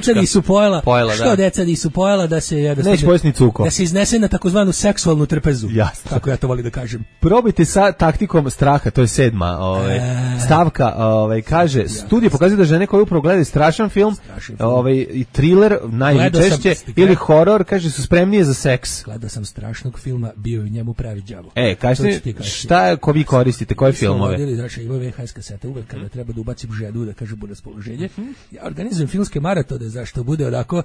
Speaker 5: Što deca nisu pojela, da se
Speaker 6: neće pojesti ni cuko.
Speaker 5: Da se iznese na takozvanu seksualnu trpezu.
Speaker 6: Jasno.
Speaker 5: Tako ja to volim da kažem.
Speaker 6: Probajte sa taktikom straha, to je 7. stavka, kaže, studije pokazuju da žene koje upravo gledaju strašan film, i thriller najčešće ili horor, kaže, su spremnije za seks.
Speaker 5: Gledao sam strašnog filma, bio je u njemu pravi đavo.
Speaker 6: Kažete šta ko vi koristite, koje filmove?
Speaker 5: Znači, ima VHS kasete uvek kada treba da ubacim žedu, da kažem bude raspoloženje. Ja organizujem filmske maratone, zašto bude onako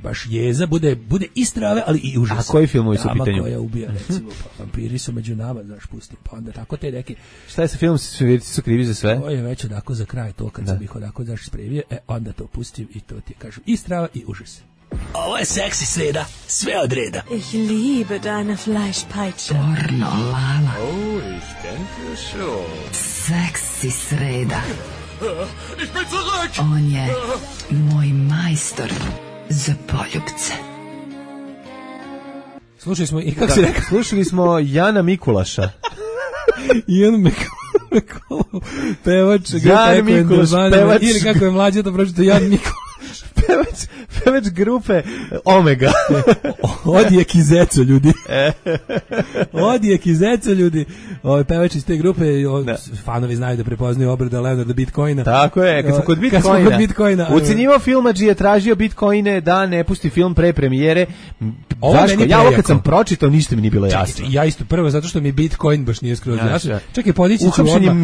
Speaker 5: baš jeza, bude i strave, ali i užas.
Speaker 6: A koji filmovi su u pitanju?
Speaker 5: Koja ubija, recimo, vampiri su među nama, znaš, pustim, pa onda tako te neke...
Speaker 6: Šta je sa filmom, svi su krivi za sve?
Speaker 5: To je već onako za kraj, to kad sam ih onako, znaš, spremio, onda to pustim i to ti kažem, i strava i užas.
Speaker 10: Ovo je seksi sreda, sve od reda.
Speaker 11: Ich liebe deine Fleischpeitsche.
Speaker 1: Pornolala.
Speaker 3: Oh, ich denke schon.
Speaker 1: Seksi sreda.
Speaker 3: Ich bin zurück!
Speaker 1: On je moj majstor za poljubce.
Speaker 5: Slušali smo, i kako si rekao?
Speaker 6: Slušali smo Jana Mikulaša.
Speaker 5: Jan Mikulaš, pevač.
Speaker 6: Jan Mikulaš, pevač.
Speaker 5: Ili kako je mlađe to pročito, Jan Mikulaš.
Speaker 6: Pevač grupe Omega.
Speaker 5: Odijek i zeco, ljudi. Odijek i zeco, ljudi. Pevač iz te grupe, fanovi znaju da prepoznaju obrada Leonarda Bitcoina.
Speaker 6: Tako je, kad smo kod Bitcoina. Ucenjivao filmadži je tražio Bitcoine da ne pusti film pre premijere. Zašto? Ja ovo kad sam pročitao, ništa mi nije bilo jasno.
Speaker 5: Ja isto prvo, zato što mi Bitcoin baš nije skroz jasno. Čekaj, podići ću
Speaker 6: odmah.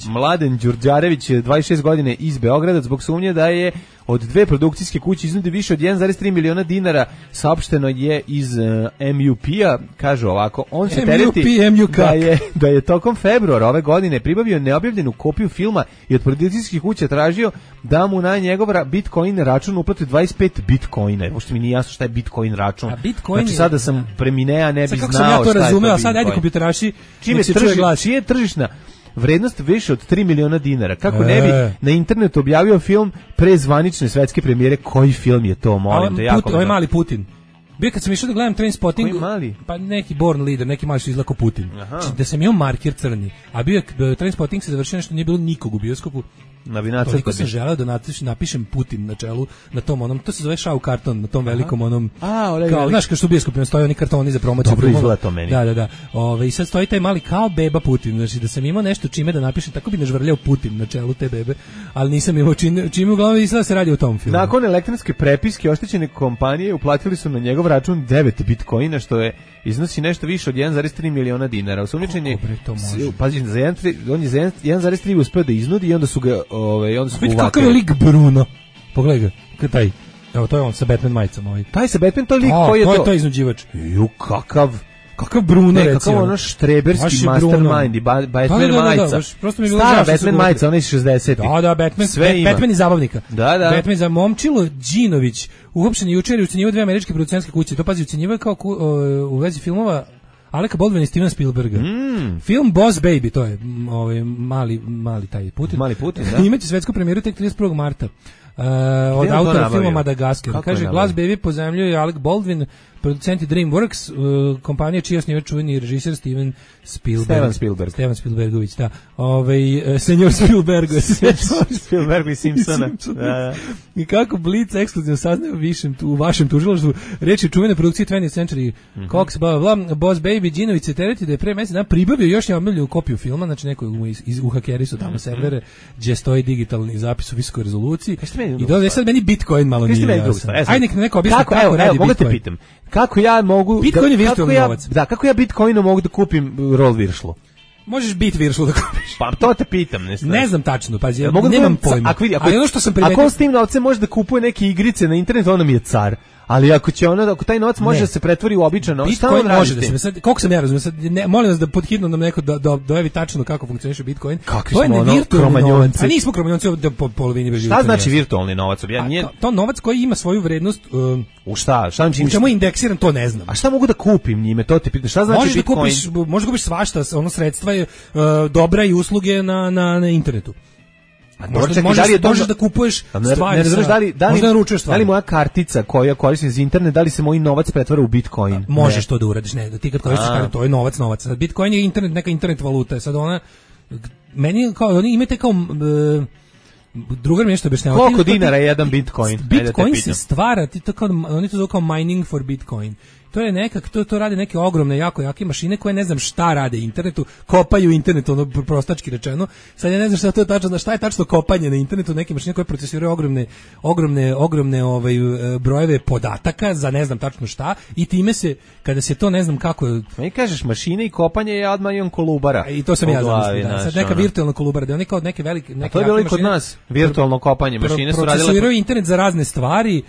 Speaker 6: Mladen Đurđarević, 26 godine, iz Beograda, zbog sumnje da je od dve produkcijske kuće iznudio više od 1,3 miliona dinara, saopšteno je iz MUP-a, kaže ovako, on se tereti da je tokom februara ove godine pribavio neobjavljenu kopiju filma i od produkcijskih kuća tražio da mu na njegov Bitcoin račun uplati 25 Bitcoina. Pošto mi nije jasno šta je Bitcoin račun. Znači sada sam preminea, ne bi znao šta je to Bitcoin. Kako sam ja to razumeo, a sad ajde kompjuteraši, čije je tržišna vrednost više od 3 miliona dinara. Kako ne bi na internetu objavio film pre zvanične svetske premijere? Koji film je to, molim te?
Speaker 5: Ovo je mali Putin. Bio kad sam išao da gledam Trainspotting, pa neki Born Leader, neki mali što izlako Putin. Da sam imao marker crni, a bio Trainspotting se završio nešto, nije bilo nikog u bioskopu. Toliko sam želeo da napišem Putin na čelu, na tom onom, to se zove šau karton, na tom velikom onom, kao, znaš kao što u bioskopima stoje oni kartoni za promociju.
Speaker 6: Dobro izgleda to meni.
Speaker 5: Da. I sad stoji taj mali kao beba Putin, znači da sam imao nešto čime da napišem, tako bi nažvrljao Putin na čelu te bebe, ali nisam imao čime uglavnom izgleda se radi o tom filmu.
Speaker 6: Nakon elektronske prepiske oštećene kompanije uplatili su na njegov račun 9 Bitcoina, što je iznosi nešto više od 1,3 miliona dinara. Osumnjičen je, pazi, on je za 1,3 uspeo da iznudi i onda su ga
Speaker 5: uvatili. Kakav je lik Bruno? Pogledaj ga, taj. Evo, to je on sa Batman majicama.
Speaker 6: Taj sa Batman, to je lik koji je to.
Speaker 5: To je taj iznuđivač.
Speaker 6: Kakav
Speaker 5: Bruno, recimo.
Speaker 6: Kakav ono štreberski mastermind i Batman majica. Stara Batman majica, ona iz 60-ih.
Speaker 5: Da, Batman iz zabavnika.
Speaker 6: Da.
Speaker 5: Batman za Momčilo Đinović, uhopšen jučer i ucenjivao dve američke producentske kuće. To pazi, ucenjivao kao u vezi filmova Aleka Baldwina i Stevena Spielberga. Film Boss Baby, to je mali taj Putin.
Speaker 6: Mali Putin, da.
Speaker 5: Imaće svetsku premijeru tek 31. marta. Od autora filma Madagaskar. Kaže, glas Baby pozajmljuje Alec Baldwin, producenti DreamWorks, kompanija čiji osnivač čuveni režiser Steven Spielbergović, da. Senjor Spielberg
Speaker 6: i Simpsona.
Speaker 5: I kako Blitz ekskluzivno saznaje u vašem tužilaštvu, reč je čuvene produkcije 20th Century Cox, bla, Boss Baby, Đinović se tereti da je pre mesec dana pribavio još neobjavljenu kopiju filma, znači neko u hakeri su tamo servere, gdje stoji digitalni zapis u visokoj rezoluciji. I dole sad meni Bitcoin malo nije jasan. Ajde nek neko objasni kako radi Bitcoin.
Speaker 6: Kako ja mogu
Speaker 5: Bitcoin je virtualni novac.
Speaker 6: Da, kako ja Bitcoinom mogu da kupim roll viršlu?
Speaker 5: Možeš bit viršlu da kupiš.
Speaker 6: Pa to te pitam,
Speaker 5: ne znam tačno, pazi, ja nemam pojma. Ali ono što sam primetio,
Speaker 6: ako on s tim novcem može da kupuje neke igrice na internetu, onda mi je car. Ali ako taj novac može da se pretvori u običan novac, šta on radi s tim?
Speaker 5: Sad, koliko sam ja razumio, sad molim vas da podhitno nam neko dojavi tačno kako funkcioniše Bitcoin.
Speaker 6: To je virtualni novac.
Speaker 5: A nismo kromanjonci da po polovini bez
Speaker 6: života. Šta znači virtualni novac?
Speaker 5: To novac koji ima svoju vrednost.
Speaker 6: U šta?
Speaker 5: U čemu je indeksiran, to ne znam.
Speaker 6: A šta mogu da kupim njime? To te pitam. Šta znači Bitcoin?
Speaker 5: Možeš da kupiš svašta, ono sredstva je dobra i usluge na internetu. Možeš da kupuješ stvari,
Speaker 6: da li moja kartica koja koristim za internet, da li se moj novac pretvara u Bitcoin?
Speaker 5: Možeš to da uradiš, ti kad koristiš kartu, to je novac. Bitcoin je neka internet valuta, sad ona, meni kao, oni imate kao, drugar mi nešto objašnjava.
Speaker 6: Koliko dinara je jedan Bitcoin?
Speaker 5: Bitcoin se stvara, oni to zove kao mining for Bitcoin. to je nekak, to rade neke ogromne, jako jake mašine koje ne znam šta rade internetu, kopaju internet, ono prostački rečeno. Sad ja ne znam šta to je tačno, šta je tačno kopanje na internetu, neke mašine koje procesiraju ogromne brojeve podataka za ne znam tačno šta i time se, kada se to ne znam kako...
Speaker 6: Mi kažeš mašine i kopanje, ja odmah imam Kolubara.
Speaker 5: I to sam ja zamislio, da. Sad neka virtualna Kolubara, da je kao neke velike...
Speaker 6: A to je bilo i kod nas, virtualno kopanje, mašine su radile...
Speaker 5: Procesiraju internet za razne stvari,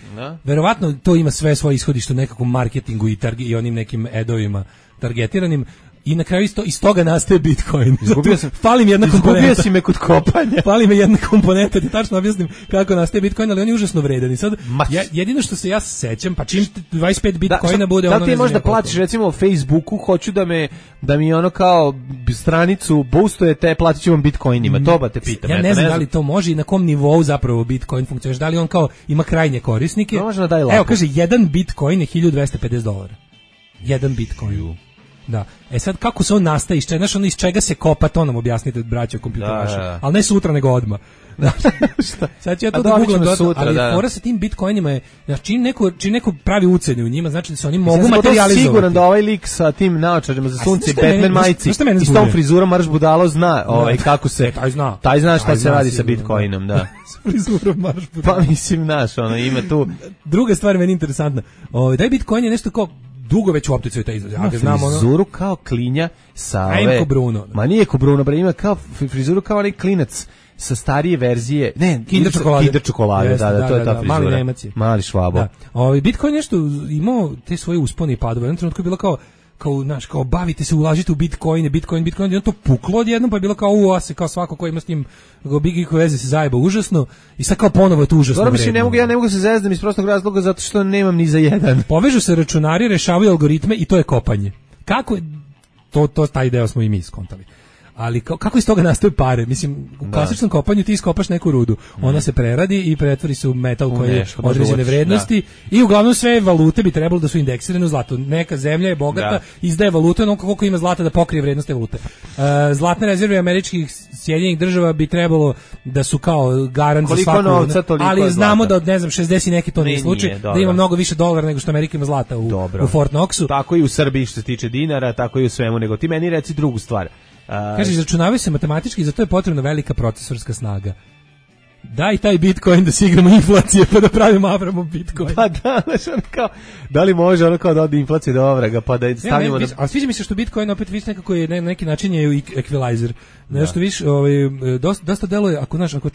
Speaker 5: verovatno to ima sve svoje ishodište u nekakvom marketingu i onim nekim edovima targetiranim. I na kraju iz toga nastaje Bitcoin. Fali mi jedna komponenta.
Speaker 6: Izgubio si me kod kopanja.
Speaker 5: Fali mi jedna komponenta, ti tačno objasnim kako nastaje Bitcoin, ali on je užasno vredan. I sad, jedino što se ja sećam, pa čim 25 Bitcoina bude ono...
Speaker 6: Da ti možda platiš, recimo u Facebooku, hoću da mi ono kao stranicu boostujete, platit ću vam Bitcoinima, to ba te pitam.
Speaker 5: Ja ne znam da li to može i na kom nivou zapravo Bitcoin funkcioniše, da li on kao ima krajnje korisnike. Evo, kaže, jedan Bitcoin je $1.250. Jedan Bitcoin. Da. Sad kako se on nastaje, iz čega se kopa, to nam objasnite, braćo kompjuteraši. Ali ne sutra, nego odmah. Sad ću ja to da googlam sutra, ali fora sa tim Bitcoinima je, čim neko pravi ucene u njima, znači da se oni mogu materializovati.
Speaker 6: Siguran da ovaj lik sa tim naočarima za sunce i Batman majici i s tom frizurom Marš Budalo zna kako se... Taj zna šta se radi sa Bitcoinom, da.
Speaker 5: S frizurom Marš Budalo.
Speaker 6: Pa mislim, ima tu...
Speaker 5: Druga stvar meni interesantna. Da je Bitcoin je nešto kao dugo već u opticaju taj izraz.
Speaker 6: Ja frizuru kao klinja sa ove...
Speaker 5: Bruno.
Speaker 6: Ma nije ko Bruno, ima kao frizuru kao onaj klinac sa starije verzije. Ne,
Speaker 5: Kinder čokolade.
Speaker 6: Da, to je ta frizura.
Speaker 5: Mali Nemac je.
Speaker 6: Mali Švabo.
Speaker 5: Bitcoin nešto imao te svoje uspone i padove. U jednom trenutku je bilo kao bavite se, ulažite u Bitcoine, i on to puklo odjednom, pa je bilo kao se kao svako ko ima s njim bigiko veze se zajeba užasno i sad kao ponovo je to užasno vredno.
Speaker 6: Ja ne mogu se zezdam iz prostog razloga zato što nemam ni za jedan.
Speaker 5: Povežu se računari, rešavaju algoritme i to je kopanje. Kako je to taj deo smo i mi skontali. Ali kako iz toga nastaju pare? Mislim, u klasičnom kopanju ti iskopaš neku rudu, ona se preradi i pretvori se u metal koji je određene vrednosti i uglavnom sve valute bi trebalo da su indeksirane u zlato. Neka zemlja je bogata, izdaje valute onoliko koliko ima zlata da pokrije vrednost te valute. Zlatne rezerve američkih Sjedinjenih država bi trebalo da su kao garant za svaku, ali znamo da od 60 i neki to nije slučaj, da ima mnogo više dolara nego što Amerika ima zlata u Fort Knoxu.
Speaker 6: Tako i u Srbiji što se tiče dinara, tako i u svemu, nego ti meni reci drugu stvar.
Speaker 5: Kaže, izračunavaju se matematički, zato je potrebna velika procesorska snaga. Daj taj Bitcoin da se igramo inflacije pa da pravimo Avramov Bitcoin.
Speaker 6: Pa da, kao, da li može ono kao da ode inflacije do Avraga pa da stavimo...
Speaker 5: Ali sviđa mi se što Bitcoin opet viš nekako je na neki način je equalizer. Nešto viš, dosta deluje, ako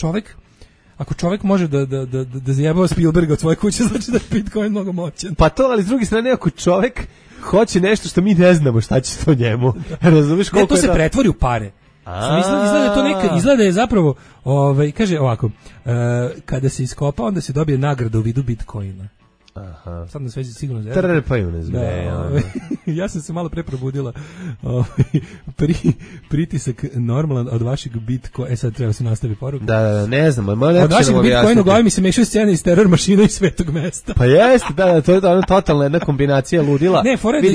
Speaker 5: čovjek može da zajebava Spielberga od svoje kuće, znači da je Bitcoin mnogo moćan.
Speaker 6: Pa to, ali s druge strane, ako čovjek hoće nešto što mi ne znamo šta će to njemu. Razumiješ koliko
Speaker 5: to se pretvori u pare. Izgleda je zapravo, kaže ovako, kada se iskopa, onda se dobije nagrada u vidu Bitcoina.
Speaker 6: Aha.
Speaker 5: Sad nas već sigurno
Speaker 6: trpaju nas,
Speaker 5: ja sam se malo pre probudila. Pritisak normalan od vašeg Bitcoina. Sad treba se nastavi poruka.
Speaker 6: Da, ne znam.
Speaker 5: Od vašeg Bitcoina u glavi mi se mešaju scene iz Teror mašina i Svetog mesta.
Speaker 6: Pa jeste, to je totalna jedna kombinacija ludila.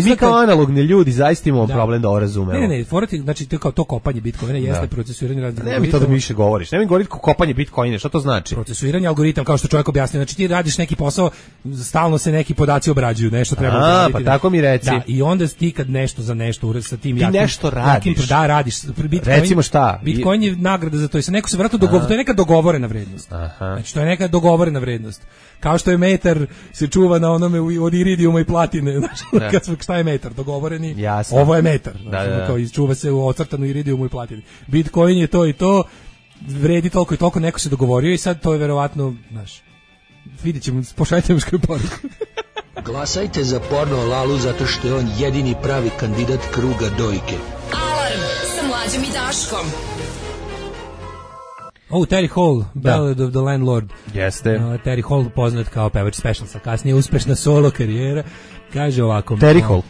Speaker 6: Mi kao analogni ljudi zaista imamo problem da ovo razumemo.
Speaker 5: Ne, znači to kopanje Bitcoina jeste procesuiranje različitih.
Speaker 6: Ne mi to da mi više govoriš. Ne mi govoriti kopanje Bitcoina, šta to znači?
Speaker 5: Procesuiranje algoritam, kao što čovjek objasnio. Znači ti radiš neki posao, stalno se neki podaci obrađuju, nešto treba uraditi.
Speaker 6: Pa tako mi reci.
Speaker 5: Da, i onda ti kad nešto za nešto sa tim
Speaker 6: jakim... Ti nešto radiš.
Speaker 5: Da, radiš.
Speaker 6: Recimo šta?
Speaker 5: Bitcoin je nagrada za to. I sa neko se vratno to je neka dogovorena vrednost. Znači, to je neka dogovorena vrednost. Kao što je metar se čuva na onome od iridijuma i platine. Znači, šta je metar? Dogovoreni.
Speaker 6: Jasno.
Speaker 5: Ovo je metar. Znači, čuva se u ocrtanu iridijumu i platini. Bitcoin je to i to. Vredi toliko i toliko. Neko se dogovorio i sad to je verovatno, znaš, vidjet ćemo, pošaljite mi škoju poruku.
Speaker 10: Glasajte za Porno Lalu zato što je on jedini pravi kandidat kruga dojke.
Speaker 1: Alarm sa Mlađom i Daškom.
Speaker 5: Terry Hall, Ballad of the Landlord.
Speaker 6: Jeste.
Speaker 5: Terry Hall poznat kao pevač Specialsa, kasnije uspešna solo karijera. Kaže ovako.
Speaker 6: Terry Hall.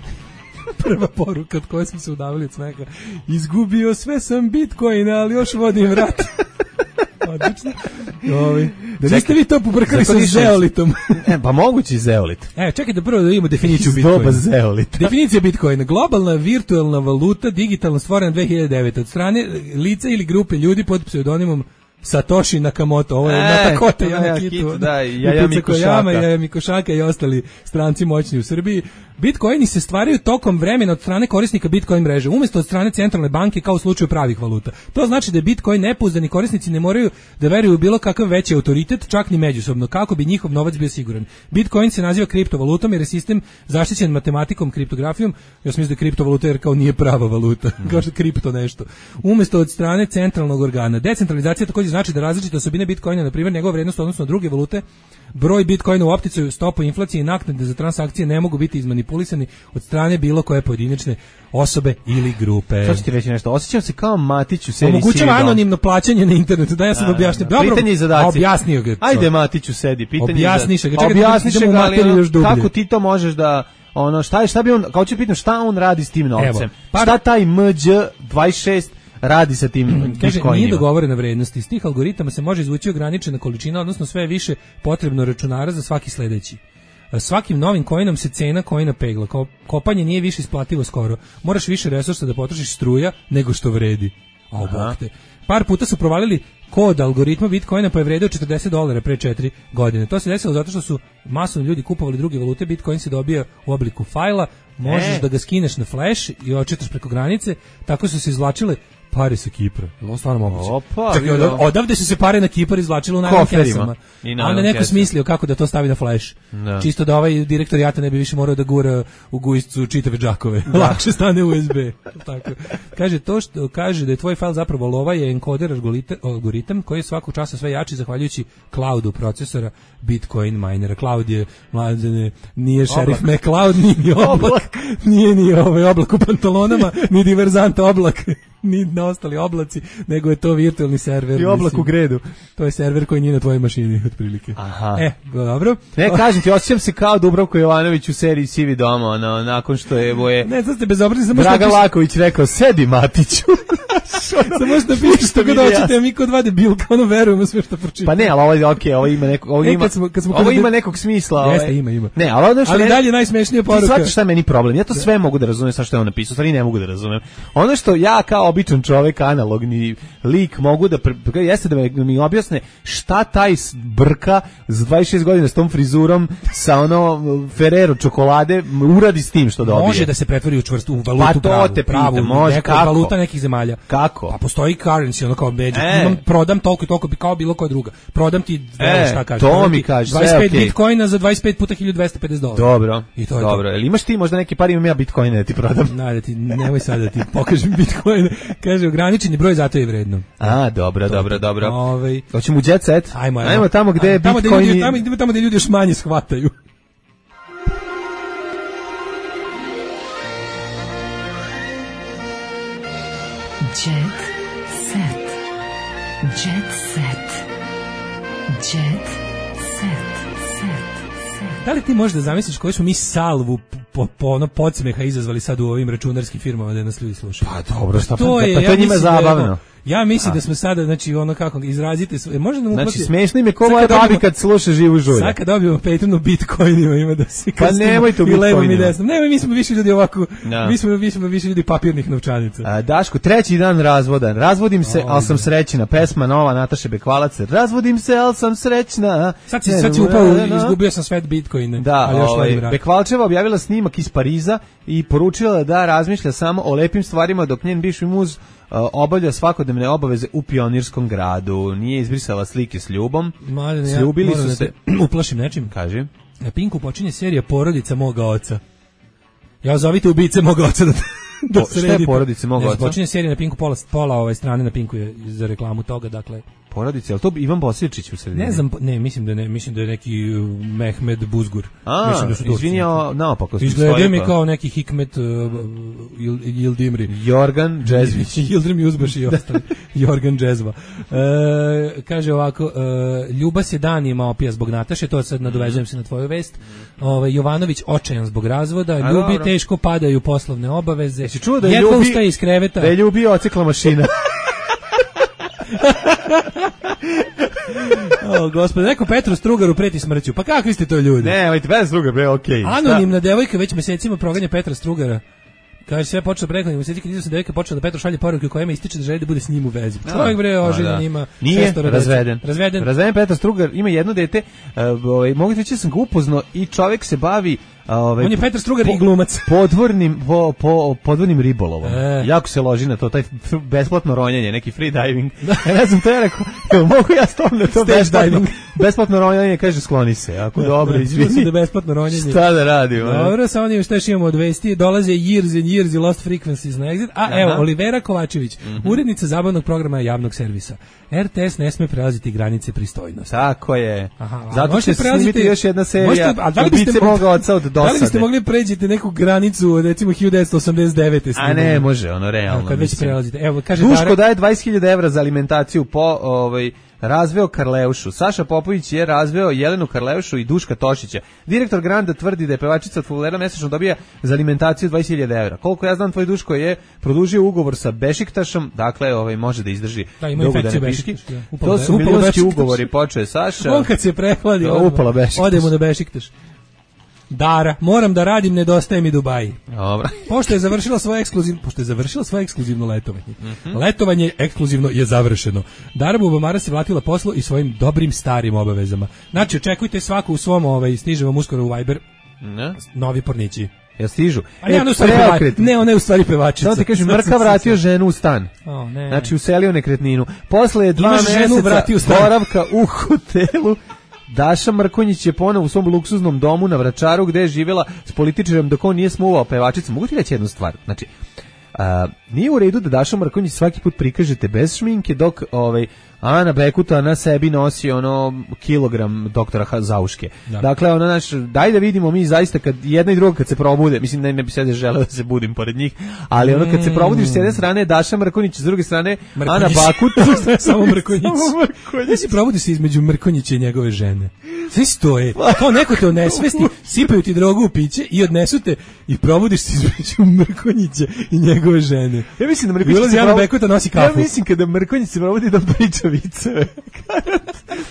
Speaker 5: Prva poruka od koje smo se udavili od smeka. Izgubio sve sam Bitcoin, ali još vodim vrat. Odlično. Da niste vi to pobrkali sa zeolitom.
Speaker 6: Pa mogući zeolit.
Speaker 5: Čekaj da prvo da imamo definiciju Bitcoina.
Speaker 6: Zeolita.
Speaker 5: Definicija Bitcoina. Globalna virtualna valuta, digitalno stvorena 2009. od strane lica ili grupe ljudi pod pseudonimom Satoshi Nakamoto, ovo je Natakota Yamakitu, Jaja Mikošaka i ostali stranci moćni u Srbiji. Bitcoini se stvaraju tokom vremena od strane korisnika Bitcoin mreže, umjesto od strane centralne banke kao u slučaju pravih valuta. To znači da Bitcoin nepouzdani korisnici ne moraju da veruju u bilo kakav veći autoritet, čak ni međusobno, kako bi njihov novac bio siguran. Bitcoin se naziva kriptovalutom jer je sistem zaštićen matematikom, kriptografijom. Ja sam mislio da je kriptovaluta jer kao nije prava valuta, kao što je kripto nešto. Umjesto od strane centralnog organa. Decentralizacija također znači da različite osobine Bitcoina, na primjer njegova vrijednost odnosno na druge valute, broj Bitcoina u opticaju, stopu inflacije i naknade za transakcije ne mogu biti izmanipulisani od strane bilo koje pojedinačne osobe ili grupe.
Speaker 6: Sad ću ti reći nešto, osjećam se kao Matić u seriji
Speaker 5: omogućava anonimno plaćanje na internetu, da ja sam objasnio.
Speaker 6: Pitanje i zadaci.
Speaker 5: Objasnio ga.
Speaker 6: Ajde Matiću sedi, pitanje
Speaker 5: objasniš ga.
Speaker 6: Objasniš ga, ali kako ti to možeš da šta bi on, kao ću pitam šta on radi s tim novcem? Šta taj Mđ26 radi sa tim Bitcoinima?
Speaker 5: Kaže, nije dogovorena vrednost. Iz tih algoritama se može izvući ograničena količina, odnosno sve više potrebno računara za svaki sledeći. Svakim novim coinom se cena coina pegla. Kopanje nije više isplativo skoro. Moraš više resursa da potrošiš struja nego što vredi. A obok te. Par puta su provalili kod algoritma Bitcoina pa je vredio $40 pre 4 godine. To se desilo zato što su masovni ljudi kupovali druge valute. Bitcoin se dobija u obliku fajla, možeš da ga skineš na flash i očitaš preko granice. Tako su se izvlačile pare sa Kipra. Ovo stvarno moguće. Odavde su se pare na Kipar izvlačile u najmanjim kesama. A onda neko smislio kako da to stavi na flash. Da. Čisto da ovaj direktor JATA ne bi više morao da gura u gujscu čitave džakove. Lakše stane USB. Tako. Kaže, to što kaže da je tvoj fajl zapravo lova je encoder algoritam koji je svakog časa sve jači zahvaljujući cloudu procesora Bitcoin minera. Cloud je, mladene, nije šerif McCloud, nije oblak. Nije ni ovaj oblak u pantalonama, ni diverzant oblak. Ni na ostali oblaci, nego je to virtualni server.
Speaker 6: I oblak u gredu.
Speaker 5: To je server koji nije na tvojoj mašini, otprilike.
Speaker 6: Aha.
Speaker 5: Dobro.
Speaker 6: Ne, kažem ti, osjećam se kao Dubravko Jovanović u seriji Sivi doma, nakon što je
Speaker 5: Ne, sad ste bezobrazni.
Speaker 6: Draga Laković rekao, sedi Matiću.
Speaker 5: Samo možda pišeš što god hoćete, a mi kod dva debilka, verujemo sve što pročitamo.
Speaker 6: Pa ne, ali ovo ima nekog, ovo ima nekog smisla.
Speaker 5: Jeste, ima.
Speaker 6: Ne,
Speaker 5: ali dalje najsmešnija poruka.
Speaker 6: Ti shvatiš šta je meni problem? Ja to sve mogu da razumem, sa što je on napisao, stvari ne mogu da razumem. Ono što ja kao običan čovjek, analogni lik, mogu da jeste da mi objasne šta taj brka za 26 godina s tom frizurom, sa Ferrero čokolade uradi s tim što dobije.
Speaker 5: Može da se pretvori u čvrstu valutu pravu.
Speaker 6: Može,
Speaker 5: neka valuta nekih zemalja.
Speaker 6: Kako?
Speaker 5: Pa postoji currency, kao magic. Prodam toliko i toliko kao bilo koja druga. Prodam ti, šta kažeš?
Speaker 6: To mi kaže,
Speaker 5: 25 bitcoina za 25 puta $1.250.
Speaker 6: Dobro. I to je dobro. Jel imaš ti možda neki par, imam ja bitcoine da ti prodam?
Speaker 5: Nemoj sad da ti pokažem bitcoine. Kaže, ograničen je broj, zato je vredno.
Speaker 6: A, dobro. Hoćemo u jet set? Ajmo tamo gde je bitcoini.
Speaker 5: Tamo gde ljudi još manje shvataju.
Speaker 1: Jet set. Jet set. Jet set.
Speaker 5: Da li ti možeš da zamisliš koju smo mi salvu po podsmeha izazvali sad u ovim računarskim firmama da nas ljudi slušaju?
Speaker 6: Pa dobro, to je njima zabavno.
Speaker 5: Ja mislim da smo sada, znači kako izrazite, možda nam uplati.
Speaker 6: Znači smešno im je ko moja babi kad sluša Živu žulja.
Speaker 5: Sad kad dobijemo Patreon Bitcoinima ima da se
Speaker 6: pa nemoj to Bitcoinima.
Speaker 5: Nemoj, mi smo više ljudi ovako, mi smo više ljudi papirnih novčanica.
Speaker 6: Daško, treći dan razvoda. Razvodim se, al sam srećna. Pesma nova Nataše Bekvalac. Razvodim se, al sam srećna.
Speaker 5: Sad si upao, izgubio sam svet Bitcoina.
Speaker 6: Da, Bekvalčeva objavila snimak iz Pariza i poručila da razmišlja samo o lepim stvarima dok njen bivši muz obavlja svakodnevne obaveze u Pionirskom gradu. Nije izbrisala slike s ljubom. Sljubili su se.
Speaker 5: Uplašim nečim.
Speaker 6: Kaži.
Speaker 5: Na Pinku počinje serija Porodica moga oca. Ja zovite ubice moga oca da
Speaker 6: šta je Porodice moga oca?
Speaker 5: Počinje serija na Pinku, pola strane na Pinku je za reklamu toga, dakle.
Speaker 6: Porodice, ali to Ivan Bosječić u sredini?
Speaker 5: Ne znam, mislim da je neki Mehmed Buzgur.
Speaker 6: Mislim da su to. Izvinjao, naopako.
Speaker 5: Izgleda mi kao neki Hikmet Yildimri.
Speaker 6: Jorgan Džezvić.
Speaker 5: Yildirim Juzbaš i ostali. Jorgan Džezva. Kaže ovako, Ljuba se danima opija zbog Nataše, to sad nadovezujem se na tvoju vest. Jovanović očajan zbog razvoda, Ljubi teško padaju poslovne obaveze.
Speaker 6: Jesi čuo da je Ljubi
Speaker 5: ustaje iz kreveta?
Speaker 6: Da je Ljubi ocikla mašina.
Speaker 5: Gospode, neko Petru Strugaru preti smrću. Pa kakvi ste to ljudi?
Speaker 6: Ne, Petar Strugar, okej.
Speaker 5: Anonimna devojka već mesecima proganja Petra Strugara. Kaže sve počelo prethodnih meseci kad se devojka počela da Petru šalje poruke u kojima ističe da želi da bude s njim u vezi. Čovjek bre oženjen ima.
Speaker 6: Nije razveden. Petar Strugar ima jedno dete. Mogu reći da sam ga upoznao i čovjek se bavi
Speaker 5: on je Petar Strugar i glumac.
Speaker 6: Podvodnim ribolovom. Jako se loži na to, taj besplatno ronjanje, neki free diving. Ne znam, to je rekao, mogu ja stom na to besplatno ronjanje, kaže skloni se. Ako dobro, izvini.
Speaker 5: Da besplatno ronjanje.
Speaker 6: Šta da radimo?
Speaker 5: Dobro, sa onim što još imamo od vesti, dolaze Years and Years i Lost Frequencies na Exit. Evo, Olivera Kovačević, urednica zabavnog programa javnog servisa. RTS ne sme prelaziti granice pristojnosti.
Speaker 6: Tako je. Zato će se snimiti još jedna serija Ubice moga oca od dosade.
Speaker 5: Da li biste mogli pređiti neku granicu, recimo 1989.
Speaker 6: A ne, može, ono realno.
Speaker 5: Kad već prelazite. Evo, kaže
Speaker 6: Duško daje 20.000 evra za alimentaciju razveo Karleušu. Saša Popović je razveo Jelenu Karleušu i Duška Tošića. Direktor Granda tvrdi da je pevačica od fudbalera mesečno dobija za alimentaciju 20.000 evra. Koliko ja znam, tvoj Duško je produžio ugovor sa Bešiktašom, dakle može da izdrži dugo da ne piški. To su milionski ugovori, počeo Saša.
Speaker 5: On kad se prehladi,
Speaker 6: odemo
Speaker 5: na Bešiktaš. Dara, moram da radim, nedostaje mi Dubaji.
Speaker 6: Dobro.
Speaker 5: Pošto je završila svoje ekskluzivno letovanje. Letovanje ekskluzivno je završeno. Dara Bubamara se vratila poslu i svojim dobrim starim obavezama. Znači, očekujte svaku u svom, stiže vam uskoro u Viber. Novi pornići.
Speaker 6: Ja stižu.
Speaker 5: Ne, ona je u stvari pevačica.
Speaker 6: Samo ti kažem, Mrka vratio ženu u stan. Znači, uselio nekretninu. Posle 2 meseca boravka u hotelu, Daša Mrkonjić je ponovo u svom luksuznom domu na Vračaru gde je živjela s političarom dok on nije smuvao pevačicu. Mogu ti reći jednu stvar? Znači, nije u redu da Daša Mrkonjić svaki put prikažete bez šminke dok Ana Bekuta na sebi nosi kilogram doktora Zauške. Da. Dakle, daj da vidimo mi zaista kad jedna i druga kad se probude, mislim ne bi sad želeo da se budim pored njih, ali kad se probudiš s jedne strane Daša Mrkonjić, s druge strane Ana Bakuta.
Speaker 5: Samo Mrkonjić. Da si probudi se između Mrkonjića i njegove žene. Sve stoje. Kao neko te onesvesti, sipaju ti drogu u piće i odnesu te i probudiš se između Mrkonjića i njegove žene.
Speaker 6: Ja mislim da Mrkonjić
Speaker 5: Ana Bekuta nosi kafu.
Speaker 6: Ja mislim kada Mrkonjić se probudi da priča viceve.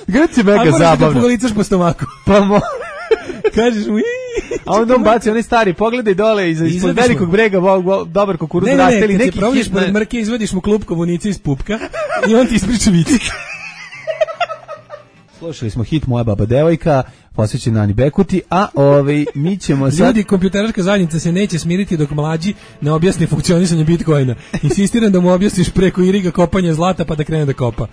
Speaker 6: Grad je mega zabavno.
Speaker 5: A možeš da policaš po stomaku.
Speaker 6: Pa
Speaker 5: kažeš mu
Speaker 6: a onda on baci onaj stari, pogledaj dole ispod velikog brega dobar kukuruz raste ili neki
Speaker 5: probudiš pored Mrke, izvadiš mu klupko vunice iz pupka i on ti ispriča vici.
Speaker 6: Slušali smo hit Moja baba devojka, posvećen Ani Bekuti, a mi ćemo sad...
Speaker 5: Ljudi, kompjuterarska zajednica se neće smiriti dok mlađi ne objasni funkcionisanje Bitcoina. Insistiram da mu objasniš preko iriga kopanje zlata pa da krene da kopa.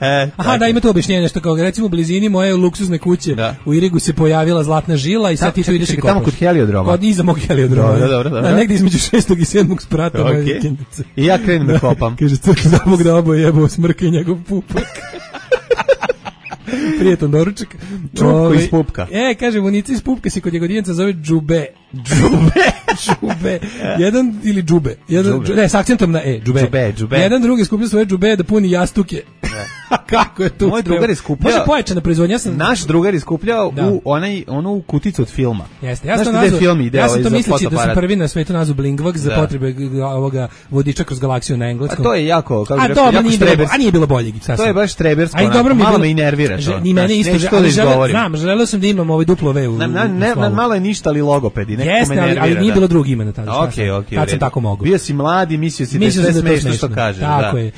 Speaker 5: Da, ima to objašnjenje, što kao recimo u blizini moje luksuzne kuće u irigu se pojavila zlatna žila i sad ti tu ideš i kopaš.
Speaker 6: Tamo kod heliodroma.
Speaker 5: Iza mog heliodroma. Dobro. Negdje između 6. i 7. sprata moje vikendice.
Speaker 6: I ja krenem da kopam.
Speaker 5: Kaže, crk za Bog da oboje jebao Smrka i njegov pupak. Prijetan doručak.
Speaker 6: Čupko iz pupka.
Speaker 5: Kaže, vunici iz pupka se kod Jagodinaca zove džube. Jedan ili džube. Ne, s akcentom na džube. Jedan drugi skupio svoje džube da puni jastuke. Kako je to?
Speaker 6: Moj drugar je skupljao.
Speaker 5: Može pojačana proizvodnja.
Speaker 6: Naš drugar je skupljao u onu kuticu od filma.
Speaker 5: Jeste. Ja sam to misleći da sam prvi na svetu nazvu Blingvax za potrebe ovoga vodiča kroz galaksiju na engleskom.
Speaker 6: A to je jako,
Speaker 5: kako bih rekao, a nije bilo boljeg.
Speaker 6: To je baš trebersko. Malo me i nervira to.
Speaker 5: Ni mene isto. Znam, želeo sam da imam duplo V u
Speaker 6: malo je ništa, ali logopedi.
Speaker 5: Jeste, ali nije bilo drugog imena tada. Tad sam tako mogu.
Speaker 6: Bio si mladi, mislio si da je sve smešno što kažeš.
Speaker 5: Tako je.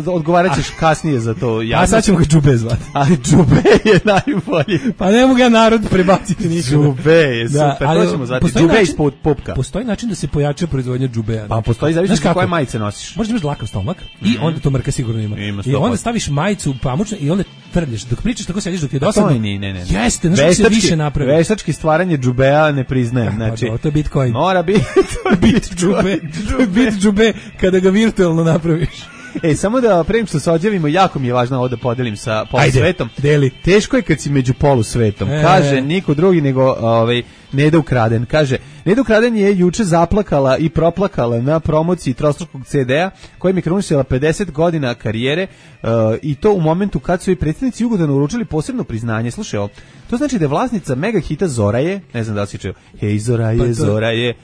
Speaker 6: Odgovarat ćeš kasnije za to.
Speaker 5: A sad ćemo ga džube zvati.
Speaker 6: Ali džube je najbolji.
Speaker 5: Pa ne mogu ja narod prebaciti nikada.
Speaker 6: Džube je super, to ćemo zvati. Džube iz pupka.
Speaker 5: Postoji način da se pojača proizvodnja džubea.
Speaker 6: Pa postoji, zavisno koje majice nosiš.
Speaker 5: Možda imaš dlakav stomak i onda to Mrka sigurno ima. I onda staviš majicu pamučnu i onda trlješ. Dok pričaš tako sediš dok ti je dosadno.
Speaker 6: Ne.
Speaker 5: Jeste, znači se više napravi.
Speaker 6: Veštački stvaranje džubea ne priznajem. Znači,
Speaker 5: to je Bitcoin.
Speaker 6: Mora biti
Speaker 5: džube. Bit džube kada ga virtualno napraviš.
Speaker 6: Samo da prema što se odjavimo, jako mi je važno ovo da podelim sa polusvetom.
Speaker 5: Deli.
Speaker 6: Teško je kad si među polusvetom. Kaže niko drugi nego Neda Ukraden. Kaže, Neda Ukraden je juče zaplakala i proplakala na promociji trostrukog CD-a kojim je krunisila 50 godina karijere i to u momentu kad su joj predsjednici Jugodana uručili posebno priznanje. Slušaj, to znači da je vlasnica mega hita Zoraje, ne znam da li si čuo, hej Zoraje, Zoraje,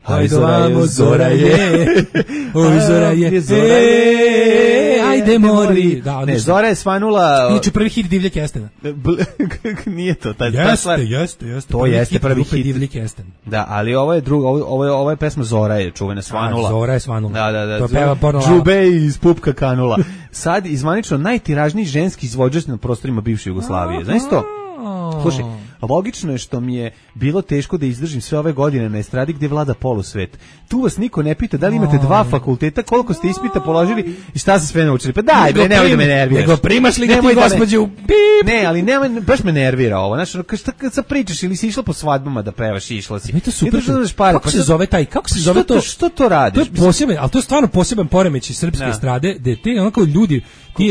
Speaker 6: hajde vamo Zoraje, oj Zoraje,
Speaker 5: de mori. Da,
Speaker 6: ne, Zora je svanula...
Speaker 5: Inače prvi hit Divlje Kestena.
Speaker 6: Nije to.
Speaker 5: Jeste.
Speaker 6: To jeste prvi hit
Speaker 5: Divlje Kesten.
Speaker 6: Da, ali ovo je drugo, ovo je pesma Zora je čuvena svanula.
Speaker 5: Zora je svanula.
Speaker 6: Da.
Speaker 5: To peva porno.
Speaker 6: Džube iz pupka kanula. Sad izvanično najtiražniji ženski izvođač na prostorima bivše Jugoslavije. Znaš to? Slušaj, logično je što mi je bilo teško da izdržim sve ove godine na estradi gdje vlada polusvet. Tu vas niko ne pita da li imate 2 fakulteta, koliko ste ispita položili i šta ste sve naučili. Pa daj, bre, nemoj da me nerviraš.
Speaker 5: Nego primaš li ga ti gospođu?
Speaker 6: Ne, ali nemoj, baš me nervira ovo. Znaš, kad sad pričaš ili si išla po svadbama da pevaš i išla si.
Speaker 5: Mi to super. Kako se zove taj? Kako se zove to?
Speaker 6: Što to radiš?
Speaker 5: To je poseban, ali to je stvarno poseban poremećaj srpske estrade, da te onako ljudi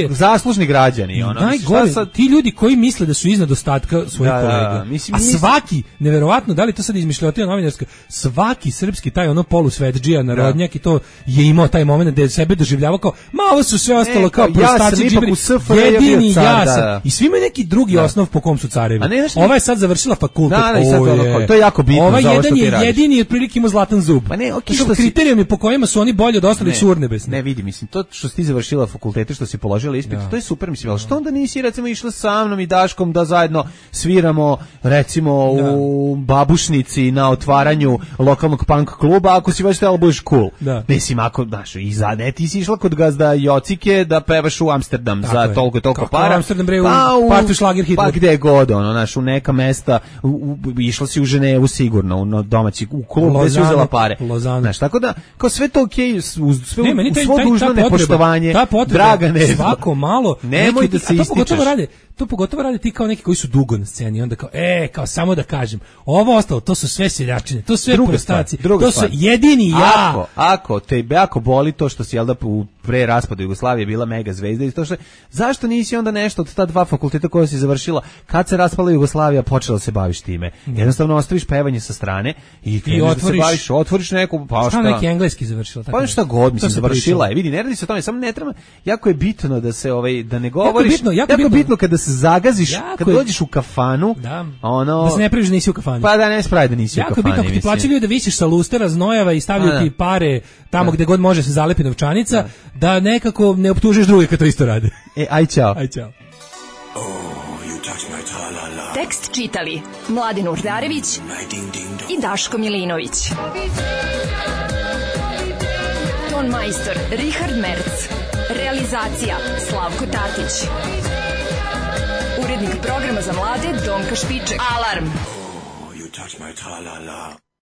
Speaker 6: zaslužni građani, ono.
Speaker 5: Najgore, ti ljudi koji misle da su iznad ostatka svojih kolega. A svaki, neverovatno, da li to sad izmišljotina novinarska, svaki srpski taj ono polusvetdžija, narodnjak i to je imao taj moment da je sebe doživljavao kao, ma ovo su sve ostalo kao prostaci, džiberi, jedini ja sam. I svi imaju neki drugi osnov po kom su carevi. Ova je sad završila fakultet.
Speaker 6: To je jako bitno.
Speaker 5: Ova jedan je jedini i otprilike ima zlatan zub. Pa ne, kriterijumi po kojima su oni bolji od ostalih su urnebesni.
Speaker 6: Ne, vidi, mislim, to što si ti završila fakultete, što si položila ispit, to je super, mislim, ali što onda nisi recimo išla sa mnom i Daškom da zajedno sviramo recimo u Babušnici na otvaranju lokalnog punk kluba, ako si baš htjela budeš cool. Mislim, ako, znaš, i ne, ti si išla kod gazda Jocike da pevaš u Amsterdam za toliko para.
Speaker 5: Amsterdam bre, u partu šlager hitler.
Speaker 6: Pa gde god, ono, znaš, u neka mesta, išla si u Ženevu sigurno, u domaći, u klub gde si uzela pare. Znaš, tako da, kao sve to okej, uz svo dužno nepoštovanje, Dragane,
Speaker 5: svako malo,
Speaker 6: nemoj da se ističeš.
Speaker 5: To pogotovo rade ti kao neki koji su dugo na sceni, onda kao samo da kažem, ovo ostalo, to su sve seljačine, to su sve prostaci, to su jedini ja.
Speaker 6: Ako boli to što si, jel da, pre raspada Jugoslavije bila mega zvezda i to što, zašto nisi onda nešto od ta 2 fakulteta koja si završila, kad se raspala Jugoslavija, počela se baviš time. Jednostavno ostaviš pevanje sa strane i otvoriš neku, pa
Speaker 5: šta neki engleski završila,
Speaker 6: tako. Pa šta god, mislim, završila je. Vidi, ne radi se o tome, samo ne treba, jako je bitno da se da ne govoriš. Jako bitno kada se zagaziš, kada dođeš u kafanu, ono,
Speaker 5: da se ne praviš da nisi u kafani.
Speaker 6: Pa da ne spravi da nisi u kafani.
Speaker 5: Jako bitno ako ti plaćaju da visiš sa lustera znojava i stavljaju ti pare tamo gde god može se zalepi novčanica, da nekako ne optužiš druge kad to isto rade.
Speaker 6: Aj čao.
Speaker 1: Tekst čitali Mladin Urdarević i Daško Milinović. Ton majstor Richard Merc. Realizacija Slavko Tatić. Urednik programa za mlade Donka Špiček. Alarm! Oh, you touch my tra-la-la.